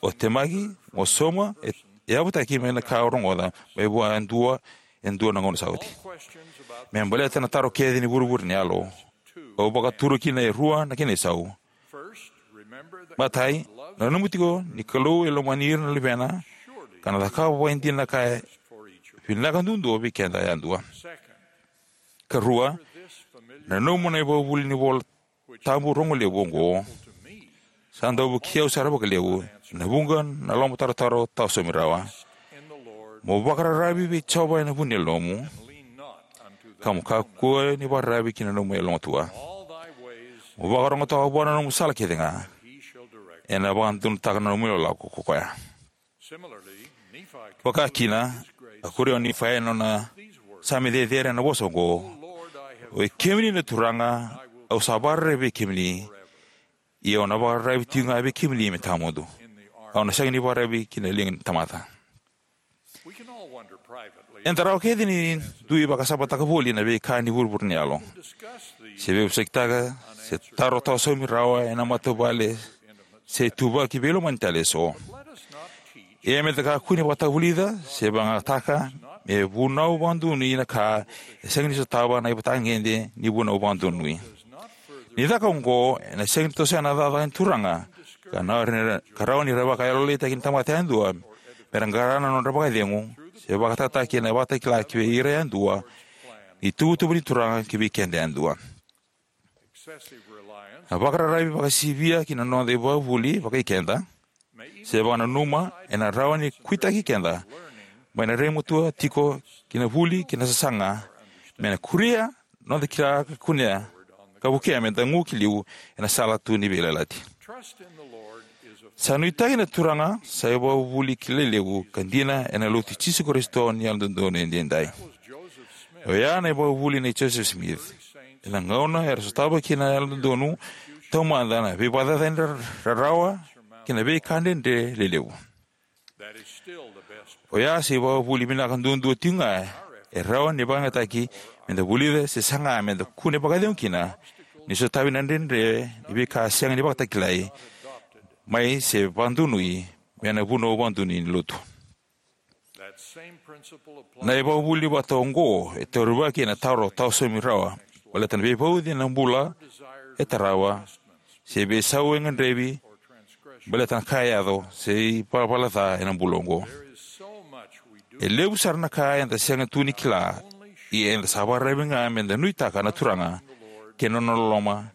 o temaki, mo sauma, e, e yavutaki mai na ka o rogoca mai vua e dua, e dua na gauna sa oti. Me baleta na taro kece ni vuravura ni yalo, au vakatura kina e rua na kena isau. Matai, na nanuma tiko ni Kalou e lomani ira na luvena, ka na cakava vakaidina na ka e vinaka duadua vei keda yadua. Karua, na nanuma na ivakavuvuli ni iVola Tabu rogo levu oqo, sa dau vukei au sara vakalevu, ena vuqa na lomatarotaro tawa saumi rawa. Mo vakararavi vei Jiova ena vu ni yalomu, ka mo kakua ni vakararavi ki na nomu yalomatua. Mo vakarogotaka vua na nomu sala kece ga, ena vakadodonutaka na nomu ilakolako ko koya. Vaka kina, a kuria o Nifai ena nona same cecere ena vosa oqo: Oi kemuni na Turaga, au sa vakararavi vei kemuni, ia au na vakararavi tiko ga vei kemuni me tawamudu. Au na sega ni vakararavi ki na liga ni tamata. Eda rawa kece ni dui vakasamataka voli na veika ni vuravura ni yalo, se veivosakitaka, se taro tawa saumi rawa ena matavuvale, se ituvaki veilomani tale eso. Ia meda kakua ni vakatavulica se vakayagataka me vunau vakadonui na ka e sega ni sotava na ivakatagede ni vunau vakadonui. Ni caka oqo, ena sega ni tosoya na cakacaka ni Turaga, ka na, ka rawa ni ra vakayalolailaitaki na tamata yadua mera qara na nodra vakacegu, se vakayagataki ena ivakatakila kivei ira yadua ni ituvatuva ni Turaga kivei keda yadua. Na vakararavi vakasivia ki na noda ivakavuvuli vakaikeda, se vakananuma, ena rawa ni kuitaki keda mai na raimatua tiko ki na vuli kei na sasaga, me na kuria noda kila ka kunea, ka vukea meda gu ki liu ena sala tu ni veiyalayalati. Sa nuitaki na Turaga sa ivakavuvuli kilai levu ka dina ena Lotu i Jisu Karisito ni Yalododonu Edaidai. Oya na ivakavuvuli nei Joseph Smith, ena gauna era sotava kina na Yalododonu Taumada na veivakacacani ra-, rarawa kei na veika dredre lelevu. Oya sa ivakavuvuli vinaka duadua tiko ga e rawa ni vakayagataki meda vulica, se saga meda kune vakacegu kina ni sotavi na dredre ni veika sega ni vakatakilai mai se vakadonui mai na vunau vakadonui ni Lotu. Na ivakavuvuli vata oqo e taurivaki ena taro tawa saumi rawa baleta na veivauci ena bula e tarava, se veisau e gadrevi baleta na ka e yaco, se ivalavala ca ena bula oqo. E levu sara na ka eda sega tu ni kila, ia eda sa vakararavi ga meda nuitaka na Turaga kei na nona loloma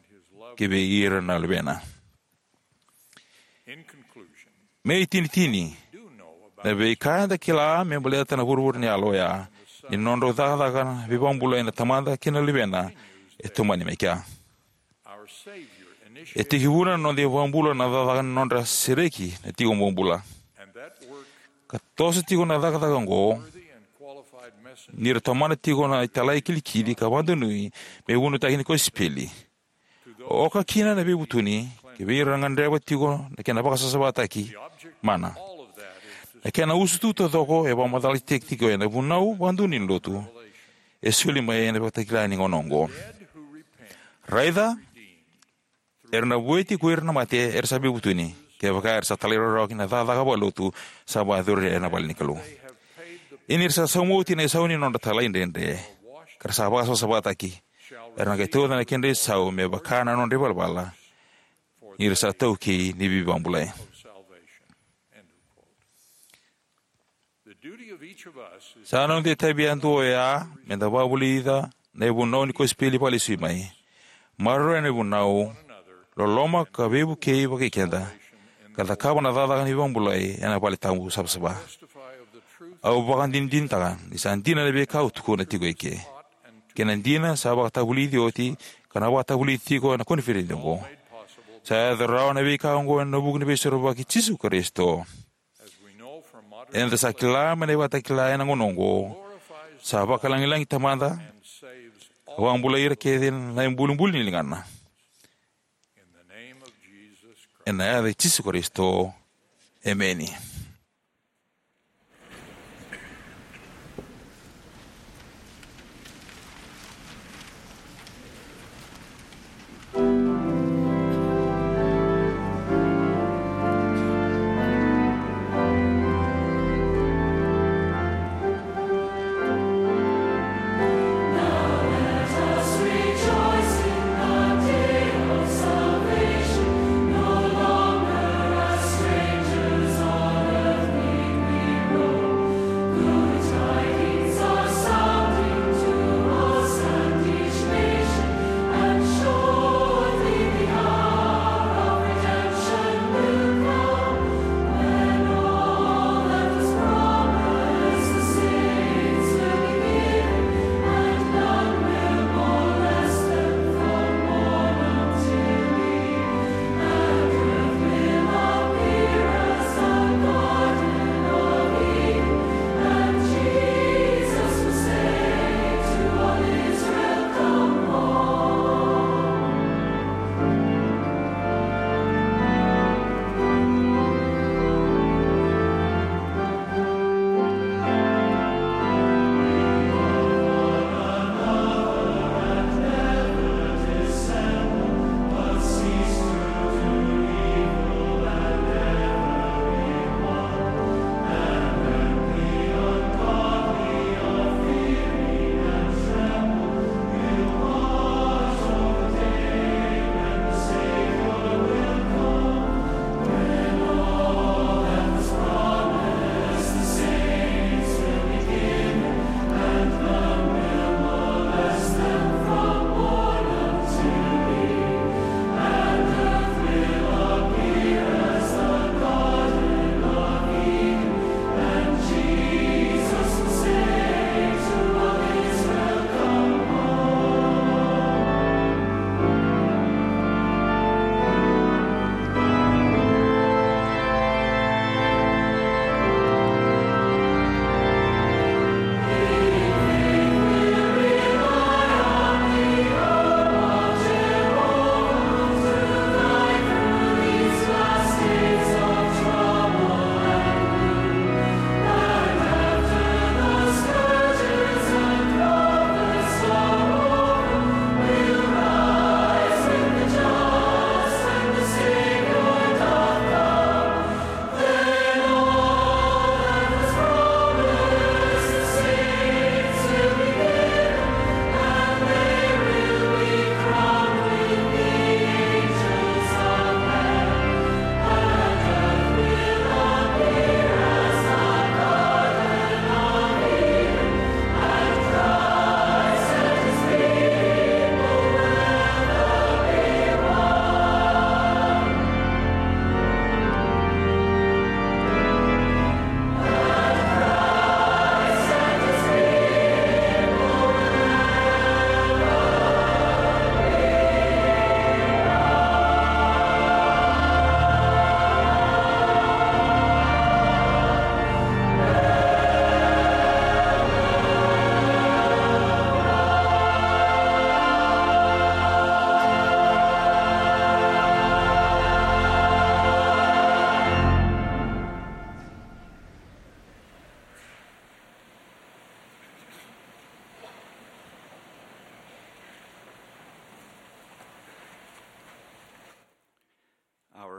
kivei ira na luvena. Me itinitini, na veika eda kila me baleta na vuravura ni yalo oya ni nodrau cakacaka na veivakabulai na Tamada kei na Luvena e tomani mai kea. E tekivuna na noda ivakabula na cakacaka ni nodra sereki na tiko bobula. Ka toso tiko na cakacaka oqo ni ra tomana tiko na italai kilikili ka vakadonui me vunautaki ni kosipeli. Oka kina na veivutuni kivei ira na gadreva tiko na kena vakasavasavataki mana. Na kena usutu taucoko e vakamacalataki tiko ena vunau vakadonui ni Lotu e soli mai ena ivakatakila ni gauna oqo. Raica, era na vueti ko ira na mate era sa veivutuni, kevaka era sa talairawarawa ki na cakacaka vakalotu sa vakayacori ena vale ni Kalou. Ia ni ra sa sauma oti na isau ni nodra talaidredre, ka ra sa vakasavasavataki, era na qai tauca na kedra isau me vaka na nodra ivalavala, ni ra sa taukei ni veivakabulai. Sa noda itavi yadua oya meda vakavulica na ivunau ni kosipeli vakalesui mai, maroroya na ivunau, loloma ka veivukei vakaikeda, ka cakava na cakacaka ni veivakabulai ena vale tabu savasava. Au vakadinadinataka ni sa dina na veika au tukuna tiko eke, kei na dina sa vakatavulici oti ka na vakatavulici tiko ena koniferedi oqo. Sa yaco rawa na veika oqo ena vuku ni Veisorovaki i Jisu Karisito. Eda sa kila mai na ivakatakila ena gauna oqo, sa vakalagilagi Tamada ka vakabulai ira kece na ibulibuli ni ligana. Ena yaca i Jisu Karisito, emeni.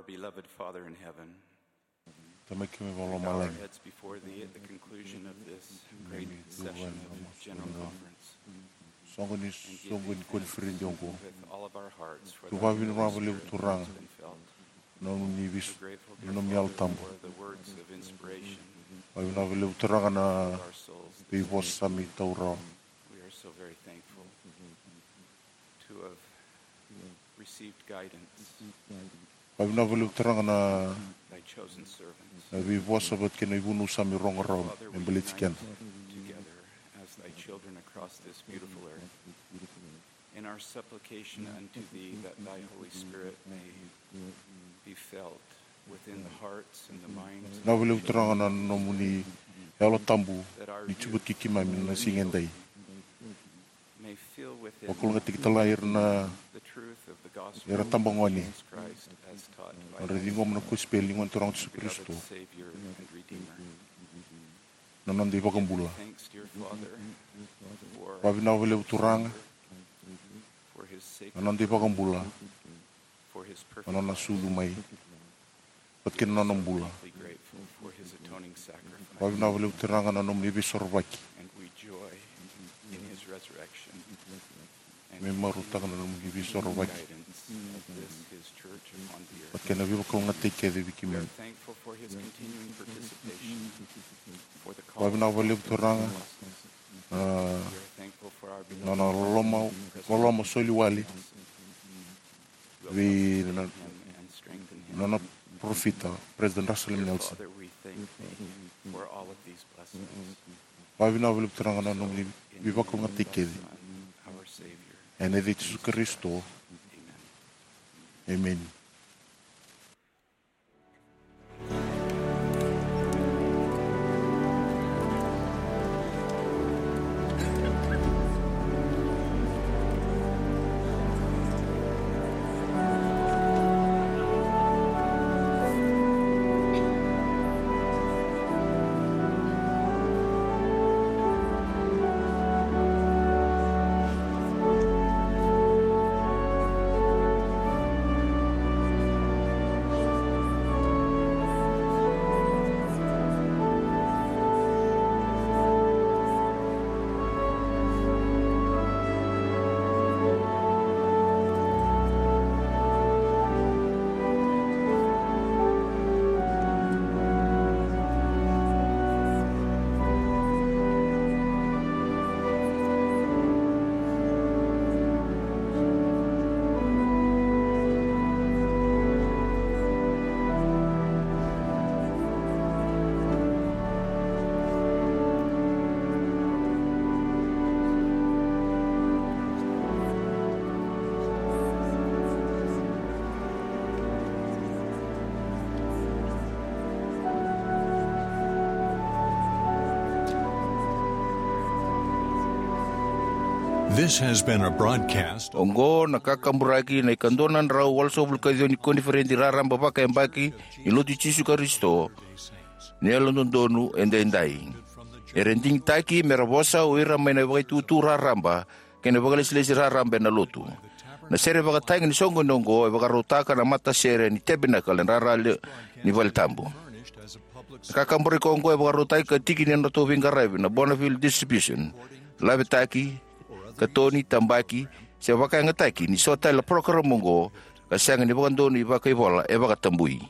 Beloved Father in heaven, Tamai keimami we vakalomalagi, our heads before thee at the conclusion of this great session of General Conference. Soqo ni soqo ni koniferedi oqo. With all of our hearts for the vakavinaka vakalevu Turaga na nomuni visu, na nomuni Yalo Tabu. Vakavinaka vakalevu Turaga na veivosa sa mai taura. We are so very thankful to have received guidance. Vakavinaka vakalevu Turaga na veivosa vata kei na ivunau sa mai rogo rawa me baleti keda. Together as thy children across this beautiful earth, in our supplication unto thee that thy Holy Spirit may be felt within the hearts and the minds of the children. Vinaka vakalevu Turaga na nomuni Yalo Tabu ni tiko vata kei keimami na siga edai. Vakalougatataki tale ga ira na, ira tabagone, nodra ciqoma na kosipeli ni Gone Turaga o Jisu Karisito, na noda iVakabula. Vakavinaka vakalevu Turaga na noda iVakabula, na nona sucu mai vata kei na nona bula. Vakavinaka vakalevu Turaga na nomuni veisorovaki. Keimami marautaka na nomuni veisorovaki vata kei na veivakalougatataki kece vei keimami. Vakavinaka vakalevu Turaga na nona loloma, loloma soli wale vei na, na nona parofita, President Russell M. Nelson. Vakavinaka vakalevu Turaga na nomuni veivakalougatataki kece. Ena yaca i Jisu Karisito. Emeni. This has been a broadcast. Oqo na kakaburaki na ikadua na drau walusagavulu ka ciwa ni koniferedi raraba vakayabaki ni Lotu i Jisu Karisito ni Yalododonu Edaidai. Era digitaki me ra vosa o ira mai na vakaitutu raraba kei na vakalesilesi raraba ena Lotu. Na sere vakatagi ni soqoni oqo e vakarautaka na matasere ni Tabernacle ena rara ni vale tabu. Na kakaburaki oqo e vakarautaki ka tiki ni nodratou veiqaravi na Bonneville Distribution, lavetaki, katoni, tabaki, se vakayagataki ni so tale na parokaramu oqo ka sega ni vakadonui vakaivola e vakatabui.